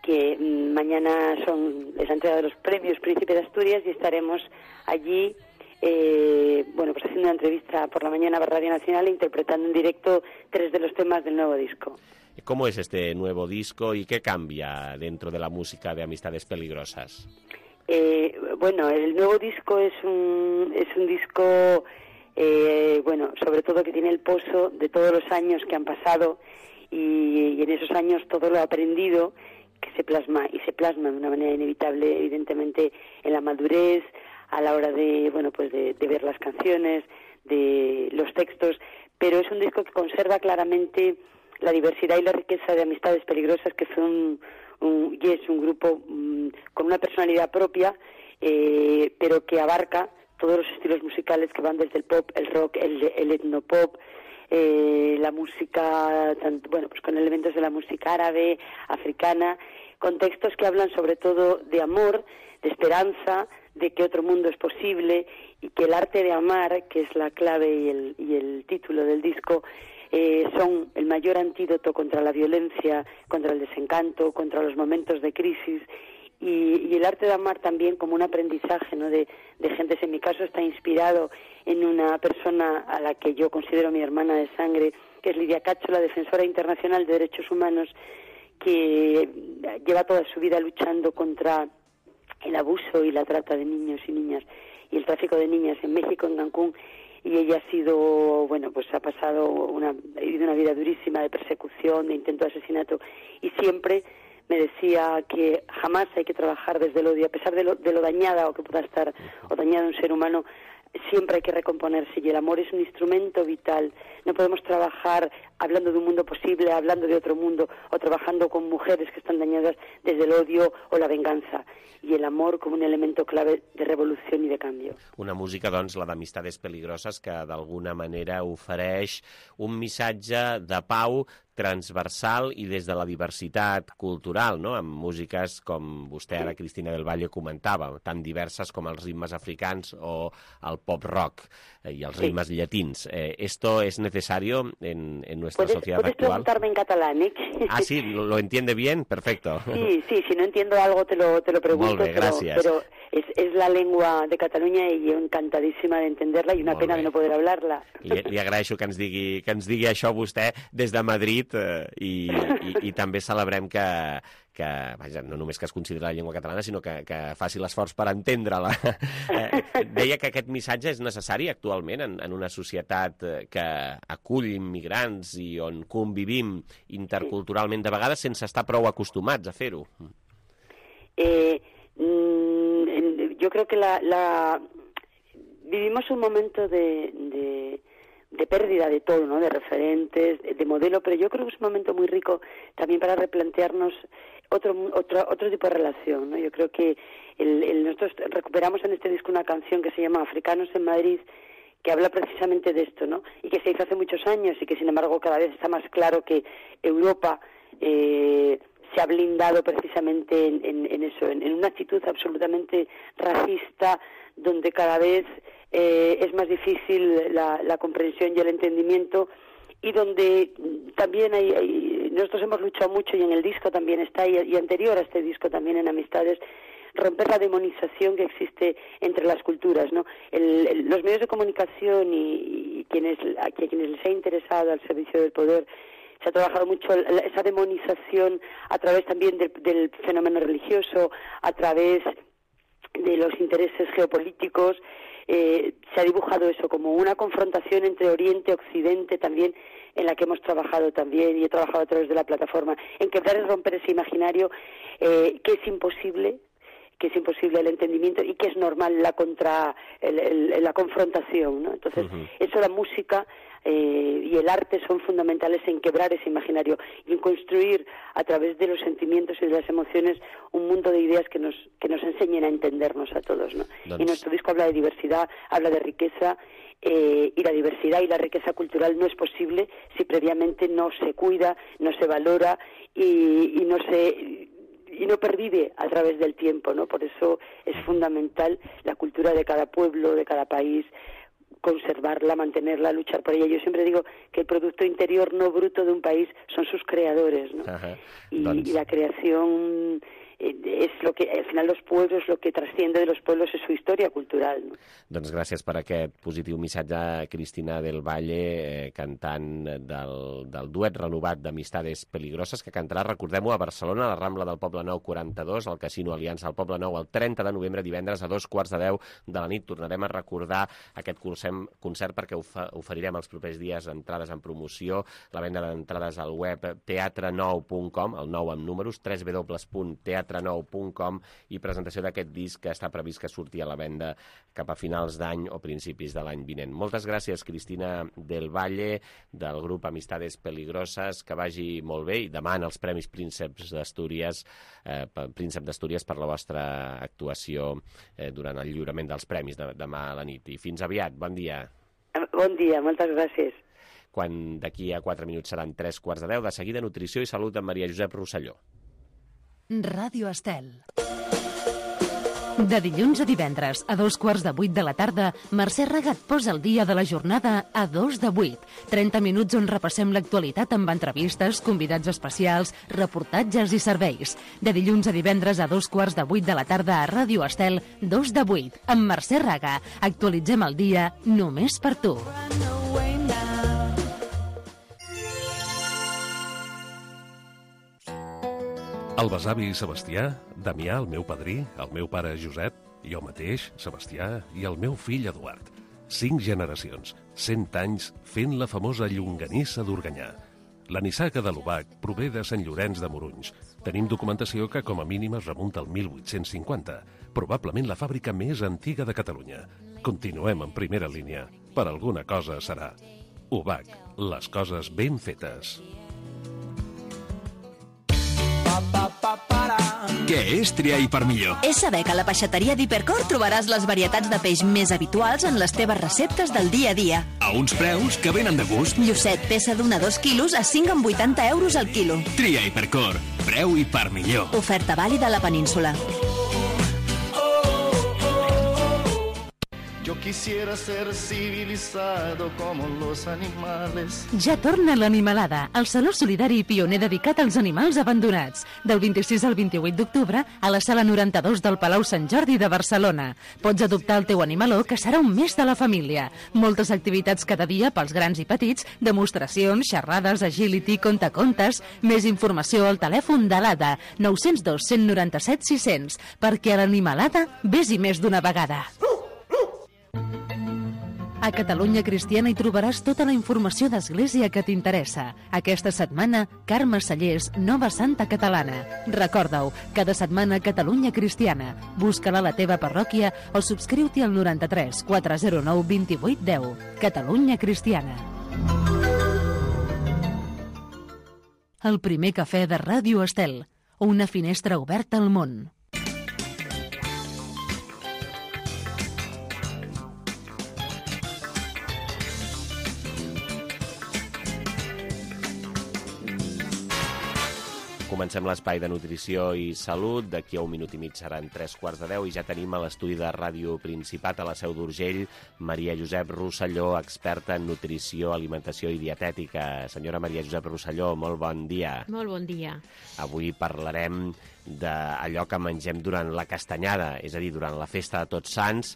V: que mmm, mañana son la entrega de los premios Príncipe de Asturias y estaremos allí Eh, bueno, pues haciendo una entrevista por la mañana para Radio Nacional e interpretando en directo tres de los temas del nuevo disco.
B: ¿Cómo es este nuevo disco y qué cambia dentro de la música de Amistades Peligrosas?
V: Eh, bueno, el nuevo disco es un, es un disco, eh, bueno, sobre todo que tiene el pozo de todos los años que han pasado y, y en esos años todo lo aprendido que se plasma y se plasma de una manera inevitable, evidentemente, en la madurez, a la hora de, bueno, pues de, de ver las canciones, de los textos, pero es un disco que conserva claramente la diversidad y la riqueza de Amistades Peligrosas, que son un, y es un grupo um, con una personalidad propia, eh, pero que abarca todos los estilos musicales que van desde el pop, el rock, el, el etnopop, eh, la música, tanto, bueno, pues con elementos de la música árabe, africana, con textos que hablan sobre todo de amor, de esperanza, de que otro mundo es posible y que el arte de amar, que es la clave y el, y el título del disco, eh, son el mayor antídoto contra la violencia, contra el desencanto, contra los momentos de crisis y, y el arte de amar también como un aprendizaje, ¿no? de, de gentes. En mi caso está inspirado en una persona a la que yo considero mi hermana de sangre, que es Lidia Cacho, la defensora internacional de derechos humanos, que lleva toda su vida luchando contra el abuso y la trata de niños y niñas y el tráfico de niñas en México, en Cancún, y ella ha sido, bueno, pues ha pasado una, ha vivido una vida durísima de persecución, de intento de asesinato, y siempre me decía que jamás hay que trabajar desde el odio, a pesar de lo, de lo dañada o que pueda estar, o dañado un ser humano, siempre hay que recomponerse y el amor es un instrumento vital. No podemos trabajar hablando de un mundo posible, hablando de otro mundo, o trabajando con mujeres que están dañadas desde el odio o la venganza. I el amor com un elemento clave de revolució i de canvi.
B: Una música, doncs, la d'Amistades Peligroses, que d'alguna manera ofereix un missatge de pau transversal i des de la diversitat cultural, no? Amb músiques com vostè ara, Cristina del Valle, comentava, tan diverses com els ritmes africans o el pop-rock i els ritmes sí. llatins. Eh, ¿Esto es necesario en, en nuestra
V: ¿Puedes,
B: sociedad
V: ¿puedes
B: actual?
V: preguntarme en catalán, eh?
B: Ah, sí, ¿lo, lo entiende bien? Perfecto.
V: Sí, sí, si no entiendo algo te lo, te lo pregunto,
B: Molt bé, gràcies.
V: pero, pero es, es la lengua de Cataluña y yo encantadísima de entenderla y una
B: Molt
V: pena
B: bé.
V: de no poder hablarla.
B: Li, li agraeixo que ens digui, que ens digui això vostè des de Madrid eh, i, i, i també celebrem que, que vaja, no només que es consideri la llengua catalana, sinó que, que faci l'esforç per entendre-la. Eh, deia que aquest missatge és necessari actualment en, en una societat que acull immigrants i on convivim interculturalment de vegades sense estar prou acostumats a fer-ho.
V: Eh, mm, yo creo que la, la vivimos un momento de, de, de pérdida de todo, ¿no? De referentes, de, de modelo, pero yo creo que es un momento muy rico también para replantearnos otro otro otro tipo de relación, ¿no? Yo creo que el, el, nosotros recuperamos en este disco una canción que se llama Africanos en Madrid, que habla precisamente de esto, ¿no? Y que se hizo hace muchos años y que, sin embargo, cada vez está más claro que Europa eh, se ha blindado precisamente en, en, en eso, en, en una actitud absolutamente racista, donde cada vez eh, es más difícil la, la comprensión y el entendimiento, y donde también hay, hay, nosotros hemos luchado mucho, y en el disco también está, y, y anterior a este disco también en Amistades, romper la demonización que existe entre las culturas, ¿no? El, el, los medios de comunicación y, y quienes, a quienes les ha interesado al servicio del poder, se ha trabajado mucho esa demonización a través también del, del fenómeno religioso, a través de los intereses geopolíticos. Eh, se ha dibujado eso como una confrontación entre Oriente y Occidente también, en la que hemos trabajado también, y he trabajado a través de la plataforma, en quebrar y romper ese imaginario eh, que es imposible, que es imposible el entendimiento y que es normal la contra el, el, la confrontación, ¿no? Entonces, uh-huh. eso, la música eh, y el arte son fundamentales en quebrar ese imaginario y en construir a través de los sentimientos y de las emociones un mundo de ideas que nos que nos enseñen a entendernos a todos, ¿no? Doncs... Y nuestro disco habla de diversidad, habla de riqueza, eh, y la diversidad y la riqueza cultural no es posible si previamente no se cuida, no se valora y, y no se y no pervive a través del tiempo, ¿no? Por eso es fundamental la cultura de cada pueblo, de cada país, conservarla, mantenerla, luchar por ella. Yo siempre digo que el producto interior no bruto de un país son sus creadores, ¿no? Ajá. Y, doncs... y la creación es lo que, al final, los pueblos, lo que trasciende de los pueblos es su historia cultural, no?
B: Doncs gràcies per aquest positiu missatge, Cristina del Valle, eh, cantant del, del duet renovat d'Amistades Peligroses, que cantarà, recordem-ho, a Barcelona, a la Rambla del Poble Nou quaranta-dos, al Casino Aliança al Poble Nou, el trenta de novembre, divendres, a dos quarts de deu de la nit. Tornarem a recordar aquest concert perquè oferirem els propers dies entrades en promoció, la venda d'entrades al web teatre nou punt com, el nou amb números, w w w punt teatre nou punt com, i presentació d'aquest disc que està previst que surti a la venda cap a finals d'any o principis de l'any vinent. Moltes gràcies, Cristina del Valle, del grup Amistades Peligroses, que vagi molt bé, i demà en els Premis Prínceps d'Astúries, eh, Príncep d'Astúries, per la vostra actuació eh, durant el lliurament dels premis de, demà a la nit. I fins aviat, bon dia.
V: Bon dia, moltes gràcies.
B: Quan d'aquí a quatre minuts seran tres quarts de deu, de seguida Nutrició i Salut amb Maria Josep Rosselló.
A: Ràdio Estel. De dilluns a divendres, a dos quarts de vuit de la tarda, Mercè Ragat posa el dia de la jornada a dos de vuit. trenta minuts on repassem l'actualitat amb entrevistes, convidats especials, reportatges i serveis. De dilluns a divendres a dos quarts de vuit de la tarda a Ràdio Estel, dos de vuit, amb Mercè Raga. Actualitzem el dia només per tu.
H: El besavi Sebastià, Damià, el meu padrí, el meu pare Josep, jo mateix, Sebastià, i el meu fill Eduard. Cinc generacions, cent anys, fent la famosa llonganissa d'Organyà. La nissaga de l'Obac prové de Sant Llorenç de Morunys. Tenim documentació que com a mínim es remunta al mil vuit-cents cinquanta, probablement la fàbrica més antiga de Catalunya. Continuem en primera línia. Per alguna cosa serà. U B A C, les coses ben fetes.
E: Què és triar i per millor?
F: És saber que a la peixateria d'Hipercor trobaràs les varietats de peix més habituals en les teves receptes del dia a dia.
E: A uns preus que venen de gust.
F: Llucet, peça d'un a dos quilos a cinc coma vuitanta euros al quilo.
E: Tria Hipercor, preu i per millor.
F: Oferta vàlida a la península.
G: Yo quisiera ser civilizado como los animales.
A: Ja torna l'Animalada, el saló solidari i pioner dedicat als animals abandonats. Del vint-i-sis al vint-i-vuit d'octubre a la sala noranta-dos del Palau Sant Jordi de Barcelona. Pots adoptar el teu animaló, que serà un més de la família. Moltes activitats cada dia pels grans i petits, demostracions, xerrades, agility, contacontes. Més informació al telèfon de l'A D A, nou zero dos, cent noranta-set, sis cents, perquè a l'Animalada vés-hi més d'una vegada. A Catalunya Cristiana hi trobaràs tota la informació d'Església que t'interessa. Aquesta setmana, Carme Cellers, Nova Santa Catalana. Recorda-ho, cada setmana Catalunya Cristiana. Busca-la a la teva parròquia o subscriu-t'hi al noranta-tres, quatre zero nou, vint-i-vuit, deu. Catalunya Cristiana. El primer cafè de Ràdio Estel. Una finestra oberta al món.
B: Comencem l'espai de nutrició i salut. D'aquí a un minut i mig seran tres quarts de deu i ja tenim a l'estudi de Ràdio Principat a la Seu d'Urgell Maria Josep Rosselló, experta en nutrició, alimentació i dietètica. Senyora Maria Josep Rosselló, molt bon dia.
J: Molt bon dia.
B: Avui parlarem d'allò que mengem durant la castanyada, és a dir, durant la festa de Tots Sants.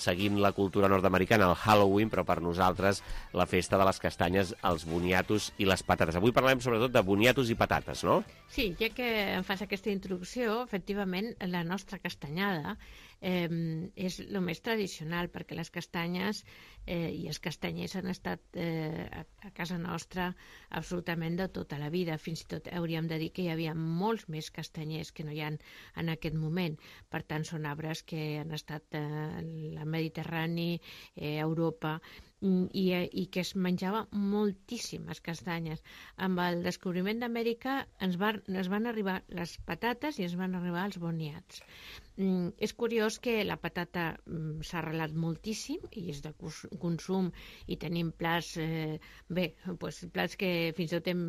B: Seguim la cultura nord-americana, el Halloween, però per nosaltres la festa de les castanyes, els boniatos i les patates. Avui parlem sobretot de boniatos i patates, no?
J: Sí, ja que em fas aquesta introducció, efectivament, la nostra castanyada eh, és el més tradicional, perquè les castanyes eh, i els castanyers han estat eh, a, a casa nostra absolutament de tota la vida. Fins i tot hauríem de dir que hi havia molts més castanyers que no hi ha en aquest moment. Per tant, són arbres que han estat eh, la Mediterrani, eh, Europa, i, i que es menjava moltíssimes castanyes. Amb el descobriment d'Amèrica ens, van, ens van arribar les patates i ens van arribar els boniats. Mm, és curiós que la patata mm, s'ha arrelat moltíssim i és de consum i tenim plats, eh, bé, doncs, plats que fins i tot hem,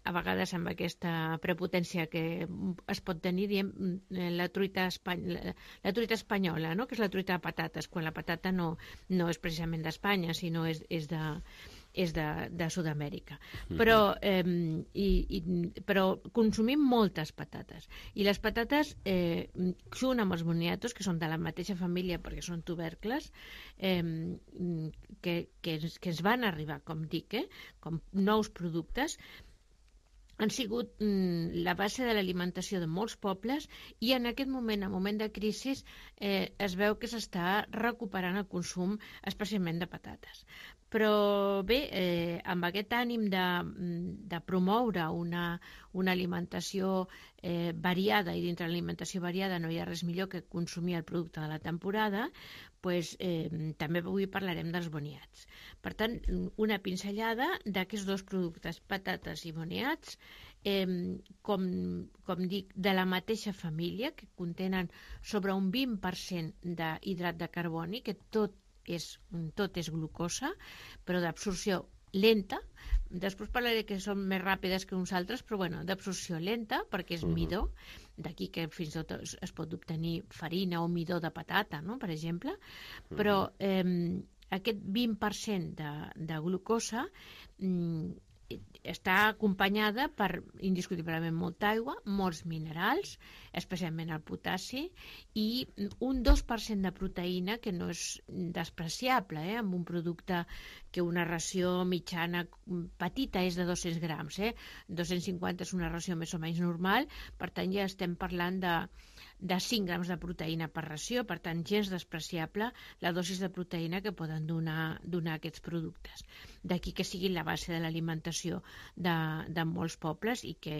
J: a vegades amb aquesta prepotència que es pot tenir, diem, la truita, espany la, la truita espanyola, no? Que és la truita de patates, quan la patata no, no és precisament d'Espanya, sinó és, és de... és de, de Sud-amèrica. Però, eh, i, i, però consumim moltes patates. I les patates, eh, junt amb els boniatos, que són de la mateixa família perquè són tubercles, eh, que, que, que ens van arribar, com dic, eh, com nous productes, han sigut mm, la base de l'alimentació de molts pobles i en aquest moment, en moment de crisi, eh, es veu que s'està recuperant el consum, especialment de patates. Però bé, eh, amb aquest ànim de, de promoure una, una alimentació eh, variada, i dintre l'alimentació variada no hi ha res millor que consumir el producte de la temporada, pues, eh, també avui parlarem dels boniats. Per tant, una pinzellada d'aquests dos productes, patates i boniats, eh, com, com dic, de la mateixa família, que contenen sobre un vint per cent d'hidrat de carboni, que tot és, tot és glucosa, però d'absorció lenta. Després parlaré que són més ràpides que uns altres, però bueno, d'absorció lenta, perquè és midó, d'aquí que fins i tot es, es pot obtenir farina o midó de patata, no?, per exemple, però eh, aquest vint per cent de, de glucosa mm, està acompanyada per, indiscutiblement, molta aigua, molts minerals, especialment el potassi, i un dos per cent de proteïna, que no és despreciable, eh, amb un producte que una ració mitjana petita és de dos-cents grams, eh? dos-cents cinquanta és una ració més o menys normal, per tant ja estem parlant de, de cinc grams de proteïna per ració, per tant gens despreciable la dosis de proteïna que poden donar, donar aquests productes. D'aquí que siguin la base de l'alimentació. de, de molts pobles i que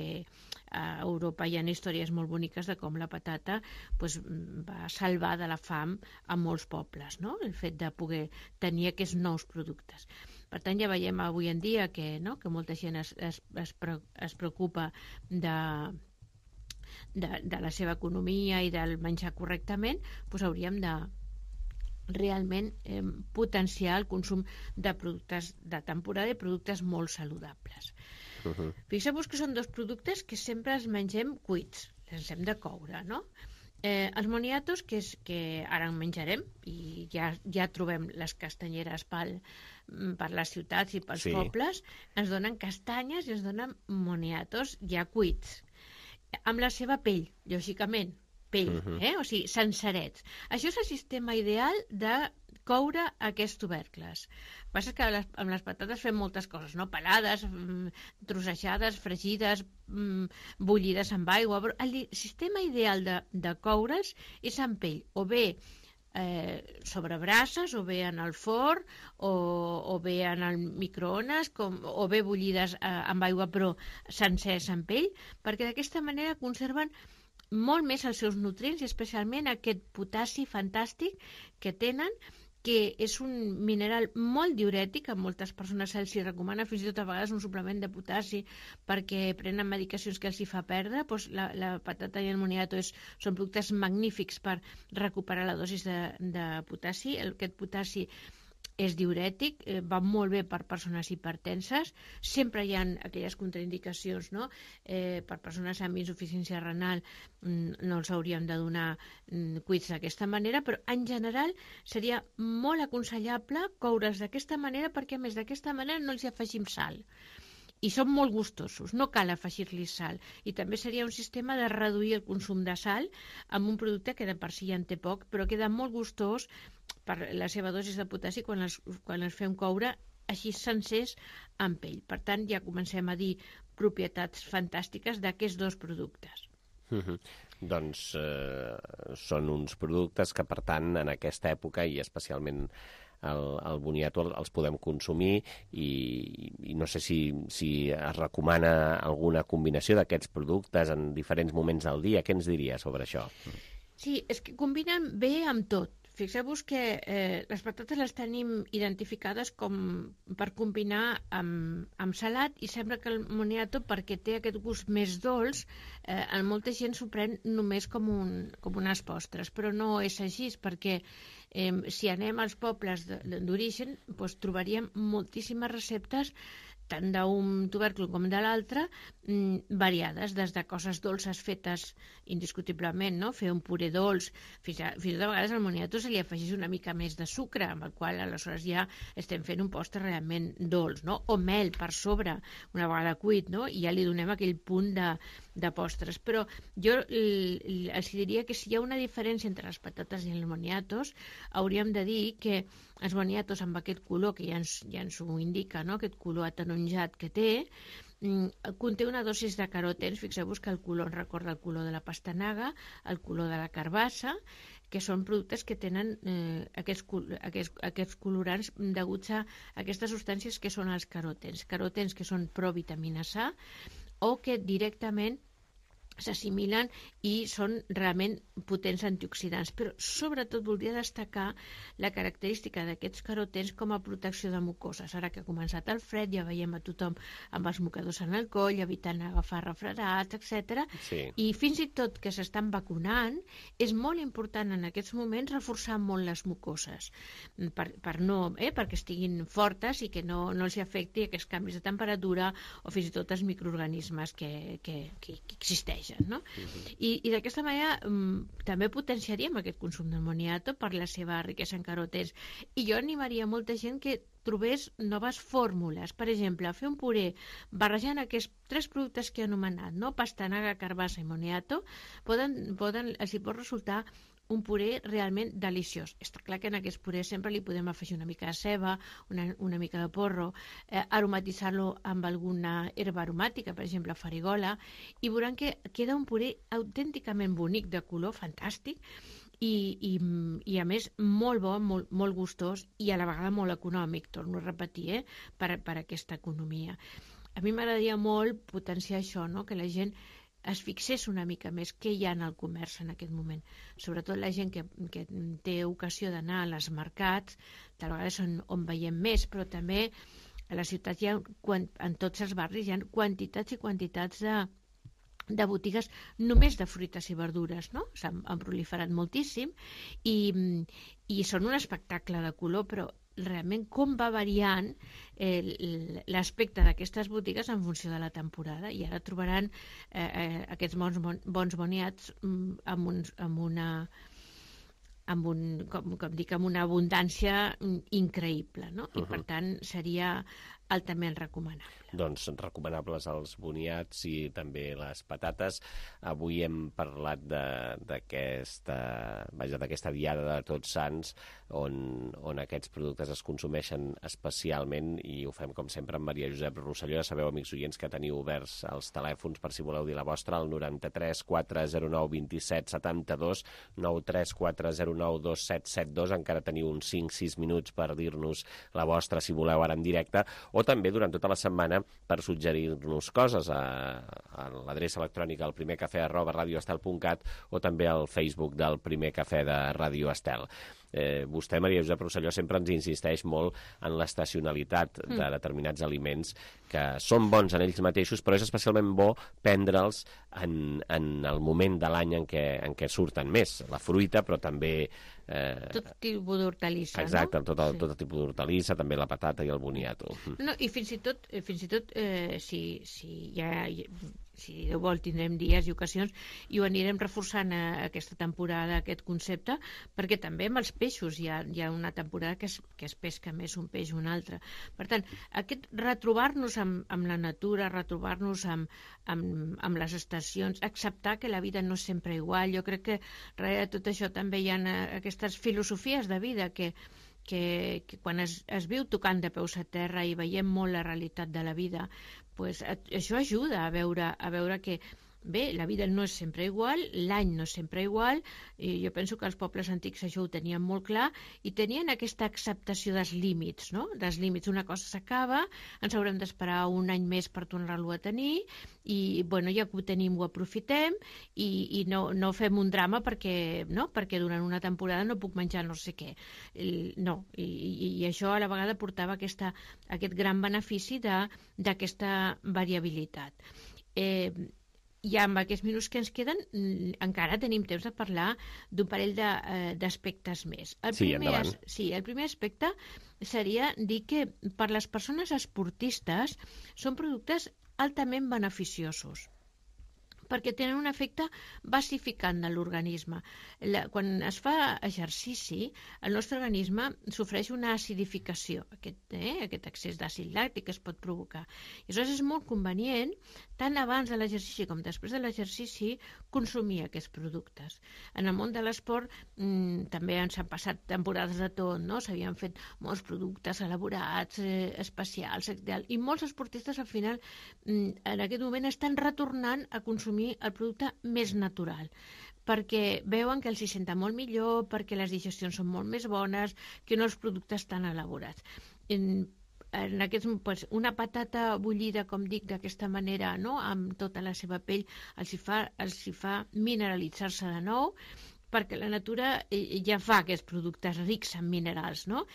J: a Europa hi ha històries molt boniques de com la patata pues, va salvar de la fam a molts pobles, no? El fet de poder tenir aquests nous productes. Per tant, ja veiem avui en dia que, no? que molta gent es, es, es, pre, es preocupa de, de, de la seva economia i del menjar correctament, doncs hauríem de realment eh, potenciar el consum de productes de temporada i productes molt saludables. Uh-huh. Fixeu-vos que són dos productes que sempre els mengem cuits, els hem de coure, no? Eh, els moniatos, que, és, que ara en menjarem, i ja, ja trobem les castanyeres pel, per les ciutats i pels sí. pobles, ens donen castanyes i ens donen moniatos ja cuits, amb la seva pell, lògicament, pell, uh-huh. eh? O sigui, sencerets. Això és el sistema ideal de coure aquests tubercles. El que passa és que les, amb les patates fem moltes coses, no? Pelades, trossejades, fregides, bullides amb aigua, però el sistema ideal de, de coure'ls és amb pell, o bé eh, sobre brases, o bé en el forn, o, o bé en el microones, com, o bé bullides eh, amb aigua però sencers amb pell, perquè d'aquesta manera conserven molt més els seus nutrients i especialment aquest potassi fantàstic que tenen, que és un mineral molt diurètic, a moltes persones se'ls recomana fins i tot a vegades un suplement de potassi perquè prenen medicacions que els hi fa perdre. Doncs la, la patata i el moniato és, són productes magnífics per recuperar la dosis de, de potassi. Aquest potassi és diurètic, eh, va molt bé per persones hipertenses, sempre hi ha aquelles contraindicacions, no? Eh, per persones amb insuficiència renal mm, no els hauríem de donar mm, cuits d'aquesta manera, però en general seria molt aconsellable coure'ls d'aquesta manera perquè a més d'aquesta manera no els hi afegim sal. I són molt gustosos, no cal afegir-li sal. I també seria un sistema de reduir el consum de sal amb un producte que de per si ja en té poc, però queda molt gustós per la seva dosis de potassi quan els, quan els fem coure així sencers amb pell. Per tant, ja comencem a dir propietats fantàstiques d'aquests dos productes.
B: Uh-huh. Doncs eh, són uns productes que, per tant, en aquesta època i especialment el, el boniato els podem consumir i, i no sé si, si es recomana alguna combinació d'aquests productes en diferents moments del dia. Què ens diria sobre això?
J: Sí, és que combinen bé amb tot. Fixeu-vos que eh, les patates les tenim identificades com per combinar amb, amb salat i sembla que el moniato, perquè té aquest gust més dolç, eh, en molta gent s'ho pren només com, un, com unes postres, però no és així, perquè eh, si anem als pobles d'origen doncs trobaríem moltíssimes receptes tant d'un tubèrcul com de l'altre, mmm, variades, des de coses dolces fetes indiscutiblement, no? Fer un puré dolç, fins, a, fins a vegades al moniato se li afegeix una mica més de sucre, amb el qual aleshores ja estem fent un postre realment dolç, no? O mel per sobre, una vegada cuit, no? I ja li donem aquell punt de, de postres. Però jo els diria que si hi ha una diferència entre les patates i els moniatos, hauríem de dir que els boniatos amb aquest color, que ja ens, ja ens ho indica, no? Aquest color ataronjat que té, mm, conté una dosis de carotens. Fixeu-vos que el color ens recorda el color de la pastanaga, el color de la carbassa, que són productes que tenen eh, aquests, aquests, aquests colorants deguts a aquestes substàncies que són els carotens. Carotens que són provitamina C o que directament s'assimilen i són realment potents antioxidants, però sobretot voldria destacar la característica d'aquests carotens com a protecció de mucoses. Ara que ha començat el fred ja veiem a tothom amb els mocadors en el coll, evitant agafar refredats, etcètera. Sí. I fins i tot que s'estan vacunant, és molt important en aquests moments reforçar molt les mucoses per, per no, eh, perquè estiguin fortes i que no, no els afecti aquests canvis de temperatura o fins i tot els microorganismes que, que, que, que existeixen. No? Uh-huh. I, i d'aquesta manera um, també potenciaríem aquest consum del moniato per la seva riquesa en carotens. I jo animaria molta gent que trobés noves fórmules. Per exemple, fer un puré barrejant aquests tres productes que he anomenat, no? Pastanaga, carbassa i moniato, poden, poden, els hi pot resultar un puré realment deliciós. Està clar que en aquest puré sempre li podem afegir una mica de ceba, una, una mica de porro, eh, aromatitzar-lo amb alguna herba aromàtica, per exemple farigola, i veuran que queda un puré autènticament bonic, de color fantàstic, i, i, i a més molt bo, molt, molt gustós i a la vegada molt econòmic, torno a repetir, eh, per, per aquesta economia. a mi m'agradaria molt potenciar això, no? Que la gent es fixés una mica més què hi ha en el comerç en aquest moment. Sobretot la gent que, que té ocasió d'anar als mercats, tal vegada són on veiem més, però també a la ciutat hi ha, en tots els barris hi ha quantitats i quantitats de, de botigues només de fruites i verdures, no? S'han han proliferat moltíssim i, i són un espectacle de color, però realment com va variant eh, l'aspecte d'aquestes botigues en funció de la temporada, i ara trobaran eh, eh, aquests bons, bons boniats amb, un, amb una amb un, com, com dic, amb una abundància increïble, no? I uh-huh. per tant seria altament recomanable.
B: Doncs recomanables els boniats i també les patates. Avui hem parlat d'aquesta vaja, d'aquesta diada de Tots Sants, on, on aquests productes es consumeixen especialment, i ho fem com sempre amb Maria Josep Rosselló. Ja sabeu, amics oients, que teniu oberts els telèfons per si voleu dir la vostra, al noranta-tres quatre zero nou dos set set dos, nou tres quatre zero nou dos set set dos. Encara teniu uns cinc sis minuts per dir-nos la vostra, si voleu, ara en directe, o també durant tota la setmana per suggerir-nos coses a, a l'adreça electrònica al primer cafè arroba radioestel punt cat o també al Facebook del Primer Cafè de Radio Estel. Eh, vostè, Maria Josep Rosselló, sempre ens insisteix molt en l'estacionalitat mm. de determinats aliments que són bons en ells mateixos, però és especialment bo prendre'ls en, en el moment de l'any en què, en què surten més. La fruita, però també... Eh,
J: tot tipus d'hortalissa,
B: exacte,
J: no?
B: tot, el,
J: sí.
B: tot el tipus d'hortalissa, també la patata i el boniato.
J: No, i fins i tot, fins i tot eh, si, si ja... si Déu vol tindrem dies i ocasions i ho anirem reforçant a aquesta temporada, aquest concepte, perquè també amb els peixos hi ha, hi ha una temporada que es, que es pesca més un peix o un altre. Per tant, aquest retrobar-nos amb, amb la natura, retrobar-nos amb, amb, amb les estacions, acceptar que la vida no és sempre igual. Jo crec que darrere de tot això també hi ha aquestes filosofies de vida que Que, que quan es, es viu tocant de peus a terra i veiem molt la realitat de la vida, pues, això ajuda a veure, a veure que bé, la vida no és sempre igual, l'any no és sempre igual, i jo penso que els pobles antics això ho tenien molt clar i tenien aquesta acceptació dels límits, no? Dels límits, una cosa s'acaba, ens haurem d'esperar un any més per tornar-lo a tenir i, bueno, ja que ho tenim ho aprofitem i, i no, no fem un drama perquè, no? Perquè durant una temporada no puc menjar no sé què. El, no, i, i, i això a la vegada portava aquesta, aquest gran benefici d'aquesta variabilitat. Eh, I amb aquests minuts que ens queden encara tenim temps de parlar d'un parell d'aspectes més. El
B: sí,
J: primer,
B: endavant.
J: Sí, el primer aspecte seria dir que per les persones esportistes són productes altament beneficiosos perquè tenen un efecte basificant de l'organisme. Quan es fa exercici, el nostre organisme sofreix una acidificació, aquest, eh, aquest excés d'àcid làctic que es pot provocar. I aleshores és molt convenient, tant abans de l'exercici com després de l'exercici, consumir aquests productes. En el món de l'esport mmm, també ens han passat temporades de tot, no? S'havien fet molts productes elaborats, eh, especials, i molts esportistes al final mmm, en aquest moment estan retornant a consumir el producte més natural, perquè veuen que els hi senta molt millor, perquè les digestions són molt més bones que no els productes tan elaborats. En, en aquests, pues, una patata bullida, com dic, d'aquesta manera, no? Amb tota la seva pell, els hi fa, els hi fa mineralitzar-se de nou, perquè la natura ja fa aquests productes rics en minerals, no?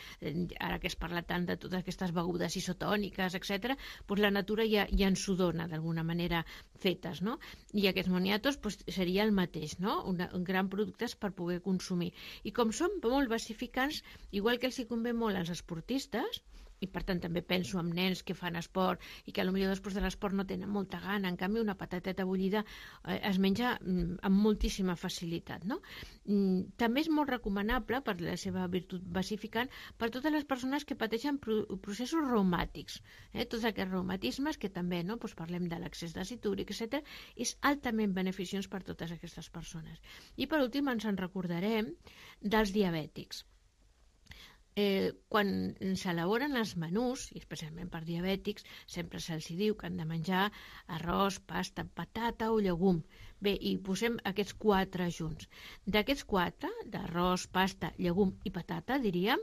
J: Ara que es parla tant de totes aquestes begudes isotòniques, etcètera, doncs la natura ja, ja ens ho dona d'alguna manera fetes, no? I aquests moniatos doncs, seria el mateix, no? Una, un gran productes per poder consumir. I com són molt basificants, igual que els hi convé molt als esportistes, i per tant també penso en nens que fan esport i que potser després de l'esport no tenen molta gana, en canvi una patateta bullida eh, es menja mm, amb moltíssima facilitat, no? Mm, també és molt recomanable per la seva virtut basificant per totes les persones que pateixen pro processos reumàtics, eh? Tots aquests reumatismes que també, no? Pues parlem de l'accés d'àcid úric, etcètera, és altament beneficiós per totes aquestes persones. I per últim ens en recordarem dels diabètics. Eh, quan s'elaboren els menús, i especialment per diabètics, sempre se'ls diu que han de menjar arròs, pasta, patata o llegum. Bé, i posem aquests quatre junts. D'aquests quatre, d'arròs, pasta, llegum i patata, diríem,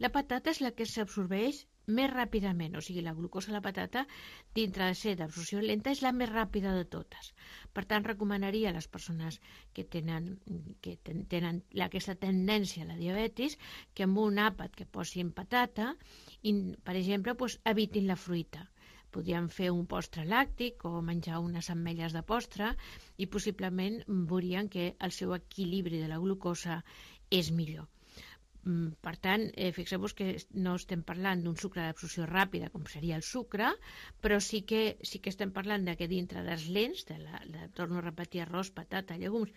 J: la patata és la que s'absorbeix més ràpidament, o sigui, la glucosa a la patata, dintre de ser d'absorció lenta, és la més ràpida de totes. Per tant, recomanaria a les persones que tenen, que ten, tenen aquesta tendència a la diabetis que amb un àpat que posin patata, in, per exemple, doncs, evitin la fruita. Podríem fer un postre làctic o menjar unes ametlles de postre i possiblement veurien que el seu equilibri de la glucosa és millor. Per tant, eh, fixeu-vos que no estem parlant d'un sucre d'absorció ràpida, com seria el sucre, però sí que, sí que estem parlant de que dintre dels lents, de la, de, torno a repetir, arròs, patata, llegums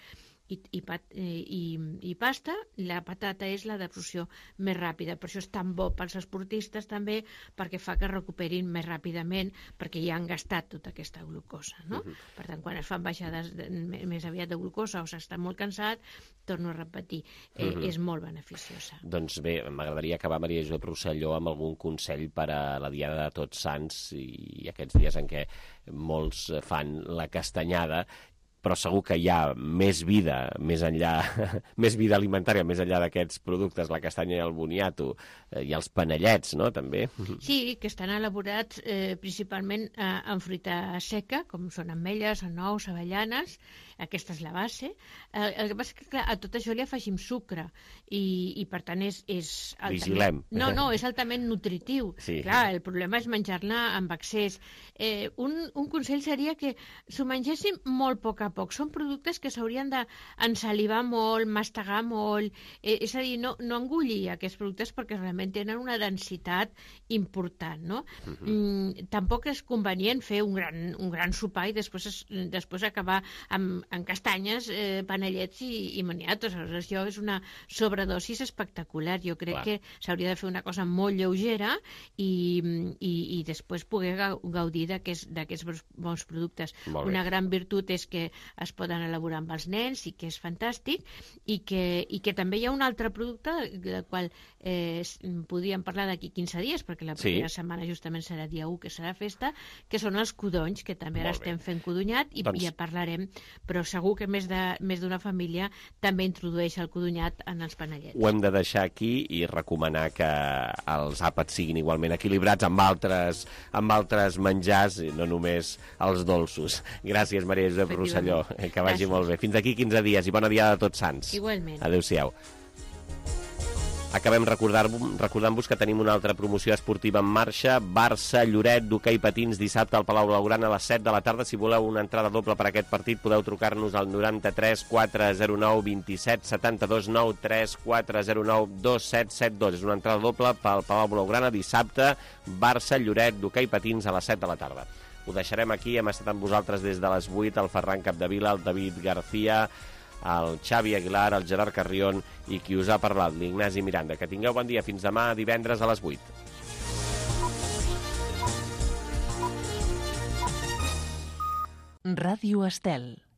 J: i, i, pat, i, i pasta, la patata és la d'absorció més ràpida. Per això és tan bo pels esportistes també, perquè fa que recuperin més ràpidament, perquè ja han gastat tota aquesta glucosa, no? Uh-huh. Per tant, quan es fan baixades de, més aviat de glucosa o s'està molt cansat, torno a repetir, eh, uh-huh. és molt beneficiosa.
B: Doncs bé, m'agradaria acabar, Maria Josep Rosselló, amb algun consell per a la Diada de Tots Sants i aquests dies en què molts fan la castanyada, però segur que hi ha més vida, més enllà, més vida alimentària, més enllà d'aquests productes, la castanya i el boniato, eh, i els panellets, no?, també.
J: Sí, que estan elaborats eh, principalment eh, en fruita seca, com són ametlles, nous, avellanes, aquesta és la base. Eh, el que passa és que, clar, a tot això li afegim sucre, i, i per tant és... és altament...
B: Vigilem.
J: No, no, és altament nutritiu.
B: Sí.
J: Clar, el problema és menjar-ne amb excés. Eh, un, un consell seria que s'ho mengéssim molt a poc a poc. Són productes que s'haurien d'ensalivar molt, mastegar molt, eh, és a dir, no, no engullir aquests productes perquè realment tenen una densitat important, no? Uh-huh. Mm, tampoc és convenient fer un gran, un gran sopar i després, es, després acabar amb, amb castanyes, eh, panellets i, i maniatos. Aleshores, això és una sobredosis espectacular. Jo crec Clar. que s'hauria de fer una cosa molt lleugera i, i, i després poder gaudir d'aquests bons productes. Una gran virtut és que es poden elaborar amb els nens i que és fantàstic, i que, i que també hi ha un altre producte del qual eh, podríem parlar d'aquí quinze dies, perquè la primera sí. setmana justament serà dia u, que serà festa, que són els codonys, que també ara estem fent codonyat i doncs... ja parlarem, però segur que més de més d'una família també introdueix el codonyat en els panellets.
B: Ho hem de deixar aquí i recomanar que els àpats siguin igualment equilibrats amb altres, amb altres menjars, i no només els dolços. Gràcies, Maria Josep Rosselló. Que vagi Gràcies. Molt bé. Fins d'aquí quinze dies i bona Diada de Tots Sants.
J: Igualment.
B: Adéu-siau. Acabem recordant-vos que tenim una altra promoció esportiva en marxa. Barça-Lloret d'hoquei patins dissabte al Palau Blaugrana a les set de la tarda. Si voleu una entrada doble per aquest partit podeu trucar-nos al noranta-tres quatre zero nou vint-i-set setanta-dos nou tres quatre zero nou dos set set dos. És una entrada doble pel Palau Blaugrana dissabte. Barça-Lloret d'hoquei patins a les set de la tarda. Ho deixarem aquí. Hem estat amb vosaltres des de les vuit, el Ferran Capdevila, el David García, el Xavi Aguilar, el Gerard Carrion i qui us ha parlat, l'Ignasi Miranda. Que tingueu bon dia. Fins demà, divendres a les vuit.
A: Ràdio Estel.